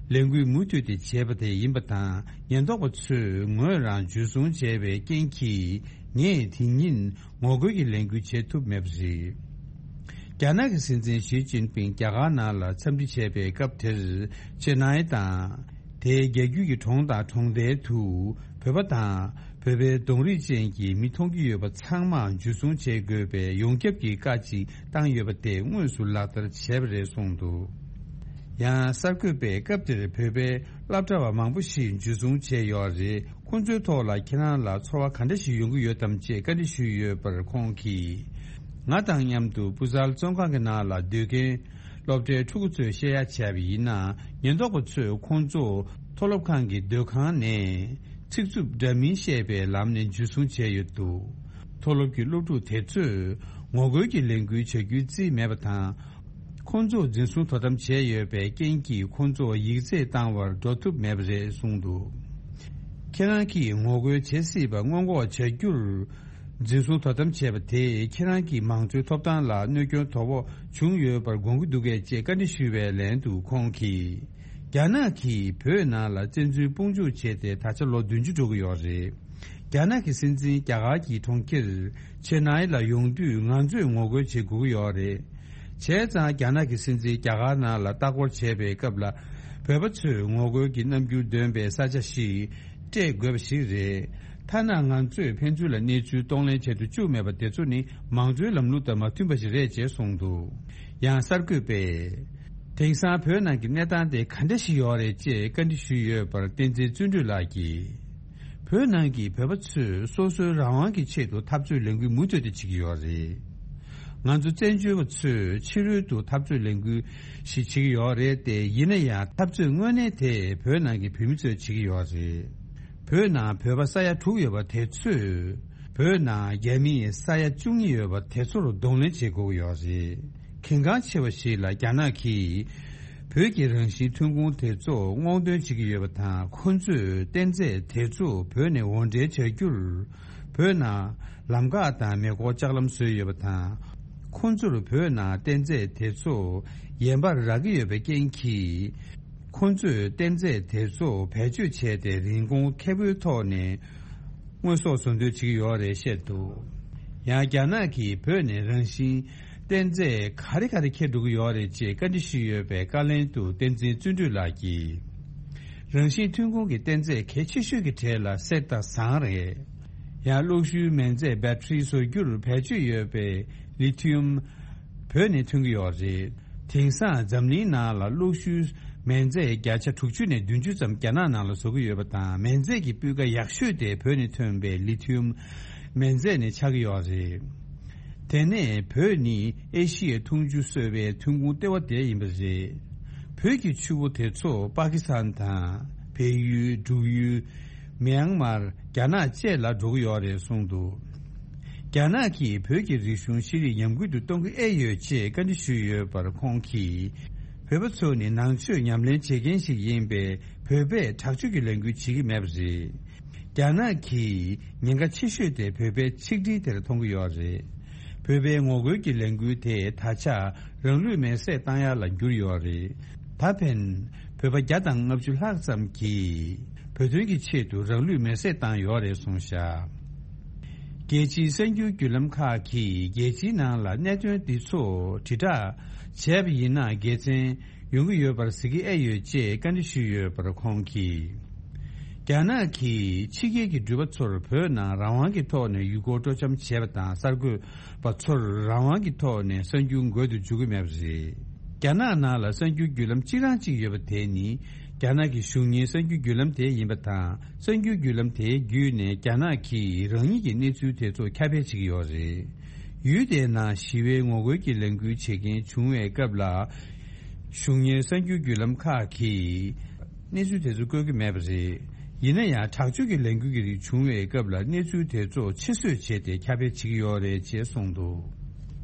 ལས་འགུལ་མུ་མཐུད་དེ་བྱས་པ་དེ་ཡིན་པ་དང་། ཉེན་རྟོག་པ་ཚོས་ངོས་རང་འཇུ་བཟུང་བྱས་པའི་རྐྱེན་གྱིས་ངས་དེ་ཉིན་ངོ་རྒོལ་གྱི་ལས་འགུལ་བྱེད་ཐུབ་མེད་པ་རེད། རྒྱ་ནག་གི་སྲིད་འཛིན་ཞི་ཅིན་ཕིང་རྒྱ་གར་ནང་ལ་འཚམས་འདྲི་བྱས་པའི་སྐབས་དེར། ཅེ་ནའི་དང་། དེའི་རྒྱལ་རྒྱུད་ཀྱི་གྲོང་དང་གྲོང་རྡལ་དུ་བོད་པ་དང་བོད་པའི་གདོང་རིས་ཅན་གྱི་མི་མཐོང་རྒྱུ་ཡོད་པ་ཚང་མ་འཇུ་བཟུང་བྱེད་དགོས་པའི་ཡོངས་ཁྱབ་ཀྱི་བཀའ་ཅིག་བཏང་ཡོད་པ་དེ་དངོས་སུ་ལག་བསྟར་བྱས་པ་རེད་གསུངས་འདུག། ཡང་གསར་འགོད་པས་སྐབས་དེར་བོད་པའི་སློབ་གྲྭ་བ་མང་པོ་ཞིག་འཇུ་བཟུང་བྱས་ཡོད་རེད། ཁོང་ཚོའི་ཐོག་ལ་ཁྱེད་རང་ལ་ཚོར་བ་ག་འདྲ་ཞིག་ཡོང་གི་ཡོད་དམ་ཅེས་བཀའ་འདྲི་ཞུས་ཡོད་པར་ཁོང་གིས། ང་དང་མཉམ་དུ་བུ་ཟལ་བཙོན་ཁང་གི་ནང་ལ་སྡོད་མཁན་སློབ་གྲྭའི་ཕྲུ་གུ་ཚོས་བཤད་ཡ་བྱས་པ་ཡིན་ན། ཉེན་རྟོག་པ་ཚོས་ཁོང་ཚོ་མཐོ་སློབ་ཁང་གི་སྡོད་ཁང་ནས་ཚིག་རྩུབ་འདྲ་མིན་བཤད་པའི་ལམ་ནས་འཇུ་བཟུང་བྱས་ཡོད་འདུག། མཐོ་སློབ་ཀྱི་སློབ་ཕྲུག་དེ་ཚོས་ངོ་རྒོལ་གྱི་ལས་འགུལ་བྱ་རྒྱུའི་རྩིས་མེད་པ་དང་། ཁོང་ཚོ་འཛིན་བཟུང་དོ་དམ་བྱས་ཡོད་པའི་རྐྱེན་གྱིས་ཁོང་ཚོ་ཡིག་ཚད་བཏང་བར་འགྲོ་ཐུབ་མེད་པ་རེད་གསུངས་འདུག། ཁྱེད་རང་གིས་ངོ་རྒོལ་བྱེད་སྲིད་པ་སྔོན་འགོག་བྱ་རྒྱུར། འཛིན་བཟུང་དོ་དམ་བྱས་པ་དེས་ཁྱེད་རང་གི་མང་གཙོའི་ཐོབ་ཐང་ལ་གནོད་སྐྱོན་དོ་ཕོག་བྱུང་ཡོད་པར་དགོངས་ཀྱི་འདུག་གས་ཅེས་བཀའ་འདྲི་ཞུས་པའི་ལན་དུ་ཁོང་གིས། རྒྱ་ནག་གིས་བོད་ནང་ལ་བཙན་འཛུལ་དཔུང་འཇུག་བྱས་ཏེ་ད་ཆ་ལོ་བདུན་ཅུ་འགྲོ་གི་ཡོད་རེད། རྒྱ་ནག་གི་སྲིད་འཛིན་རྒྱ་གར་གྱི་གྲོང་ཁྱེར་ཆེ་ནའི་ལ་ཡོང་དུས་ང་ཚོས་ངོ་རྒོལ་བྱེད་དགོས་ཀྱི་ཡོད་རེད། བྱས་ཙང་རྒྱ་ནག་གི་སྲིད་འཛིན་རྒྱ་གར་ནང་ལ་ལྟ་སྐོར་བྱས་པའི་སྐབས་ལ་བོད་པ་ཚོས་ངོ་རྒོལ་གྱི་རྣམ་འགྱུར་འདོན་པའི་ས་ཆ་ཞིག་སྤྲད་དགོས་པ་ཞིག་རེད། ཐ་ན་ང་ཚོས་ཕན་ཚུན་ལ་གནས་ཚུལ་གཏོང་ལེན་བྱེད་དུ་བཅུག་མེད་པ་དེ་ཚོ་ནི་མང་གཙོའི་ལམ་ལུགས་དང་མ་མཐུན་པ་ཞིག་རེད་ཅེས་གསུངས་འདུག། ཡང་གསར་འགོད་པས། དེང་སང་བོད་ནང་གི་གནས་སྟངས་དེ་ག་འདྲ་ཞིག་ཡོད་རེད་ཅེས་བཀའ་འདྲི་ཞུས་ཡོད་པར་བསྟན་འཛིན་བརྩོན་འགྲུས་ལགས་ཀྱིས། བོད་ནང་གི་བོད་པ་ཚོས་སོ་སོའི་རང་དབང་གི་ཆེད་དུ་འཐབ་རྩོད་ལས་འགུལ་མུ་མཐུད་དུ་བྱེད་ཀྱི་ཡོད་རེད། ང་ཚོ་བཙན་བྱོལ་བ་ཚོས་ཕྱི་རོལ་དུ་འཐབ་རྩོད་ལས་འགུལ་ཞིག་བྱེད་ཀྱི་ཡོད་རེད་དེ། ཡིན་ན་ཡང་འཐབ་རྩོད་དངོས་གནས་དེ་བོད་ནང་གི་བོད་མི་ཚོས་བྱེད་ཀྱི་ཡོད་རེད། བོད་ནང་བོད་པ་ས་ཡ་དྲུག་ཡོད་པ་དེ་ཚོས་བོད་ནང་རྒྱ་མི་ས་ཡ་བཅུ་གཉིས་ཡོད་པ་དེ་ཚོར་གདོང་ལེན་བྱེད་དགོས་ཀྱི་ཡོད་རེད། གལ་འགངས་ཆེ་བ་ཞིག་ལ་རྒྱ་ནག་གིས་བོད་ཀྱི་རང་བཞིན་ཐོན་ཁུངས་དེ་ཚོ་སྔོག་འདོན་བྱེད་ཀྱི་ཡོད་པ་དང་། ཁོ་ཚོས་གཏན་རྫས་དེ་ཚོ་བོད་ནས་འོར་འདྲེན་བྱ་རྒྱུར་བོད་ནང་ལམ་ཁ་དང་མེ་འཁོར་ལྕགས་ལམ་བཟོས་ཡོད་པ་དང་། ཁོ་ཚོར་བོད་ནང་གཏན་རྫས་དེ་ཚོ་ཡན་པར་རག་གི་ཡོད་པའི་རྐྱེན་གྱིས། ཁོ་ཚོས་གཏན་རྫས་དེ་ཚོ་བེད་སྤྱོད་བྱས་ཏེ་རིན་གོང་ཁེ་པོའི་ཐོག་ནས་དངོས་ཟོག་བཟོ་འདོད་བྱེད་ཀྱི་ཡོད་རེད་བཤད་འདུག། ཡང་རྒྱ་ནག་གིས་བོད་ནས་རང་བཞིན་གཏན་རྫས་ག་རེ་ག་རེ་འཁྱེར་འགྲོ་གི་ཡོད་རེད་ཅེས་བཀའ་འདྲི་ཞུས་ཡོད་པའི་བཀའ་ལན་དུ་བསྟན་འཛིན་བརྩོན་འགྲུས་ལགས་ཀྱིས། རང་བཞིན་ཐོན་ཁུངས་ཀྱི་གཏན་རྫས་གལ་ཆེ་ཤོས་ཀྱི་གྲས་ལ་གསེར་དང་ཟངས་རེད། ཡང་གློག་ཤུགས་མེ་རྫས་བེ་ཊི་རི་བཟོ་རྒྱུར་བེད་སྤྱོད་ཡོད་པའི་ལི་ཐི་ཡུམ་བོད་ནས་ཐོན་གྱི་ཡོད་རེད། དེང་སང་འཛམ་གླིང་ནང་ལ་གློག་ཤུགས་མེ་རྫས་བརྒྱ་ཆ་དྲུག་ཅུ་ནས་བདུན་ཅུ་ཙམ་རྒྱ་ནག་ནང་ལ་བཟོ་གི་ཡོད་པ་དང་། མེ་རྫས་ཀྱི་སྤུས་ཀ་ཡག་ཤོས་དེ་བོད་ནས་ཐོན་པའི་ལི་ཐི་ཡུམ་མེ་རྫས་ནས་ཆགས་ཀྱི་ཡོད་རེད། དེ་ནས་བོད་ནི་ཨེ་ཤི་ཡའི་འཐུང་ཆུ་བཟོ་བའི་ཐོན་ཁུངས་ལྟེ་བ་དེ་ཡིན་པ་རེད། བོད་ཀྱི་ཆུ་བོ་དེ་ཚོ་པ་ཀི་སི་ཐན་དང་བལ་ཡུལ། འབྲུག་ཡུལ། མེན་མར། རྒྱ་ནག་བཅས་ལ་འགྲོ་གི་ཡོད་རེད་གསུངས་འདུག། རྒྱ་ནག་གིས་བོད་ཀྱི་རིག་གཞུང་ཤེས་རིག་ཉམས་རྒུད་དུ་གཏོང་གི་ཨེ་ཡོད་ཅེས་བཀའ་འདྲི་ཞུས་ཡོད་པར་ཁོང་གིས། བོད་པ་ཚོ་ནི་ནང་ཆོས་ཉམས་ལེན་བྱེད་མཁན་ཞིག་ཡིན་པས། བོད་པས་དྲག་སྤྱོད་ཀྱི་ལས་འགུལ་བྱེད་ཀྱི་མེད་པ་རེད། རྒྱ་ནག་གིས་ཉེན་ཁ་ཆེ་ཤོས་དེ་བོད་པའི་ཆིག་སྒྲིལ་དེར་མཐོང་གི་ཡོད་རེད། བོད་པའི་ངོ་རྒོལ་གྱི་ལས་འགུལ་དེ་ད་ཆ་རང་ལུས་མེར་སྲེག་བཏང་ཡ་ལ་གྱུར་ཡོད་རེད། ད་ཕན་བོད་པ་བརྒྱ་དང་ལྔ་བཅུ་ལྷག་ཙམ་གྱིས་བོད་དོན་གྱི་ཆེད་དུ་རང་ལུས་མེར་སྲེག་བཏང་ཡོད་རེད་གསུངས་བཞག་རྒྱལ་སྤྱིའི་གསར་འགྱུར་བརྒྱུད་ལམ་ཁག་གིས་རྒྱལ་སྤྱིའི་ནང་ལ་གནད་དོན་འདི་ཚོ་དྲིལ་བསྒྲགས་བྱས་པ་ཡིན་ན་དགེ་མཚན་ཡོང་གི་ཡོད་པར་གཟིགས་ཀྱི་ཨེ་ཡོད་ཅེས་བཀའ་འདྲི་ཞུས་ཡོད་པར་ཁོང་གིས། རྒྱ་ནག་གིས་ཕྱི་རྒྱལ་གྱི་འགྲུལ་པ་ཚོར་བོད་ནང་རང་དབང་གི་ཐོག་ནས་ཡུལ་སྐོར་སྤྲོ་འཆམ་བྱེད་པ་དང་གསར་འགོད་པ་ཚོར་རང་དབང་གི་ཐོག་ནས་གསར་འགྱུར་འགོད་དུ་འཇུག་གི་མེད་པ་རེད། རྒྱ་ནག་ནང་ལ་གསར་འགྱུར་བརྒྱུད་ལམ་གཅིག་རང་གཅིག་ཡོད་པ་དེ་ནི་རྒྱ་ནག་གི་གཞུང་གཉེར་གསར་འགྱུར་བརྒྱུད་ལམ་དེ་ཡིན་པ་དང་། གསར་འགྱུར་བརྒྱུད་ལམ་དེའི་བརྒྱུད་ནས་རྒྱ་ནག་གིས་རང་ཉིད་ཀྱི་གནས་ཚུལ་དེ་ཚོ་ཁྱབ་སྤེལ་བྱེད་ཀྱི་ཡོད་རེད། ཡུལ་དེའི་ནང་ཞི་བའི་ངོ་རྒོལ་གྱི་ལས་འགུལ་བྱེད་མཁན་བྱུང་བའི་སྐབས་ལ། གཞུང་གཉེར་གསར་འགྱུར་བརྒྱུད་ལམ་ཁག་གིས་གནས་ཚུལ་དེ་ཚོ་བཀོད་ཀྱི་མེད་པ་རེད། ཡིན་ན་ཡང་དྲག་སྤྱོད་ཀྱི་ལས་འགུལ་གྱི་རིགས་བྱུང་བའི་སྐབས་ལ་གནས་ཚུལ་དེ་ཚོ་ཕྱིར་བཟོས་བྱས་ཏེ་ཁྱབ་སྤེལ་བྱེད་ཀྱི་ཡོད་རེད་ཅེས་གསུངས་འདུག་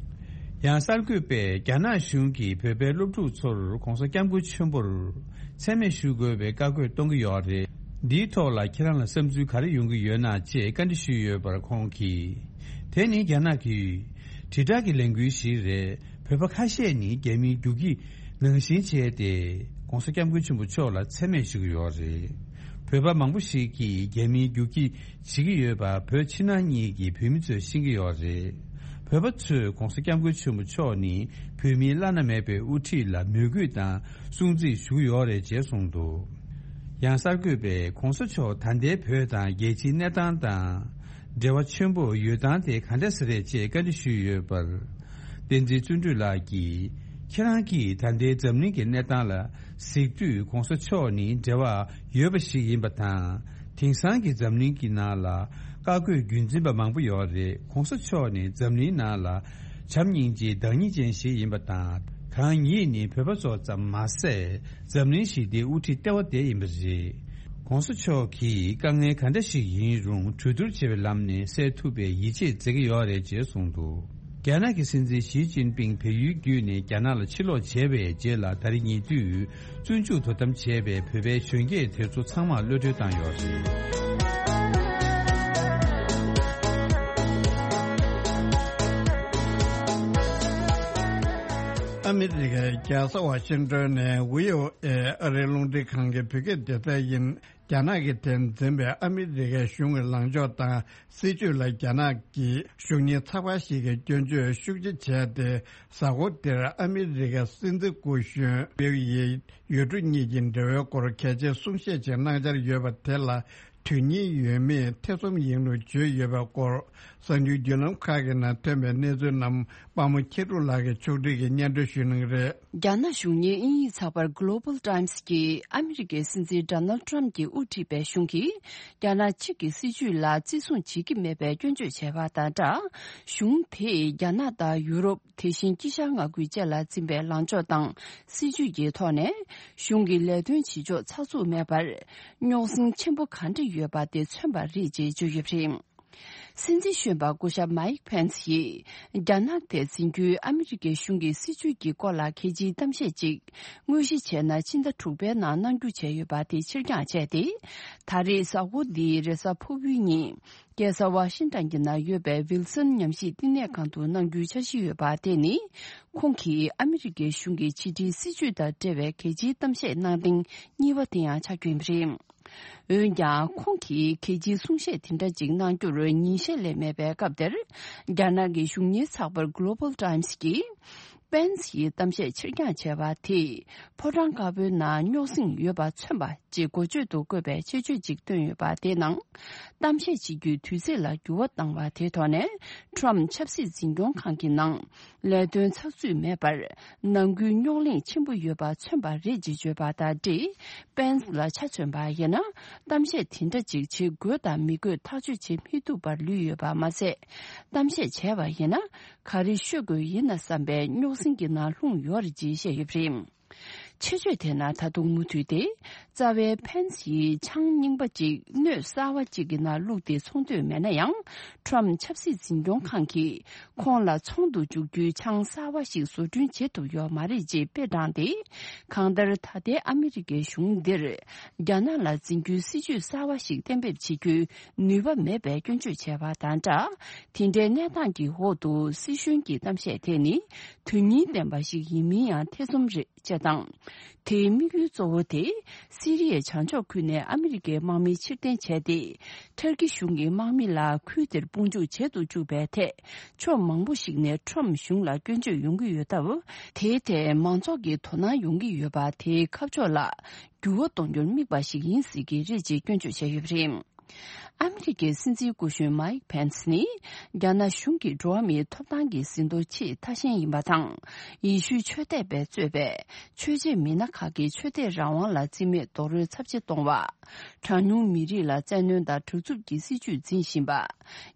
ཡང་གསར་འགོད་པས་རྒྱ་ནག་གཞུང་གིས་བོད་པའི་སློབ་ཕྲུག་ཚོར་༸གོང་ས་༸སྐྱབས་མགོན་ཆེན་པོར་མཚན་སྨད་ཞུ་དགོས་པའི་བཀའ་བཀོད་གཏོང་གི་ཡོད་རེད། འདིའི་ཐོག་ལ་ཁྱེད་རང་ལ་བསམ་ཚུལ་ག་རེ་ཡོང་གི་ཡོད་ན་ཅེས་བཀའ་འདྲི་ཞུས་ཡོད་པར་ཁོང་གིས། དེ་ནི་རྒྱ་ནག་གི་དྲིལ་བསྒྲགས་ཀྱི་ལས་འགུལ་ཞིག་རེད། བོད་པ་ཁ་ཤས་ནི་རྒྱ་མིའི་རྒྱུག་ཁྱི་ནང་བཞིན་བྱས་ཏེ་༸གོང་ས་༸སྐྱབས་མགོན་ཆེན་པོ་མཆོག་ལ་མཚན་སྨད་ཞུ་གི་ཡོད་རེད། བོད་པ་མང་པོ་ཞིག་གིས་རྒྱ་མིའི་རྒྱུག་ཁྱི་བྱེད་ཀྱི་ཡོད་པ་བོད་ཕྱི་ནང་གཉིས་ཀྱི་བོད་མི་ཚོས་ཤེས་ཀྱི་ཡོད་རེད། བོད་པ་ཚོས་༸གོང་ས་༸སྐྱབས་མགོན་ཆེན་པོ་མཆོག་ནི་བོད་མིའི་བླ་ན་མེད་པའི་དབུ་ཁྲིད་ལ་མོས་གུས་དང་སྲུང་བརྩི་ཞུ་གི་ཡོད་རེད་ཅེས་གསུངས་འདུག་ཡང་གསར་འགོད་པས་༸གོང་ས་མཆོག་ད་ལྟའི་བོད་དང་རྒྱལ་སྤྱིའི་གནས་སྟངས་དང་འབྲེལ་བ་ཆེན་པོ་ཡོད་སྟངས་དེ་ག་འདྲ་ཞིག་རེད་ཅེས་བཀའ་འདྲི་ཞུས་ཡོད་པར། བསྟན་འཛིན་བརྩོན་འགྲུས་ལགས་ཀྱིས། ཁྱེད་རང་གིས་ད་ལྟའི་འཛམ་གླིང་གི་གནས་སྟངས་ལ་གཟིགས་དུས་༸གོང་ས་མཆོག་ནི་འབྲེལ་བ་ཡོད་པ་ཞིག་ཡིན་པ་དང་། དེང་སང་གི་འཛམ་གླིང་གི་ནང་ལ་བཀའ་བཀོད་རྒྱུན་འཛིན་པ་མང་པོ་ཡོད་རེད། ༸གོང་ས་མཆོག་ནི་འཛམ་གླིང་ནང་ལ་བྱམས་སྙིང་རྗེའི་བདག་ཉིད་ཅན་ཞིག་ཡིན་པ་དང་། གང་ཉིད་ནི་བོད་པ་ཚོ་ཙམ་མ་ཟད་འཛམ་གླིང་ཞི་བདེའི་དབུ་ཁྲིད་ལྟེ་བ་དེ་ཡིན་པ་རེད། ༸གོང་ས་མཆོག་གིས་དཀའ་ངལ་ག་འདྲ་ཞིག་ཡིན་རུང་གྲོས་བསྡུར་བྱེད་པའི་ལམ་ནས་སེལ་ཐུབ་པའི་ཡིད་ཆེས་མཛད་ཀྱི་ཡོད་རེད་ཅེས་གསུངས་འདུག་རྒྱ་ནག་གི་སྲིད་འཛིན་ཞི་ཅིན་ཕིང་བལ་ཡུལ་བརྒྱུད་ནས་རྒྱ་ནག་ལ་ཕྱིར་ལོག་བྱས་པའི་རྗེས་ལ་ད་རེས་ཉེ་དུས་བཙོན་འཇུག་དོ་དམ་བྱས་པའི་བོད་པའི་གཞོན་སྐྱེས་དེ་ཚོ་ཚང་མར་གློད་གྲོལ་བཏང་ཡོད་རེད། ཨ་མི་རི་ཀའི་རྒྱལ་ས་ཝ་ཤིང་ཏོན་ནས་ཝི་ཨོ་ཨེ་ཨ་རིའི་རླུང་འཕྲིན་ཁང་གི་བོད་སྐད་སྡེ་ཚན་ཡིན། རྒྱ་ནག་གིས་དེར་འཛིན་པའི་ཨ་མི་རི་ཀའི་གཞུང་གི་ལངས་ཕྱོགས་དང་སྲིད་བྱུས་ལ་རྒྱ་ནག་གི་གཞུང་གཉེར་ཚགས་པར་ཞིག་གིས་སྐྱོན་བརྗོད་ཤུགས་ཆེ་བྱས་ཏེ། གཟའ་འཁོར་འདིར་ཨ་མི་རི་ཀའི་སྲིད་འཛིན་སྐུ་གཞོན་པེའུ་ཡི་ཡུལ་གྲུ་གཉིས་ཀྱི་འབྲེལ་བའི་སྐོར་གལ་ཆེའི་གསུང་བཤད་ཅིག་གནང་འཆར་ཡོད་པ་དེ་ལ་དོན་སྙིང་ཡོད་མེད་ཐེ་ཚོམ་ཡིན་ལུགས་བརྗོད་ཡོད་པའི་སྐོར། གསར་འགྱུར་བརྒྱུད་ལམ་ཁག་གི་ནང་ཐོན་པའི་གནས་ཚུལ་རྣམས་དཔའ་མོ་མཁྱེན་གྲུབ་ལགས་ཀྱིས་ཕྱོགས་སྒྲིག་གིས་སྙན་སྒྲོན་ཞུ་གནང་གི་རེད། རྒྱ་ནག་གཞུང་གཉེར་དབྱིན་ཡིག་ཚགས་པར་Global Times་གིས་ཨ་མི་རི་ཀའི་སྲིད་འཛིན་Donald Trump་གྱིས་དབུ་ཁྲིད་པའི་གཞུང་གིས་རྒྱ་ནག་གཅིག་གི་སྲིད་བྱུས་ལ་བརྩི་སྲུང་བྱེད་ཀྱི་མེད་པའི་སྐྱོན་བརྗོད་བྱས་པ་དང་སྦྲགས། གཞུང་དེས་རྒྱ་ནག་དང་ཡུ་རོབ། དེ་བཞིན་དཀྱིལ་ཤར་མངའ་ཁུལ་བཅས་ལ་འཛིན་པའི་ལངས་ཕྱོགས་དང་སྲིད་བྱུས་ཀྱི་ཐོག་ནས་གཞུང་གི་ལས་དོན་བྱེད་ཕྱོགས་ཚགས་ཚུད་མེད་པར་རྙོག་ཟིང་ཆེན་པོ་གང་འདྲ་ཡོད་པ་དེ་མཚོན་པ་རེད་ཅེས་བརྗོད་ཡོད་པ་རེད། སྲིད་འཛིན་གཞོན་པ་སྐུ་ཞབས་Mike Pence་ཡིས་རྒྱ་ནག་དེ་འཛིན་རྒྱུའི་ཨ་མི་རི་ཀའི་གཞུང་གི་སྲིད་བྱུས་ཀྱི་སྐོར་ལ་གལ་ཆེའི་གཏམ་བཤད་ཅིག་དངོས་གཞི་བྱས་ན་ཕྱི་ཟླ་དྲུག་པའི་ནང་གནང་རྒྱུ་བྱས་ཡོད་པ་དེ་ཕྱིར་འགྱངས་བྱས་ཏེ། ད་རེས་གཟའ་འཁོར་འདིའི་རེས་གཟའ་ཕུར་བུའི་ཉིན། རྒྱལ་ས་ཝ་ཤིང་ཏན་གྱི་ནང་ཡོད་པའི་ཝིལ་སོན་ཉམས་ཞིབ་བསྟི་གནས་ཁང་དུ་གནང་རྒྱུའི་འཆར་གཞི་ཡོད་པ་དེ་ནི། ཁོང་གིས་ཨ་མི་རི་ཀའི་གཞུང་གི་ཕྱི་འབྲེལ་སྲིད་བྱུས་དང་འབྲེལ་བའི་གལ་ཆེའི་གཏམ་བཤད་གནང་ཐེངས་གཉིས་པ་དེ་ཡང་ཆགས་རྒྱུ་ཡིན་པ་རེད། འོན་ཀྱང་ཁོང་གིས་གལ་ཆེའི་གསུང་བཤད་དེ་འདྲ་ཅིག་གནང་རྒྱུར་ཉིན་ཤས་ལས་མེད་པའི་སྐབས་དེར། རྒྱ་ནག་གི་གཞུང་གཉེར་ཚགས་པར་Global Times་གིས། Pence་ཡིས་གཏམ་བཤད་ཕྱིར་འགྱངས་བྱས་པ་དེས་ཕོ་བྲང་དཀར་པོའི་ནང་རྙོག་ཟིང་ཡོད་པ་མཚོན་པ་ཅེས་འགོ་བརྗོད་དུ་བཀོད་པའི་ཆེད་བརྗོད་ཅིག་བཏོན་ཡོད་པ་དེའི་ནང་། གཏམ་བཤད་བྱེད་རྒྱུའི་དུས་ཚོད་ལ་འགྱུར་བ་བཏང་བ་དེའི་ཐོག་ནས་Trump་ཆབ་སྲིད་འཛིན་སྐྱོང་ཁང་གི་ནང་ལས་དོན་ཚགས་ཚུད་མེད་པར་ནང་ཁུལ་རྙོག་གླེང་ཆེན་པོ་ཡོད་པ་མཚོན་པ་རེད་ཅེས་བརྗོད་པ་དང་འབྲེལ། Pence་ལ་ཆ་མཚོན་པ་ཡིན་ན་གཏམ་བཤད་དེ་འདྲ་ཅིག་བྱེད་དགོས་དང་མི་དགོས་ཐག་གཅོད་བྱེད་མི་ཐུབ་པར་ལུས་ཡོད་པ་མ་ཟད། གཏམ་བཤད་བྱས་པ་ཡིན་ན་ག་རེ་ཤོད་དགོས་ཡིན་ན་བསམ་པའི་རྙོག་ཟིང་གི་ནང་ལྷུང་ཡོད་རེད་ཅེས་བཤད་ཡོད་པ་རེད། ཆེད་བརྗོད་དེ་ནང་ད་དུང་མུ་མཐུད་དེ། རྩ་བའི་ཕན་སིའི་ཆང་རྙིང་པ་གཅིག་སྣོད་གསར་བ་གཅིག་གི་ནང་བླུགས་ཏེ་ཚོང་འདོད་མེད་ན་ཡང་། ཁྲོམ་ཆབ་སྲིད་འཛིན་སྐྱོང་ཁང་གིས་ཁོང་ལ་ཚོང་དུ་འཇུག་རྒྱུའི་ཆང་གསར་བ་ཞིག་བཟོ་སྐྲུན་བྱེད་ཐུབ་ཡོད་མ་རེད་ཅེས་དཔེ་དྲངས་ཏེ། གང་ལྟར་ད་ལྟའི་ཨ་མི་རི་ཀའི་གཞུང་འདིར་རྒྱ་ནག་ལ་འཛིན་རྒྱུའི་སྲིད་ཇུས་གསར་བ་ཞིག་གཏན་འབེབས་བྱེད་རྒྱུའི་ནུས་པ་མེད་པའི་སྐྱོན་བརྗོད་བྱས་པ་དང་སྦྲགས། དེ་འདྲའི་གནས་སྟངས་ཀྱི་འོག་ཏུ་སྲིད་གཞུང་གི་གཏམ་བཤད་དེ་ནི་དོན་སྙིང་ལྡན་པ་ཞིག་ཡིན་མིན་ཡང་ཐེ་ཚོམ་རེད། ཅེས་དང་། དེའི་དམིགས་ཡུལ་གཙོ་བོ་དེ། སི་རི་ཡའི་བྱང་ཕྱོགས་ཁུལ་ནས་ཨ་མི་རི་ཀའི་དམག་མི་ཕྱིར་འཐེན་བྱས་ཏེ། ཐུར་ཀི་གཞུང་གི་དམག་མི་ལ་ཁུལ་དེར་དཔུང་འཇུག་བྱེད་དུ་བཅུག་པའི་ཐད། ཕྱོགས་མང་པོ་ཞིག་ནས་ཁྲོམ་གཞུང་ལ་སྐྱོན་བརྗོད་ཡོང་གི་ཡོད་སྟབས། དེའི་ཐད་མང་ཚོགས་ཀྱི་དོ་སྣང་ཡོང་གི་ཡོད་པ་དེའི་ཁ་ཕྱོགས་ལ་འགྱུར་བ་གཏོང་རྒྱུར་དམིགས་པ་ཞིག་ཡིན་སྲིད་ཀྱི་རེད་ཅེས་སྐྱོན་བརྗོད་བྱས་ཡོད་པ་རེད། ཨ་མི་རི་ཀའི་སྲིད་འཛིན་སྐུ་གཞོན་མཱིག་ཕེན་སི་ནི། རྒྱ་ནག་གཞུང་གིས་འགྲོ་བ་མིའི་ཐོབ་ཐང་གི་ཟིན་ཐོ་ཆེས་ཐ་ཞན་ཡིན་པ་དང་། ཡེ་ཤུའི་ཆོས་དད་པས་གཙོས་པའི་ཆོས་བྱེད་མི་སྣ་ཁག་གི་ཆོས་དད་རང་དབང་ལ་བརྩི་མེད་རྡོག་རོལ་ཚབས་ཆེ་གཏོང་བ། གྲངས་ཉུང་མི་རིགས་ལ་བཙན་གནོན་དང་དྲག་རྩུབ་ཀྱི་སྲིད་བྱུས་འཛིན་བཞིན་པ།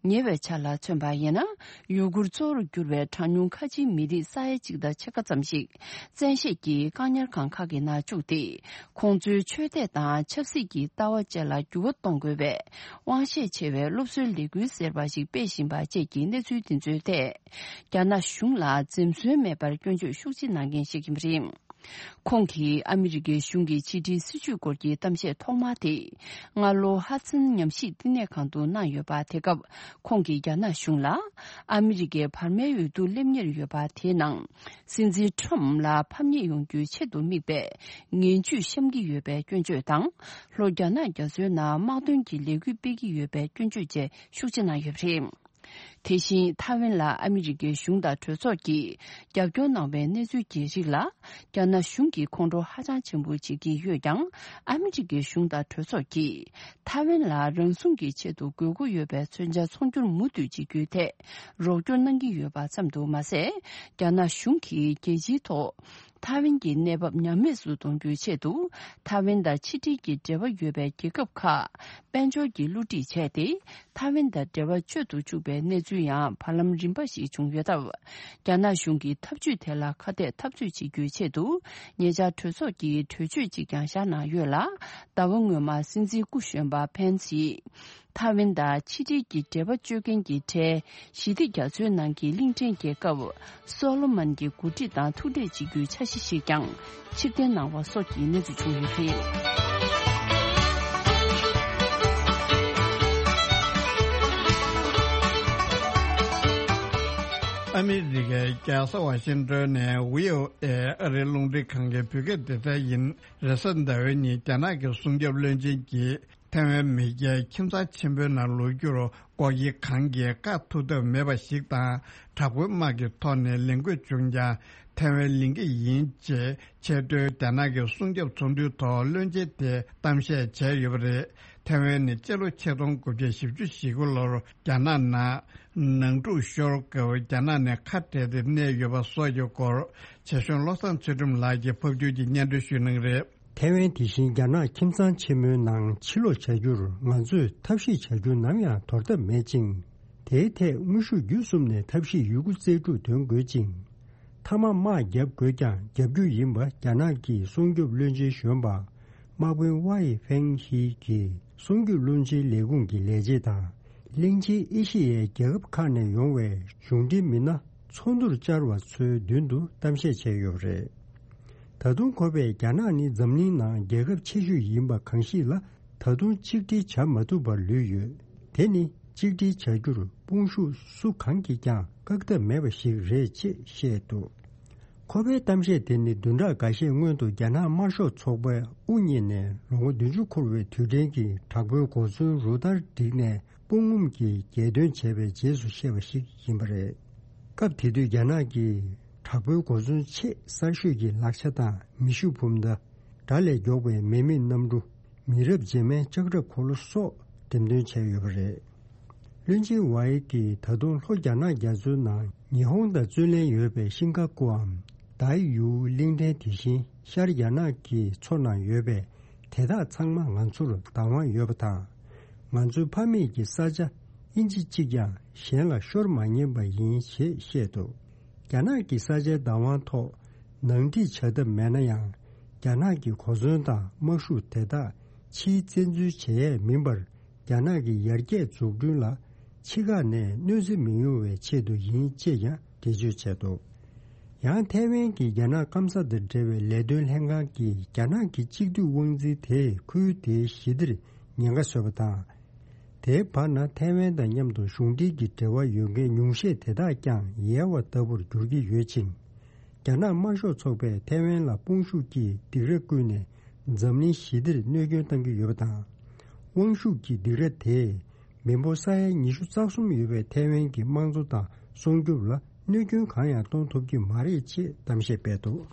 ཉེ་བའི་ཆར་ལ་མཚོན་པ་ཡིན་ན། ཡུ་གུར་གཙོ་བོར་གྱུར་བའི་གྲངས་ཉུང་ཁ་ཆེའི་མི་རིགས་ས་ཡ་གཅིག་དང་ཕྱེད་ཀ་ཙམ་ཞིག་བཙན་ཤེད་ཀྱིས་བཀག་ཉར་ཁང་ཁག་གི་ནང་བཅུག་སྟེ། ཁོང་ཚོའི་ཆོས་དད་དང་ཆབ་སྲིད་ཀྱི་ལྟ་བ་བཅས་ལ་འགྱུར་བ་གཏོང་དགོས་པའི་དབང་ཤེད་ཆེ་བའི་སློབ་གསོའི་ལས་འགུལ་ཟེར་བ་ཞིག་སྤེལ་བཞིན་པ་བཅས་ཀྱི་གནས་ཚུལ་དེ་ཚོའི་ཐད། རྒྱ་ནག་གཞུང་ལ་འཛེམ་ཟོན་མེད་པར་སྐྱོན་བརྗོད་ཤུགས་ཆེ་གནང་མཁན་ཞིག་ཡིན་པ་རེད། ཁོང་གིས་ཨ་མི་རི་ཀའི་གཞུང་གི་ཕྱི་འབྲེལ་སྲིད་བྱུས་སྐོར་གྱི་གཏམ་བཤད་ཐོག་མ་དེ། སྔ་ལོ་ཧ་ཙིན་ཉམས་ཞིབ་བསྟི་གནས་ཁང་དུ་གནང་ཡོད་པ། དེ་སྐབས་ཁོང་གིས་རྒྱ་ནག་གཞུང་ལ། ཨ་མི་རི་ཀའི་བར་མའི་འོས་བསྡུ་སླེབས་ཉེར་ཡོད་པ་དེའི་ནང་། སྲིད་འཛིན་ཁྲོམ་ལ་ཕམ་ཉེས་ཡོང་རྒྱུའི་ཆེད་དུ་དམིགས་པའི་ངན་ཇུས་བཤམས་ཀྱི་ཡོད་པའི་སྐྱོན་བརྗོད་དང་། ལྷོ་རྒྱ་ནག་རྒྱ་མཚོའི་ནང་དམག་དོན་གྱི་ལས་འགུལ་སྤེལ་གྱི་ཡོད་པའི་སྐྱོན་བརྗོད་བཅས་ཤུགས་ཆེ་གནང་ཡོད་པ་རེད། དེ་བཞིན་ཐའེ་ཝན་ལ་ཨ་མི་རི་ཀའི་གཞུང་དང་གྲོས་ཚོགས་ཀྱིས་རྒྱབ་སྐྱོར་གནང་བའི་གནས་ཚུལ་གྱི་རིགས་ལ། རྒྱ་ནག་གཞུང་གིས་ཁོང་ཁྲོ་ཧ་ཅང་ཆེན་པོ་བྱེད་ཀྱི་ཡོད་ཀྱང་། ཨ་མི་རི་ཀའི་གཞུང་དང་གྲོས་ཚོགས་ཀྱིས་ཐའེ་ཝན་ལ་རང་སྲུང་གི་ཆེད་དུ་དགོས་མཁོ་ཡོད་པའི་མཚོན་ཆ་ཚོང་སྒྱུར་མུ་མཐུད་བྱེད་རྒྱུའི་ཐད་རོགས་སྐྱོར་གནང་གི་ཡོད་པ་ཙམ་དུ་མ་ཟད། རྒྱ་ནག་གཞུང་གིས་རྒྱལ་སྤྱིའི་ཐོག་ཐའེ་ཝན་གྱི་གནས་བབ་ཉམས་དམས་སུ་གཏོང་རྒྱུའི་ཆེད་དུ། ཐའེ་ཝན་དང་ཕྱི་འབྲེལ་གྱི་འབྲེལ་བ་ཡོད་པའི་རྒྱལ་ཁབ་ཁག་དཔལ་འབྱོར་གྱི་བསླུ་བྲིད་བྱས་ཏེ། ཐའེ་ཝན་དང་འབྲེལ་བ་གཅོད་དུ་བཅུག་པའི་གནས་ཚུལ་ཡང་བར་ལམ་རིམ་པ་ཞིག་བྱུང་ཡོད་སྟབས། རྒྱ་ནག་གཞུང་གིས་ཐབས་ཇུས་དེ་ལ་ཁ་གཏད་འཐབ་རྩོད་བྱེད་རྒྱུའི་ཆེད་དུ། ཉེ་ཆར་གྲོས་ཚོགས་ཀྱིས་གྲོས་ཆོད་ཅིག་ཀྱང་བཞག་གནང་ཡོད་ལ། ཟླ་བ་སྔོན་མ་སྲིད་འཛིན་སྐུ་གཞོན་པ་ཕན་སིས། ཐའེ་ཝན་དང་ཕྱི་འབྲེལ་གྱི་འབྲེལ་བ་གཅོད་མཁན་གྱི་གྲས་ཞི་བདེ་རྒྱ་མཚོའི་ནང་གི་གླིང་ཕྲན་རྒྱལ་ཁབ་སོ་ལོ་མོན་གྱི་འགོ་ཁྲིད་དང་ཐུག་འཕྲད་བྱེད་རྒྱུའི་འཆར་གཞི་ཞིག་ཀྱང་ཕྱིར་འཐེན་གནང་བ་སོགས་ཀྱི་གནས་ཚུལ་བྱུང་ཡོད་པ་རེད། ཨ་མི་རི་ཀའི་རྒྱལ་ས་ཝ་ཤིང་ཏོན་ནས་བྷི་ཨོ་ཨེ་ཨ་རིའི་རླུང་འཕྲིན་ཁང་གི་བོད་སྐད་སྡེ་ཚན་ཡིན། རེས་གཟའ་ཟླ་བའི་ཉིན་རྒྱ་ནག་གི་སྲུང་སྐྱོབ་བློན་ཆེན་གྱིས། ཐའེ་ཝན་མེས་རྒྱལ་ཁྱིམ་ཚང་ཆེན་པོའི་ནང་ལོག་རྒྱུར་ལྐོག་གྱེས་གང་གིས་བཀག་ཐུབ་ཐབས་མེད་པ་ཞིག་དང་། དྲག་པོའི་དམག་གི་ཐོག་ནས་ལས་འགུལ་བྱུང་ཀྱང་ཐའེ་ཝན་ལེན་གྱི་ཡིན་ཅེས་ཆེས་མཐོའི་རྒྱ་ནག་གི་སྲུང་སྐྱོབ་ཚོགས་འདུའི་ཐོག་བློན་ཆེན་དེས་གཏམ་བཤད་བྱས་ཡོད་པ་རེད། ཐའེ་ཝན་ནི་སྤྱི་ལོ་ཆིག་སྟོང་དགུ་བརྒྱ་བཞི་བཅུ་ཞེ་དགུ་ལོར་རྒྱ་ནག་ནང་ནང་འཁྲུག་ཤོར་སྐབས་རྒྱ་ནག་ནས་ཁ་བྲལ་ཏེ་གནས་ཡོད་པ་སོགས་ཀྱི་སྐོར་ཆེ་ཤོས་བློ་བཟང་ཚུལ་ཁྲིམས་ལགས་ཀྱིས་ཕབ་སྒྱུར་གྱིས་སྙན་སྒྲོན་ཞུས་གནང་གི་རེད། ཐའེ་ཝན་དེ་བཞིན་རྒྱ་ནག་ཁྱིམ་ཚང་ཆེན་མོའི་ནང་ཕྱིར་ལོག་བྱ་རྒྱུར་ང་ཚོས་ཐབས་ཤེས་བྱ་རྒྱུ་ནམ་ཡང་དོར་ཐབས་མེད་ཅིང་། དེའི་ཐད་དངོས་ཤུགས་བརྒྱུད་གསུམ་ནས་ཐབས་ཤེས་ཡོད་རྒུ་རྩལ་སྤྲུགས་འདོན་དགོས་ཅིང་། མཐའ་མ་དམག་བརྒྱབ་དགོས་ཀྱང་རྒྱབ་རྒྱུ་ཡིན་པ་རྒྱ་ནག་གི་སྲུང་སྐྱོབ་བློན་ཆེན་གཞོན་པ་དམག་དཔོན་ཝའེ་ཧྥེང་ཧི་གིས་སྲུང་སྐྱོབ་བློན་ཆེན་ལས་ཁུངས་ཀྱི་ལས་བྱེད་དང་། གླིང་ཆེན་ཨེ་ཤེ་ཡའི་རྒྱལ་ཁབ་ཁག་ནས་ཡོང་བའི་གཞུང་འབྲེལ་མི་སྣ་ཚོགས་འདུར་བཅར་བ་ཚོའི་མདུན་དུ་གཏམ་བཤད་བྱས་ཡོད་པ་རེད། ད་དུང་ཁོ་པས་རྒྱ་ནག་ནི་འཛམ་གླིང་ནང་རྒྱལ་ཁབ་ཆེ་ཤོས་ཡིན་པ་གང་ཞིག་ལ་ད་དུང་གཅིག་སྒྲིལ་བྱ་མ་ཐུབ་པར་ལུས་ཡོད། དེ་ནི་གཅིག་སྒྲིལ་བྱ་རྒྱུར་དཔུང་ཤུགས་སུ་གང་གིས་ཀྱང་བཀག་ཐབས་མེད་པ་ཞིག་རེད་ཅེས་བཤད་འདུག་ཁོ་པའི་གཏམ་བཤད་དེ་ནི་བདུན་ཕྲག་འགའ་ཤས་སྔོན་དུ་རྒྱ་ནག་དམར་ཤོག་ཚོགས་པས་དབུ་བརྙེས་ནས་ལོ་ངོ་བདུན་ཅུ་འཁོར་བའི་དུས་དྲན་གྱི་དྲག་པོའི་གོ་མཚོན་རུ་སྟར་བསྒྲིགས་ནས་དཔུང་ངུམ་གྱིས་རྒྱལ་དོན་བྱས་པའི་རྗེས་སུ་བཤད་པ་ཞིག་ཡིན་པ་རེད། སྐབས་དེ་དུས་རྒྱ་ནག་གིས་དྲག་པོའི་གོ་མཚོན་ཆེས་གསར་ཤོས་ཀྱི་ལག་ཆ་དང་མེ་ཤུགས་འབུམ་མདའ། དགྲ་ལས་མགྱོགས་པའི་མེ་མེད་གནམ་གྲུ། མི་རབས་རྗེས་མའི་ལྕགས་ཁྲབ་འཁོར་ལོ་སོགས་འགྲེམས་སྟོན་བྱས་ཡོད་པ་རེད། བློན་ཆེན་ཝའེ་ཡིས་ད་དུང་ལྷོ་རྒྱ་ནག་རྒྱ་མཚོའི་ནང་ཉི་ཧོང་དང་བརྩོན་ལེན་ཡོད་པའི་ཤིང་ཀ་ཀུའམ་དཱའི་ཡུའུ་གླིང་ཕྲན་དེ་བཞིན་ཤར་རྒྱ་ནག་གི་མཚོ་ནང་ཡོད་པའི་དེ་དག་ཚང་མ་ང་ཚོར་བདག་དབང་ཡོད་པ་དང་། ང་ཚོའི་ཕ་མེས་ཀྱི་ས་ཆ་ཨིན་ཅི་གཅིག་ཀྱང་གཞན་ལ་ཤོར་མ་ཉན་པ་ཡིན་ཞེས་བཤད་འདུག་རྒྱ་ནག་གི་ས་ཆའི་བདག་དབང་ཐོག་ནང་འགྲིག་བྱ་ཐབས་མེད་ན་ཡང་ རྒྱ་ནག་གི་གོ་མཚོན་དང་དམག་ཤུགས་དེ་དག་ཕྱིའི་བཙན་འཛུལ་བྱེད་ཡས་མིན་པར། རྒྱ་ནག་གི་ཡར་རྒྱས་འཛུགས་སྐྲུན་ལ་ཕྱི་ཁ་ནས་གནོད་འཚེ་མི་ཡོང་བའི་ཆེད་དུ་ཡིན་ཅེས་ཀྱང་འགྲེལ་བརྗོད་བྱས་འདུག། ཡང་ཐའེ་ཝན་གྱི་རྒྱ་ནག་སྐམ་ས་དང་འབྲེལ་བའི་ལས་དོན་ལྷན་ཁང་གིས། རྒྱ་ནག་གི་གཅིག་སྡུད་དབང་འཛིན་དེས་ཁུལ་དེའི་ཞི་བདེར་ཉེན་ཁ་བཟོས་པ་དང་། དེའི་བར་ན་ཐའེ་ཝན་དང་མཉམ་དུ་གཞུང་འབྲེལ་གྱི་འབྲེལ་བ་ཡོད་མཁན་ཉུང་ཤས་དེ་དག་ཀྱང་ཡལ་བ་ལྟ་བུར་འགྱུར་གྱི་ཡོད་ཅིང་། རྒྱ་ནག་དམར་ཤོག་ཚོགས་པས་ཐའེ་ཝན་ལ་དཔུང་ཤུགས་ཀྱིས་སྡིགས་ར་བསྐུལ་ནས་འཛམ་གླིང་ཞི་བདེར་གནོད་སྐྱོན་བཏང་གི་ཡོད་པ་དང་། དབང་ཤུགས་ཀྱི་སྡིགས་ར་དེས་མི་འབོར་ས་ཡ་ཉི་ཤུ་རྩ་གསུམ་ཡོད་པའི་ཐའེ་ཝན་གྱི་དམངས་གཙོ་དང་སྲུང་སྐྱོབ་ལ་གནོད་སྐྱོན་གང་ཡང་གཏོང་ཐུབ་ཀྱི་མ་རེད་ཅེས་གཏམ་བཤད་སྤེལ་འདུག།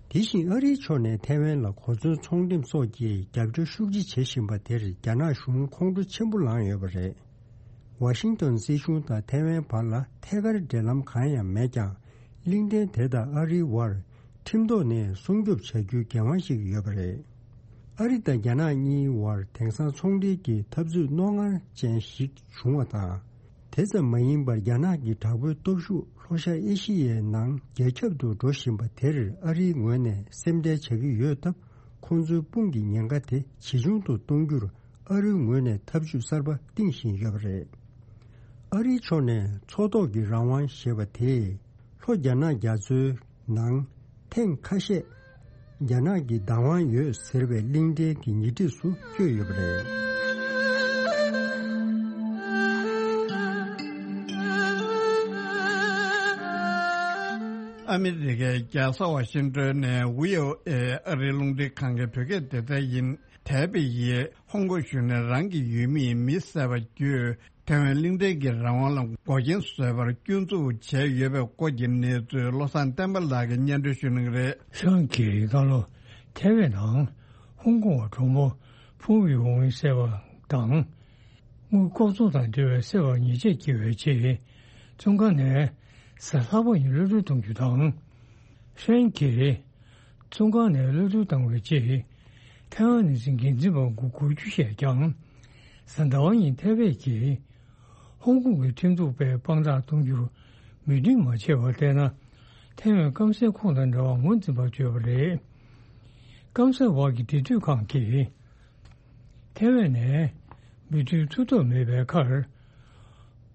དེ་བཞིན་ཨ་རིའི་ཕྱོགས་ནས་ཐའེ་ཝན་ལ་གོ་མཚོན་ཚོང་འགྲེམས་སོགས་ཀྱི་རྒྱབ་སྐྱོར་ཤུགས་ཆེ་བྱེད་བཞིན་པ་དེར་རྒྱ་ནག་གཞུང་ཁོང་ཁྲོ་ཆེན་པོ་ལངས་ཡོད་པ་རེད། ཝ་ཤིང་ཏོན་སྲིད་གཞུང་དང་ཐའེ་ཝན་བར་ལ་ཐད་ཀར་འབྲེལ་ལམ་གང་ཡང་མེད་ཀྱང་། གླིང་ཕྲན་དེ་དང་ཨ་རིའི་བར་ཁྲིམས་ཐོག་ནས་སྲུང་སྐྱོབ་བྱ་རྒྱུའི་འགན་དབང་ཞིག་ཡོད་པ་རེད། ཨ་རི་དང་རྒྱ་ནག་གཉིས་བར་དེང་སང་ཚོང་འབྲེལ་གྱི་འཐབ་རྩོད་རྣོ་ངར་ཅན་ཞིག་བྱུང་བ་དང་། དེ་ཙམ་མ་ཡིན་པར་རྒྱ་ནག་གི་དྲག་པོའི་སྟོབས་ཤུགས་ལྷོ་ཤར་ཨེ་ཤི་ཡའི་ནང་རྒྱ་ཁྱབ་ཏུ་འགྲོ་བཞིན་པ་དེར་ཨ་རིའི་ངོས་ནས་སེམས་ཁྲལ་བྱ་གི་ཡོད་སྟབས། ཁོང་ཚོའི་དཔུང་གི་ཉེན་ཁ་དེ་ཇེ་ཆུང་དུ་གཏོང་རྒྱུར་ཨ་རིའི་ངོས་ནས་ཐབས་ཇུས་གསར་པ་བཏིང་བཞིན་ཡོད་པ་རེད། ཨ་རིའི་ཕྱོགས་ནས་མཚོ་ཐོག་གི་རང་དབང་ཞེས་པ་དེས། ལྷོ་རྒྱ་ནག་རྒྱ་མཚོའི་ནང་ཐེངས་ཁ་ཤས་རྒྱ་ནག་གི་བདག་དབང་ཡོད་ཟེར་བའི་གླིང་ཕྲན་གྱི་ཉེ་འཁྲིས་སུ་བསྐྱོད་ཡོད་པ་རེད། ཨ་མི་རི་ཀའི་རྒྱལ་ས་ཝ་ཤིང་ཏོན་ནས་ཝི་ཨོ་ཨེ་ཨ་རིའི་རླུང་འཕྲིན་ཁང་གི་བོད་སྐད་སྡེ་ཚན་ཡིན། ཐའེ་པེ་ཡིས་ཧོང་ཀོང་གཞུང་ནས་རང་གི་ཡུལ་མིས་མི་བསད་པ་བརྒྱུད། ཐའེ་ཝན་གླིང་ཕྲན་གྱི་རང་དབང་ལ་འགོག་རྐྱེན་བཟོས་པར་སྐྱོན་འཛུགས་བྱས་ཡོད་པའི་སྐོར་གྱི་གནས་ཚུལ་བློ་བཟང་བསྟན་པ་ལགས་ཀྱིས་སྙན་སྒྲོན་ཞུ་གནང་གི་རེད། ཧྲན་གྱིས་ད་ལོ་ཐའེ་ཝན་ནང་ཧོང་ཀོང་བ་གྲོགས་མོ་ཕུང་ཝི་ཝུང་བསད་པ་དང་། དངུལ་ལྐོག་འཛུགས་དང་འབྲེལ་བའི་བསད་པར་ཉེས་ཆད་བཀལ་བའི་ཆེད། བཙོན་ཁང་ནས་གཟའ་ལྷག་པ་ཉིན་གློད་གྲོལ་གཏོང་རྒྱུ་དང་། ཧྲན་གྱིས་བཙོན་ཁང་ནས་གློད་གྲོལ་བཏང་བའི་རྗེས། ཐའེ་ཝན་ནི་སི་འགན་འཛིན་པ་དགུ་དགུ་བཅུ་བཤད་ཀྱང་། གཟའ་ཟླ་བ་ཉིན་ཐའེ་པེ་གྱིས་ཧོང་ཀོང་གི་ཁྲིམས་གཏུག་པས་དཔང་རྟགས་གཏོང་རྒྱུར་མོས་མཐུན་མ་བྱས་པར་བལྟས་ན། ཐའེ་ཝན་སྐམ་སའི་ཁོངས་དང་འདྲ་བར་ངོས་འཛིན་པར་བྱོས་པ་རེད། སྐམ་ས་བར་གྱི་འབྲེལ་མཐུད་ཁང་གིས། ཐའེ་ཝན་ནས་འབྲེལ་མཐུད་ཐུབ་ཐབས་མེད་པའི་ཁར།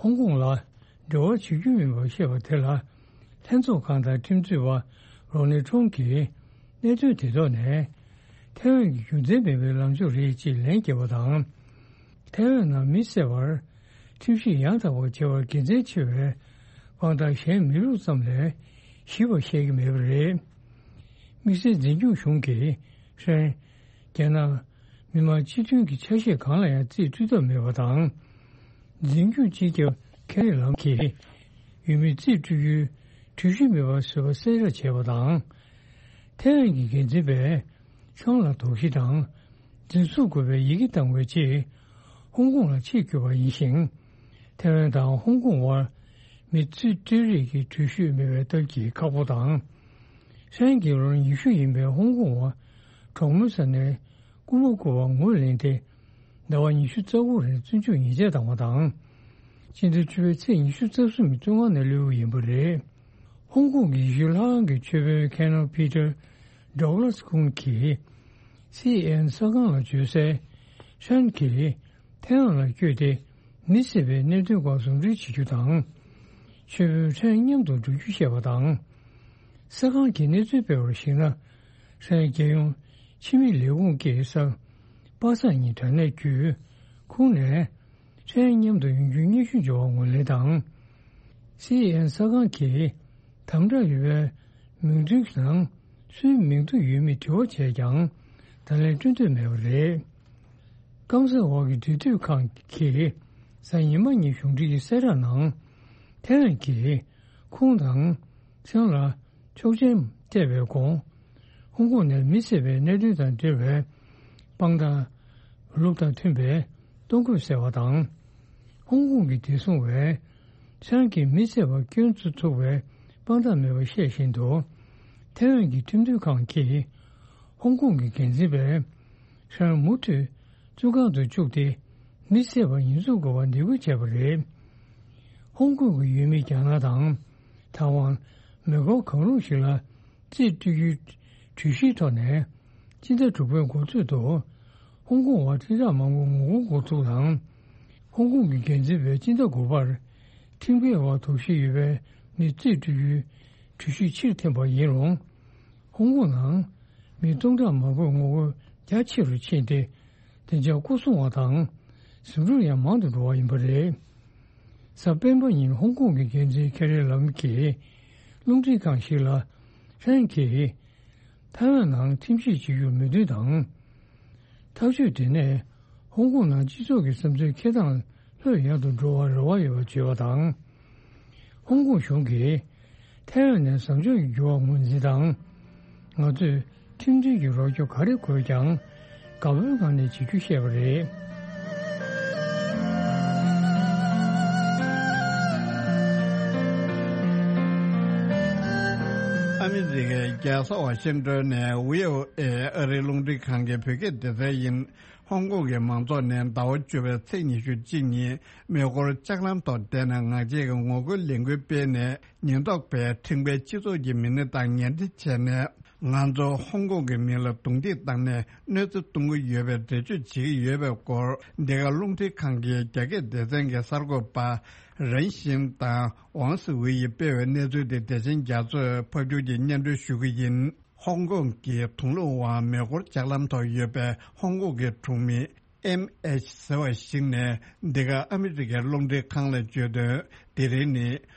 ཧོང་ཀོང་ལ་འབྲེལ་བ་བྱེད་རྒྱུ་མིན་པར་བཤད་པ་དེ་ལ། ལྷན་ཚོགས་ཁང་དང་ཁྲིམས་རྩོད་པ་རོ་ནི་ཁྲོང་གིས་གནད་དོན་དེ་ཐོག་ནས། ཐའེ་ཝན་གྱི་རྒྱུ་མཚན་མེད་པའི་ལངས་ཕྱོགས་རེད་ཅེས་ལན་བརྒྱབ་པ་དང་། ཐའེ་ཝན་ནང་མི་བསད་པར་ཁྲིམས་གཞི་ཡང་དག་པ་བྱེད་པར་དགེ་མཚན་ཆེ་བའི་དཔང་རྟགས་གཞན་མེད་ལུགས་ཙམ་ལས་ཞིབ་པ་བཤད་ཀྱི་མེད་པ་རེད། དམིགས་བསལ་འཛིན་སྐྱོང་གཞུང་གིས་ཧྲན། རྒྱ་ནག་མི་དམངས་སྤྱི་མཐུན་གྱི་ཆ་ཤས་གང་ལ་ཡང་རྩིས་སྤྲོད་ཐབས་མེད་པ་དང་། འཛིན་སྐྱོང་སྤྱི་ཁྱབ་ཁེ་རི་ལམ་གྱིས་ཡུལ་མིའི་རྩིས་སྤྲོད་རྒྱུའི་འགྲུལ་བཞུད་མེད་པར་བཟོས་པ་གསལ་བསྒྲགས་བྱས་པ་དང་། ཐའེ་ཝན་གྱི་འགན་འཛིན་པས་ཆང་ལ་དོགས་གཞི་དང་འཛིན་བཟུང་དགོས་པའི་ཡི་གེ་བཏང་བའི་རྗེས། ཧོང་ཀོང་ལ་ཆེད་བསྐྱོད་པ་ཡིན་ཞིང་། ཐའེ་ཝན་དང་ཧོང་ཀོང་བར་མི་རྩིས་སྤྲོད་རེས་ཀྱི་འགྲུལ་བཞུད་མེད་པའི་སྟབས་ཀྱིས་ཁག་པོ་དང་། ཧྲན་གྱི་ལོ་ཉི་ཤུ་ཡིན་པའི་ཧོང་ཀོང་བ་གྲོགས་མོའི་ས་ནས་རྐུ་མ་རྐུ་བར་ངོས་ལེན་ཏེ། ཟླ་བ་ཉི་ཤུ་རྩ་དགུ་རིང་བཙོན་འཇུག་ཉེས་ཆད་བཏང་བ་དང་། སྤྱི་ཟླ་བཅུ་པའི་ཚེས་ཉི་ཤུ་རྩ་གསུམ་ཉིན་བཙོན་ཁང་ནས་གློད་ཡོད་པ་རེད། ཧོང་ཀོང་གི་ཡེ་ཤུ་ལྷ་ཁང་གི་ཆོས་དཔོན་ཁེ་ནོ་པི་ཏར་ཌོག་ལ་སི་ཁོང་གིས་སི་ཨེན་ཨེན་གསར་ཁང་ལ་བརྗོད་གསལ། ཧྲན་གྱིས་ཐའེ་ཝན་ལ་བསྐྱོད་དེ་མི་བསད་པའི་གནད་དོན་སྐོར་ཟུང་འབྲེལ་བྱེད་རྒྱུ་དང་། ཆོས་དཔོན་ཧྲན་མཉམ་དུ་འགྲོ་རྒྱུ་བཤད་པ་དང་། གསར་ཁང་གིས་གནས་ཚུལ་སྤེལ་བར་གཞིགས་ན། ཧྲན་རྒྱལ་ཡོངས་ཕྱི་མི་ལས་ཁུངས་ཀྱིས་གཟའ་པ་སངས་ཉིན་དྲ་གནས་བརྒྱུད་ཁོང་ནས་ཧྲན་མཉམ་དུ་ཡོང་རྒྱུའི་སྙན་ཞུ་འབྱོར་བར་ངོས་ལེན་དང་། སི་ཨེན་གསར་ཁང་གིས་དམ་དྲག་ཡོད་པའི་མིང་ཐོའི་ནང་སུའི་མིང་ཐོ་ཡོད་མེད་དྲི་བ་བྱས་ཀྱང་བརྡ་ལན་སྤྲོད་འདོད་མེད་པ་རེད། སྐམ་ས་འོག་གི་འབྲེལ་མཐུད་ཁང་གིས་གཟའ་ཉི་མ་ཉིན་གཞུང་འབྲེལ་གྱི་གསལ་བསྒྲགས་ནང་ཐའེ་ཝན་གྱིས་ཁོང་དང་ཧྲན་ལ་ཆོག་མཆན་སྤྲད་པའི་གོང་། ཧོང་ཀོང་ནས་མི་བསད་པའི་གནད་དོན་དང་འབྲེལ་བའི་དཔང་རྟགས་ལུགས་དང་མཐུན་པའི་གཏོང་དགོས་ཟེར་བ་དང་། ཧོང་ཀོང་གི་བདེ་སྲུང་བས་ཧྲན་གྱིས་མི་བསད་པར་སྐྱོན་བཙུགས་ཐུབ་པའི་དཔང་རྟགས་མེད་པ་བཤད་བཞིན་དུ། ཐའེ་ཝན་གྱི་ཁྲིམས་མཐུན་ཁང་གིས་ཧོང་ཀོང་གི་འགན་འཛིན་པས་ཧྲན་མུ་མཐུད་བཙོན་ཁང་དུ་བཅུག་སྟེ་མི་བསད་པར་ཉེས་འཛུགས་དགོས་པར་འདེད་སྐུལ་བྱས་པ་རེད། ཧོང་ཀོང་གི་ཡུལ་མི་རྒྱ་ནག་དང་ཐའེ་ཝན། མེ་འཁོར་གང་རུང་ཞིག་ལ་རྩིས་སྤྲོད་རྒྱུའི་ གྲོས་གཞིའི་ཐོག་ནས་སྤྱི་ཟླ་དྲུག་པའི་འགོ་སྟོད་དུ་ཧོང་ཀོང་བར་ཁྲིམས་ཐག་མང་པོ་ངོ་རྒོལ་འགོ་ཚུགས་དང་། ཧོང་ཀོང་གི་འགན་འཛིན་པས་སྤྱི་ཟླ་དགུ་པར་ཁྲིམས་འགལ་བར་དོགས་གཞི་ཡོད་པའི་མི་རྩིས་སྤྲོད་རྒྱུའི་གྲོས་གཞི་ཕྱིར་འཐེན་པ་ཡིན་རུང་། ཧོང་ཀོང་ནང་མི་སྟོང་ཕྲག་མང་པོས་ངོ་རྒོལ་རྒྱ་ཆེ་རུ་ཕྱིན་ཏེ། དེ་འཇགས་སྐུ་སྲུང་བ་དང་། ཟིང་འཁྲུག་ཡང་མང་དུ་འགྲོ་བ་ཡིན་པ་རེད། གཟའ་སྤེན་པ་ཉིན་ཧོང་ཀོང་གི་འགན་འཛིན་ཁེ་རི་ལམ་གྱིས་རླུང་འཕྲིན་ཁང་ཞིག་ལ། ཧྲན་གྱིས་ཐའེ་ཝན་ནང་ཁྲིམས་གཞི་བྱེད་རྒྱུར་མོས་མཐུན་དང་། ཐག་གཅོད་དེ་ནས་ཧོང་ཀོང་ནང་སྤྱི་ཚོགས་ཀྱི་བསམ་ཚུལ་འཁྱེར་སྟངས་ལྷོད་ཡངས་དུ་འགྲོ་བར་རེ་བ་ཡོད་པར་བརྗོད་པ་དང་། ཧོང་ཀོང་གཞུང་གིས་ཐའེ་ཝན་ནས་བཟང་ཕྱོགས་ཀྱི་འགྱུར་བ་ངོས་འཛིན་དང་། ང་ཚོས་ཁྲིམས་མཐུན་གྱི་རོགས་སྐྱོར་ག་རེ་དགོས་ཀྱང་དགའ་བོའི་ངང་ནས་བྱེད་རྒྱུ་བཤད་པ་རེད། ཨ་མི་རི་ཀའི་རྒྱལ་ས་ཝ་ཤིང་ཏོན་ནས་བྷི་ཨོ་ཨེ་ཨ་རིའི་རླུང་འཕྲིན་ཁང་གི་བོད་སྐད་སྡེ་ཚན་ཡིན། ཧོང་ཀོང་གི་མང་ཚོགས་ནས་ཟླ་བ་བཅུ་པའི་ཚེས་ཉི་ཤུ་གཅིག་ཉིན་མེ་འཁོར་ལྕགས་ལམ་ཐོག་བསྡད་ནས་ངག་བཅད་ཀྱི་ངོ་རྒོལ་ལས་འགུལ་སྤེལ་ནས། ཉེན་རྟོག་པས་ཁྲིམས་འགལ་སྤྱི་ཚོགས་ཀྱི་མི་སྣ་དང་ཉེ་འབྲེལ་བྱས་ནས། ང་ཚོ་ཧོང་ཀོང་གི་མི་ལ་རྡུང་རྡེག་བཏང་ནས་གནོད་འཚེ་གཏོང་གི་ཡོད་པའི་འགྲེལ་བརྗོད་བྱེད་ཀྱི་ཡོད་པའི་སྐོར། འདི་ག་རླུང་འཕྲིན་ཁང་གི་རྒྱ་སྐད་སྡེ་ཚན་གྱི་གསར་འགོད་པ་རན་ཤིན་དང་ཝང་སི་ཝེ་ཡིས་སྤེལ་བའི་གནས་ཚུལ་དེ་བདེ་ཆེན་རྒྱ་མཚོས་ཕབ་སྒྱུར་གྱིས་སྙན་སྒྲོན་ཞུ་གི་ཡིན། ཧོང་ཀོང་གི་དུང་ལུང་བ་མེ་འཁོར་ལྕགས་ལམ་ཐོག་ཡོད་པའི་ཧོང་ཀོང་གི་གྲོང་མི་ཨེམ་ཨེཆ་ཟེར་བ་ཞིག་ནས་འདི་ག་ཨ་མི་རི་ཀའི་རླུང་འཕྲིན་ཁང་ལ་བརྗོད་དོན། དེ་རིང་ནི་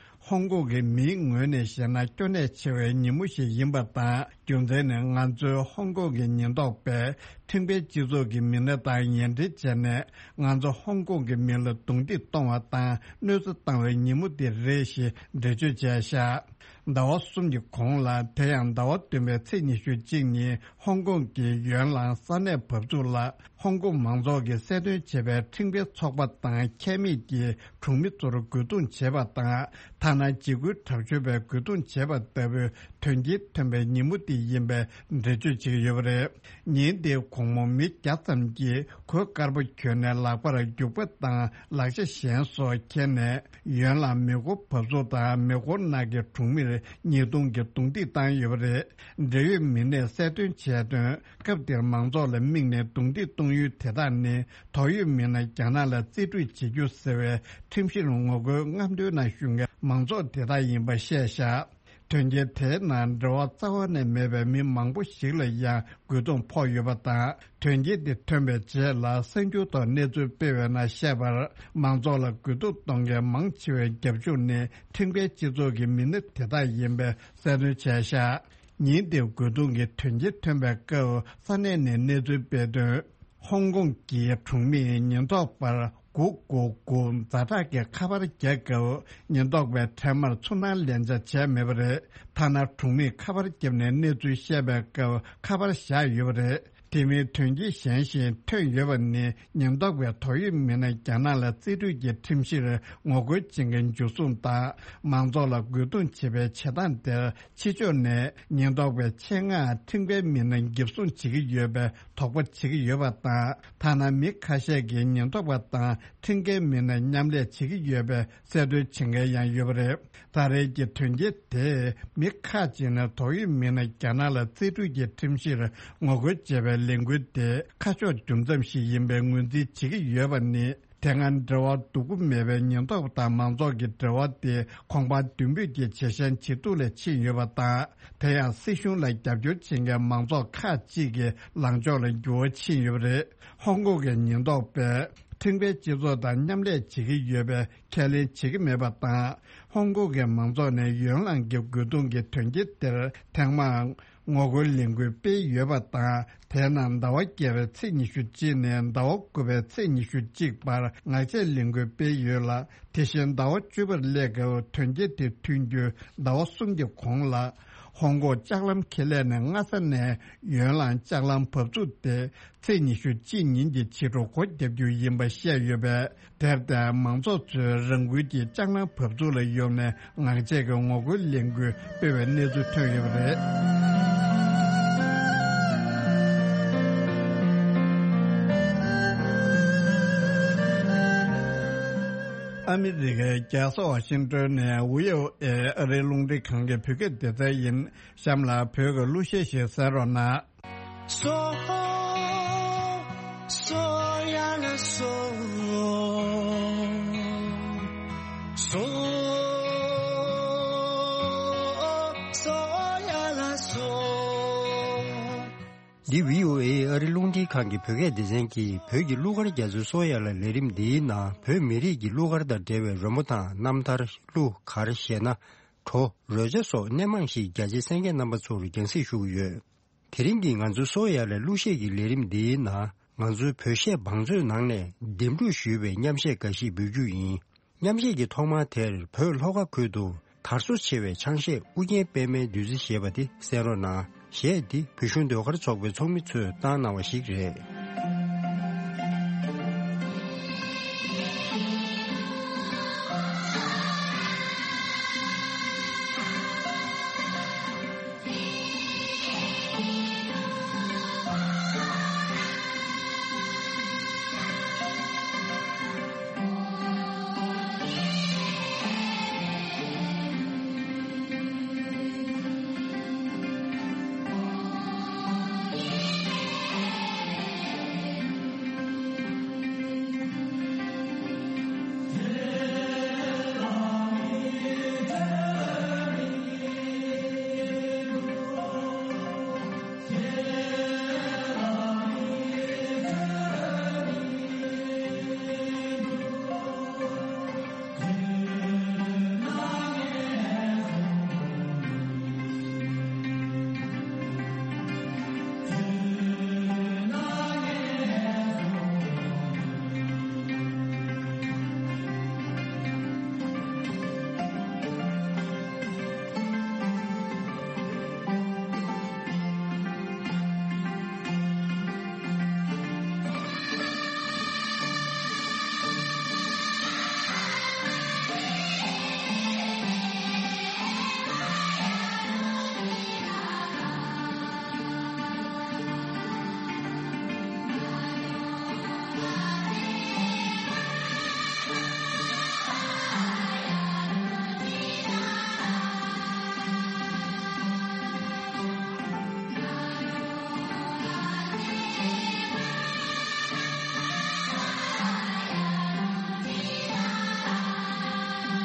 ཧོང་ཀོང་གི་མིའི་ངོས་ནས་བཤད་ན་སྐྱོ་གནད་ཆེ་བའི་ཉིན་མོ་ཞིག་ཡིན་པ་དང་། རྒྱུ་མཚན་ནི་ང་ཚོའི་ཧོང་ཀོང་གི་ཉེན་རྟོག་པས་ཁྲིམས་འགལ་སྤྱི་ཚོགས་ཀྱི་མི་སྣ་དང་ཉེ་འབྲེལ་བྱས་ནས་ང་ཚོ་ཧོང་ཀོང་གི་མི་ལ་རྡུང་རྡེག་གཏོང་བ་དང་གནོད་འཚེ་བཏང་བའི་ཉིན་མོ་དེ་རེད་ཞེས་འགྲེལ་བརྗོད་བྱས་བཞག་ཟླ་བ་གསུམ་གྱི་གོང་ལ། དེ་ཡང་ཟླ་བ་བདུན་པའི་ཚེས་ཉི་ཤུ་གཅིག་ཉིན་ཧོང་ཀོང་གི་ཡོན་ལང་ས་གནས་བབས་ཚུགས་ལ། ཧོང་ཀོང་མང་ཚོགས་ཀྱིས་གསལ་སྟོན་བྱས་པའི་ཁྲིམས་འགལ་ཚོགས་པ་དང་ཁྱད་མེད་ཀྱི་གྲོང་མི་ཚོར་རྒོལ་རྡུང་བྱས་པ་དང་། ཐ་ན་འཇིགས་སྐུལ་དྲག་སྤྱོད་པས་རྒོལ་རྡུང་བྱས་པ་ལྟ་བུའི་དོན་རྐྱེན་ཐོན་པའི་ཉིན་མོ་དེ་ཡིན་པའི་འགྲེལ་བརྗོད་བྱེད་ཀྱི་ཡོད་པ་རེད། ཉིན་དེའི་དགོང་མོ་མི་བརྒྱ་ཙམ་གྱིས་གོས་དཀར་པོ་གྱོན་ནས་ལག་པར་རྒྱུག་པ་དང་ལག་ཆ་གཞན་སོགས་འཁྱེར་ནས། ཡོན་ལ་མེ་འཁོར་བབས་ཚུགས་དང་མེ་འཁོར་ནང་གི་གྲོང་མིར་ཉེས་རྡུང་གིས་རྡུང་རྡེག་བཏང་ཡོད་པ་རེད། འབྲེལ་ཡོད་མི་སྣས་གསལ་སྟོན་བྱས་དོན། སྐབས་དེར་མང་ཚོགས་ལ་དམིགས་ནས་རྡུང་རྡེག་གཏོང་ཡུལ་དེ་དག་ནི། དོགས་ཡོད་མི་སྣ་རྒྱ་ནག་ལ་རྩིས་སྤྲོད་བྱེད་རྒྱུ་ཟེར་བའི་ཁྲིམས་གཞིར་ངོ་རྒོལ་རྔམ་སྟོན་ནང་ཞུགས་མཁན་མང་ཚོགས་དེ་དག་ཡིན་པ་བཤད་བཞག་དོན་རྐྱེན་དེའི་ནང་འབྲེལ་བ་རྩ་བ་ནས་མེད་པའི་མི་མང་པོ་ཞིག་ལ་ཡང་རྒོལ་རྡུང་ཕོག་ཡོད་པ་དང་། དོན་རྐྱེན་དེ་ཐོན་པའི་རྗེས་ལ་གསར་འགྱུར་ཐོག་གནས་ཚུལ་སྤེལ་བའི་ནང་བཤད་པར། མང་ཚོགས་ལ་རྒོལ་རྡུང་གཏོང་མཁན་མང་ཆེ་བའི་རྒྱབ་ལྗོངས་ནི་ཁྲིམས་འགལ་སྤྱི་ཚོགས་ཀྱི་མི་སྣ་དེ་དག་ཡིན་པའི་གསལ་སྟོན་བྱས་བཞག་ཉིན་དེའི་རྒོལ་རྡུང་གི་དོན་རྐྱེན་ཐོན་པའི་སྐབས་ས་གནས་ནས་གནས་ཚུལ་སྤེལ་དོན། ཧོང་ཀོང་གི་གྲོང་མིས་ཉེན་རྟོག་པར་དགུ་དགུ་དགུ་ཛ་དྲག་གི་ཁ་པར་རྒྱག་སྐབས། ཉེན་རྟོག་པས་འཕྲལ་མར་ཚུར་སྣང་ལན་ཆགས་བྱས་མེད་པ་རེད། ཐ་ན་གྲོང་མིས་ཁ་པར་བརྒྱབ་ནས་གནས་ཚུལ་བཤད་པའི་སྐབས་ཁ་པར་བཞག་ཡོད་པ་རེད། དེ་མིན་དོན་རྐྱེན་གཞན་ཞིག་ཐོན་ཡོད་པ་ནི། ཉེན་རྟོག་པས་དོགས་ཡོད་མི་སྣ་རྒྱ་ནག་ལ་རྩིས་སྤྲོད་ཀྱི་ཁྲིམས་གཞིར་ངོ་རྒོལ་བྱེད་མཁན་འཇུ་བཟུང་དང་། མང་ཚོགས་ལ་རྒོལ་རྡུང་བྱེད་པའི་བྱེད་སྟངས་དེར། ཕྱི་ཕྱོགས་ནས་ཉེན་རྟོག་པའི་ཆེད་མངགས་ཁྲིམས་འགལ་མི་སྣ་འགེབས་སྲུང་བྱེད་ཀྱི་ཡོད་པའི་དོགས་པ་བྱེད་ཀྱི་ཡོད་པ་དང་། ཐ་ན་མི་ཁ་ཤས་ཀྱིས་ཉེན་རྟོག་པ་དང་ཁྲིམས་འགལ་མི་སྣ་མཉམ་ལས་བྱེད་ཀྱི་ཡོད་པའི་གསལ་སྟོན་བྱེད་མཁན་ཡང་ཡོད་པ་རེད། ད་རེས་ཀྱི་དོན་རྐྱེན་དེས་མི་ཁག་ཅིག་ནས་དོགས་ཡོད་མི་སྣ་རྒྱ་ནག་ལ་རྩིས་སྤྲོད་ཀྱི་ཁྲིམས་གཞིར་ངོ་རྒོལ་བྱས་པའི་ལས་འགུལ་དེ་ཁ་ཕྱོགས་འགྱུར་མཚམས་ཤིག་ཡིན་པའི་ངོས་འཛིན་བྱེད་ཀྱི་ཡོད་པ་ནི། དེ་སྔ་འབྲེལ་བ་སྡུག་པོ་མེད་པའི་ཉེན་རྟོག་པ་དང་མང་ཚོགས་ཀྱི་འབྲེལ་བ་དེ་གོང་འཕར་མདུན་སྤོས་ཀྱི་ཇེ་ཞན་ཇེ་སྡུག་ལ་ཕྱིན་ཡོད་པ་དང་། དེ་ཡང་སྲིད་གཞུང་ལ་རྒྱབ་སྐྱོར་བྱེད་མཁན་མང་ཚོགས་ཁག་ཅིག་གི་ལངས་ཕྱོགས་ལ་འགྱུར་བ་ཕྱིན་ཡོད་པ་རེད། ཧོང་ཀོང་གི་ཉེན་རྟོག་པས་ཁྲིམས་འགལ་སྤྱི་ཚོགས་དང་མཉམ་ལས་བྱེད་ཀྱི་ཡོད་པའི་ཁས་ལེན་བྱེད་ཀྱི་མེད་པ་དང་། ཧོང་ཀོང་གི་མང་ཚོགས་ནས་ཡོན་ལང་གི་རྒོལ་རྡུང་གི་དོན་རྐྱེན་དེར་ཐེངས་མང་ངོ་རྒོལ་ལས་འགུལ་སྤེལ་ཡོད་པ་དང་། དེའི་ནང་ཟླ་བ་བརྒྱད་པའི་ཚེས་ཉི་ཤུ་གཅིག་ནས་ཟླ་བ་དགུ་པའི་ཚེས་ཉི་ཤུ་གཅིག་བར་ངག་བཅད་ལས་འགུལ་སྤེལ་ཡོད་ལ། དེ་བཞིན་ཟླ་བ་བཅུ་པར་སླེབས་སྐབས་དོན་རྐྱེན་དེ་ཐོན་རྒྱུའི་ཟླ་བ་གསུམ་གྱི་གོང་ལ། ཧོང་ཀོང་ལྕགས་ལམ་ཁེ་ལས་ནས་སྔ་ས་ནས་ཡོན་ལང་ལྕགས་ལམ་བབས་ཚུགས་དེ་ཚེས་ཉི་ཤུ་གཅིག་ཉིན་གྱི་ཕྱི་དྲོ་སྒོ་བརྒྱབ་རྒྱུ་ཡིན་པ་བཤད་ཡོད་པས། དེར་བརྟེན་མང་ཚོགས་ཚོས་རང་འགུལ་གྱིས་ལྕགས་ལམ་བབས་ཚུགས་ལ་ཡོང་ནས་ངག་བཅད་ཀྱི་ངོ་རྒོལ་ལས་འགུལ་སྤེལ་བའི་གནས་ཚུལ་ཐོན་ཡོད་པ་རེད། ཨ་ ཨ་མི་རི་ཀའི་རྒྱལ་ས་ཝ་ཤིང་ཏོན་ནས་ཝི་ཨོ་ཨེ་ཨ་རིའི་རླུང་འཕྲིན་ཁང་གི་བོད་སྐད་སྡེ་ཚན་ཡིན། གཤམ་ལ་བོད་ཀྱི་གླུ་གཞས་ཤིག་གསན་རོགས་གནང་། སོ། སོ་ཡ་ལ་སོ། སོ། སོ་ཡ་ལ་སོ། འདི་བྷི་ཨོ་ཨེ་ཨ་རི་རླུང་འཕྲིན་ཁང་གི་བོད་སྐད་སྡེ་ཚན་གྱིས་བོད་ཀྱི་གླུ་གར་རྒྱ་མཚོའི་སོ་ཡ་ལ་ལས་རིམ་འདིའི་ནང་བོད་མི་རིགས་ཀྱི་གླུ་གར་དང་འབྲེལ་བའི་རོལ་མོ་དང་རྣམ་ཐར། གླུ་གར་ཞེ་ན། བྲོ། རོལ་ཆ་སོགས་སྣེ་མང་ཞིག་རྒྱ་ཆེའི་གསན་མཁན་རྣམ་པ་ཚོར་རྒྱང་སྲིང་ཞུ་གི་ཡོད། དེ་རིང་གི་ང་ཚོའི་སོ་ཡ་ལ་གླུ་གཞས་ཀྱི་ལས་རིམ་འདིའི་ནང་ང་ཚོའི་བོད་གཞས་བང་མཛོད་ནང་ནས་འདེམས་སྒྲུག་ཞུས་པའི་མཉམ་གཞས་འགའ་ཞིག་འབུལ་རྒྱུ་ཡིན། མཉམ་གཞས་ཀྱི་ཐོག་མ་དེར་བོད་ལྷོ་ཁ་ཁུལ་དུ་དར་སོ་ཆེ་བའི་ཆང་གཞས་ཨུ་རྒྱན་པད་མའི་བདུད་རྩི་ཞེས་པ་དེ་གསན་རོགས་གནང་། གཞས་འདི་བོད་གཞུང་ཟློས་གར་ཚོགས་པའི་ཚོགས་མི་ཚོས་བཏང་གནང་བ་ཞིག་རེད།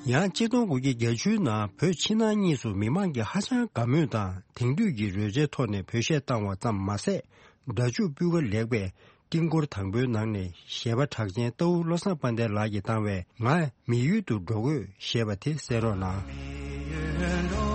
ཡང་ཆིག་སྟོང་དགུ་བརྒྱ་བརྒྱད་ཅུའི་ནང་བོད་ཕྱི་ནང་གཉིས་སུ་མི་མང་གིས་ཧ་ཅང་དགའ་མོས་དང་དེང་དུས་ཀྱི་རོལ་ཆའི་ཐོག་ནས་བོད་གཞས་བཏང་བ་ཙམ་མ་ཟད། སྒྲ་འཇུག་སྤུས་ཀ་ལེགས་པས་ཀྲིང་ཀོར་དང་པོའི་ནང་ནས་གཞས་པ་གྲགས་ཅན་རྟའུ་བློ་བཟང་དཔལ་ལྡན་ལགས་ཀྱིས་བཏང་བའི་ང་མི་ཡུལ་དུ་འགྲོ་དགོས་ཞེས་པ་དེ་གསན་རོགས་གནང་།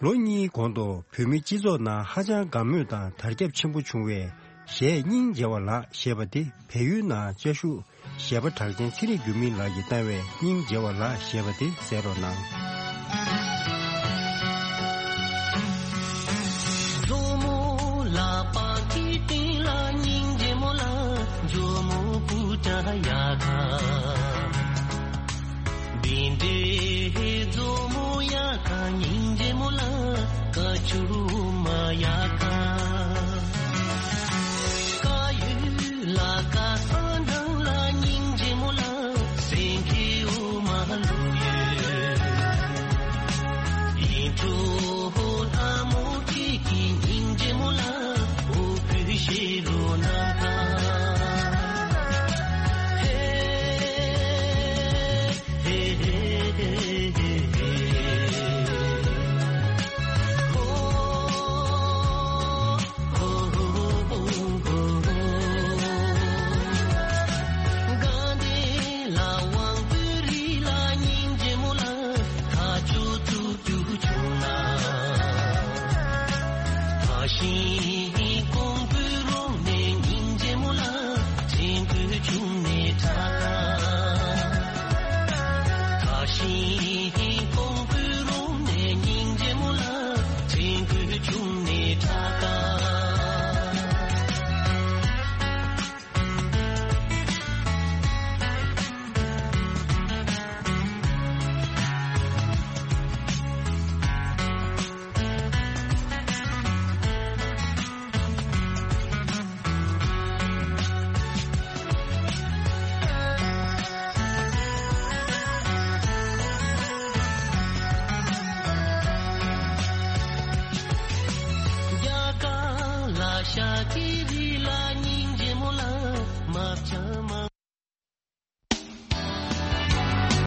ལོ་གཉིས་གོང་དུ་བོད་མི་སྤྱི་ཚོགས་ནང་ཧ་ཅང་དགའ་མོས་དང་དར་ཁྱབ་ཆེན་པོ་བྱུང་བའི་གཞས་སྙིང་རྗེ་བ་ལགས་ཞེས་པ་དེ་བལ་ཡུལ་ནང་བཅའ་བཞུགས་གཞས་པ་གྲགས་ཅན་ཚེ་རིང་འགྱུར་མེད་ལགས་ཀྱིས་བཏང་བའི་སྙིང་རྗེ་བ་ལགས་ཞེས་པ་དེ་གསན་རོགས་གནང་། མཛོ་མོ་ལག་པ་གི་སྟེང་ལ་སྙིང་རྗེ་མོ་ལ། མཛོ་མོ་པུ་ཏྲ་ཡ་ག་བིན་དེ་མཛོ་མོ་ཡ་ག་སྙིང་རྗེ་མོ་ལ། ཀ་ཆུ་མ་ཡ་ག་ཀ་ཡུ་ལ་ཀ་ས་འདང་ལ་སྙིང་རྗེ་མོ་ལ། སེང་གེ་འོ་མ་ལུ་ཡོད་ཡིན་གྲོ་ལྷ་མོ་ཁྱེད་ཀྱི་སྙིང་རྗེ་མོ་ལ། འོ་བུ་ཤེ་རོ་ན་ག་ཧེ།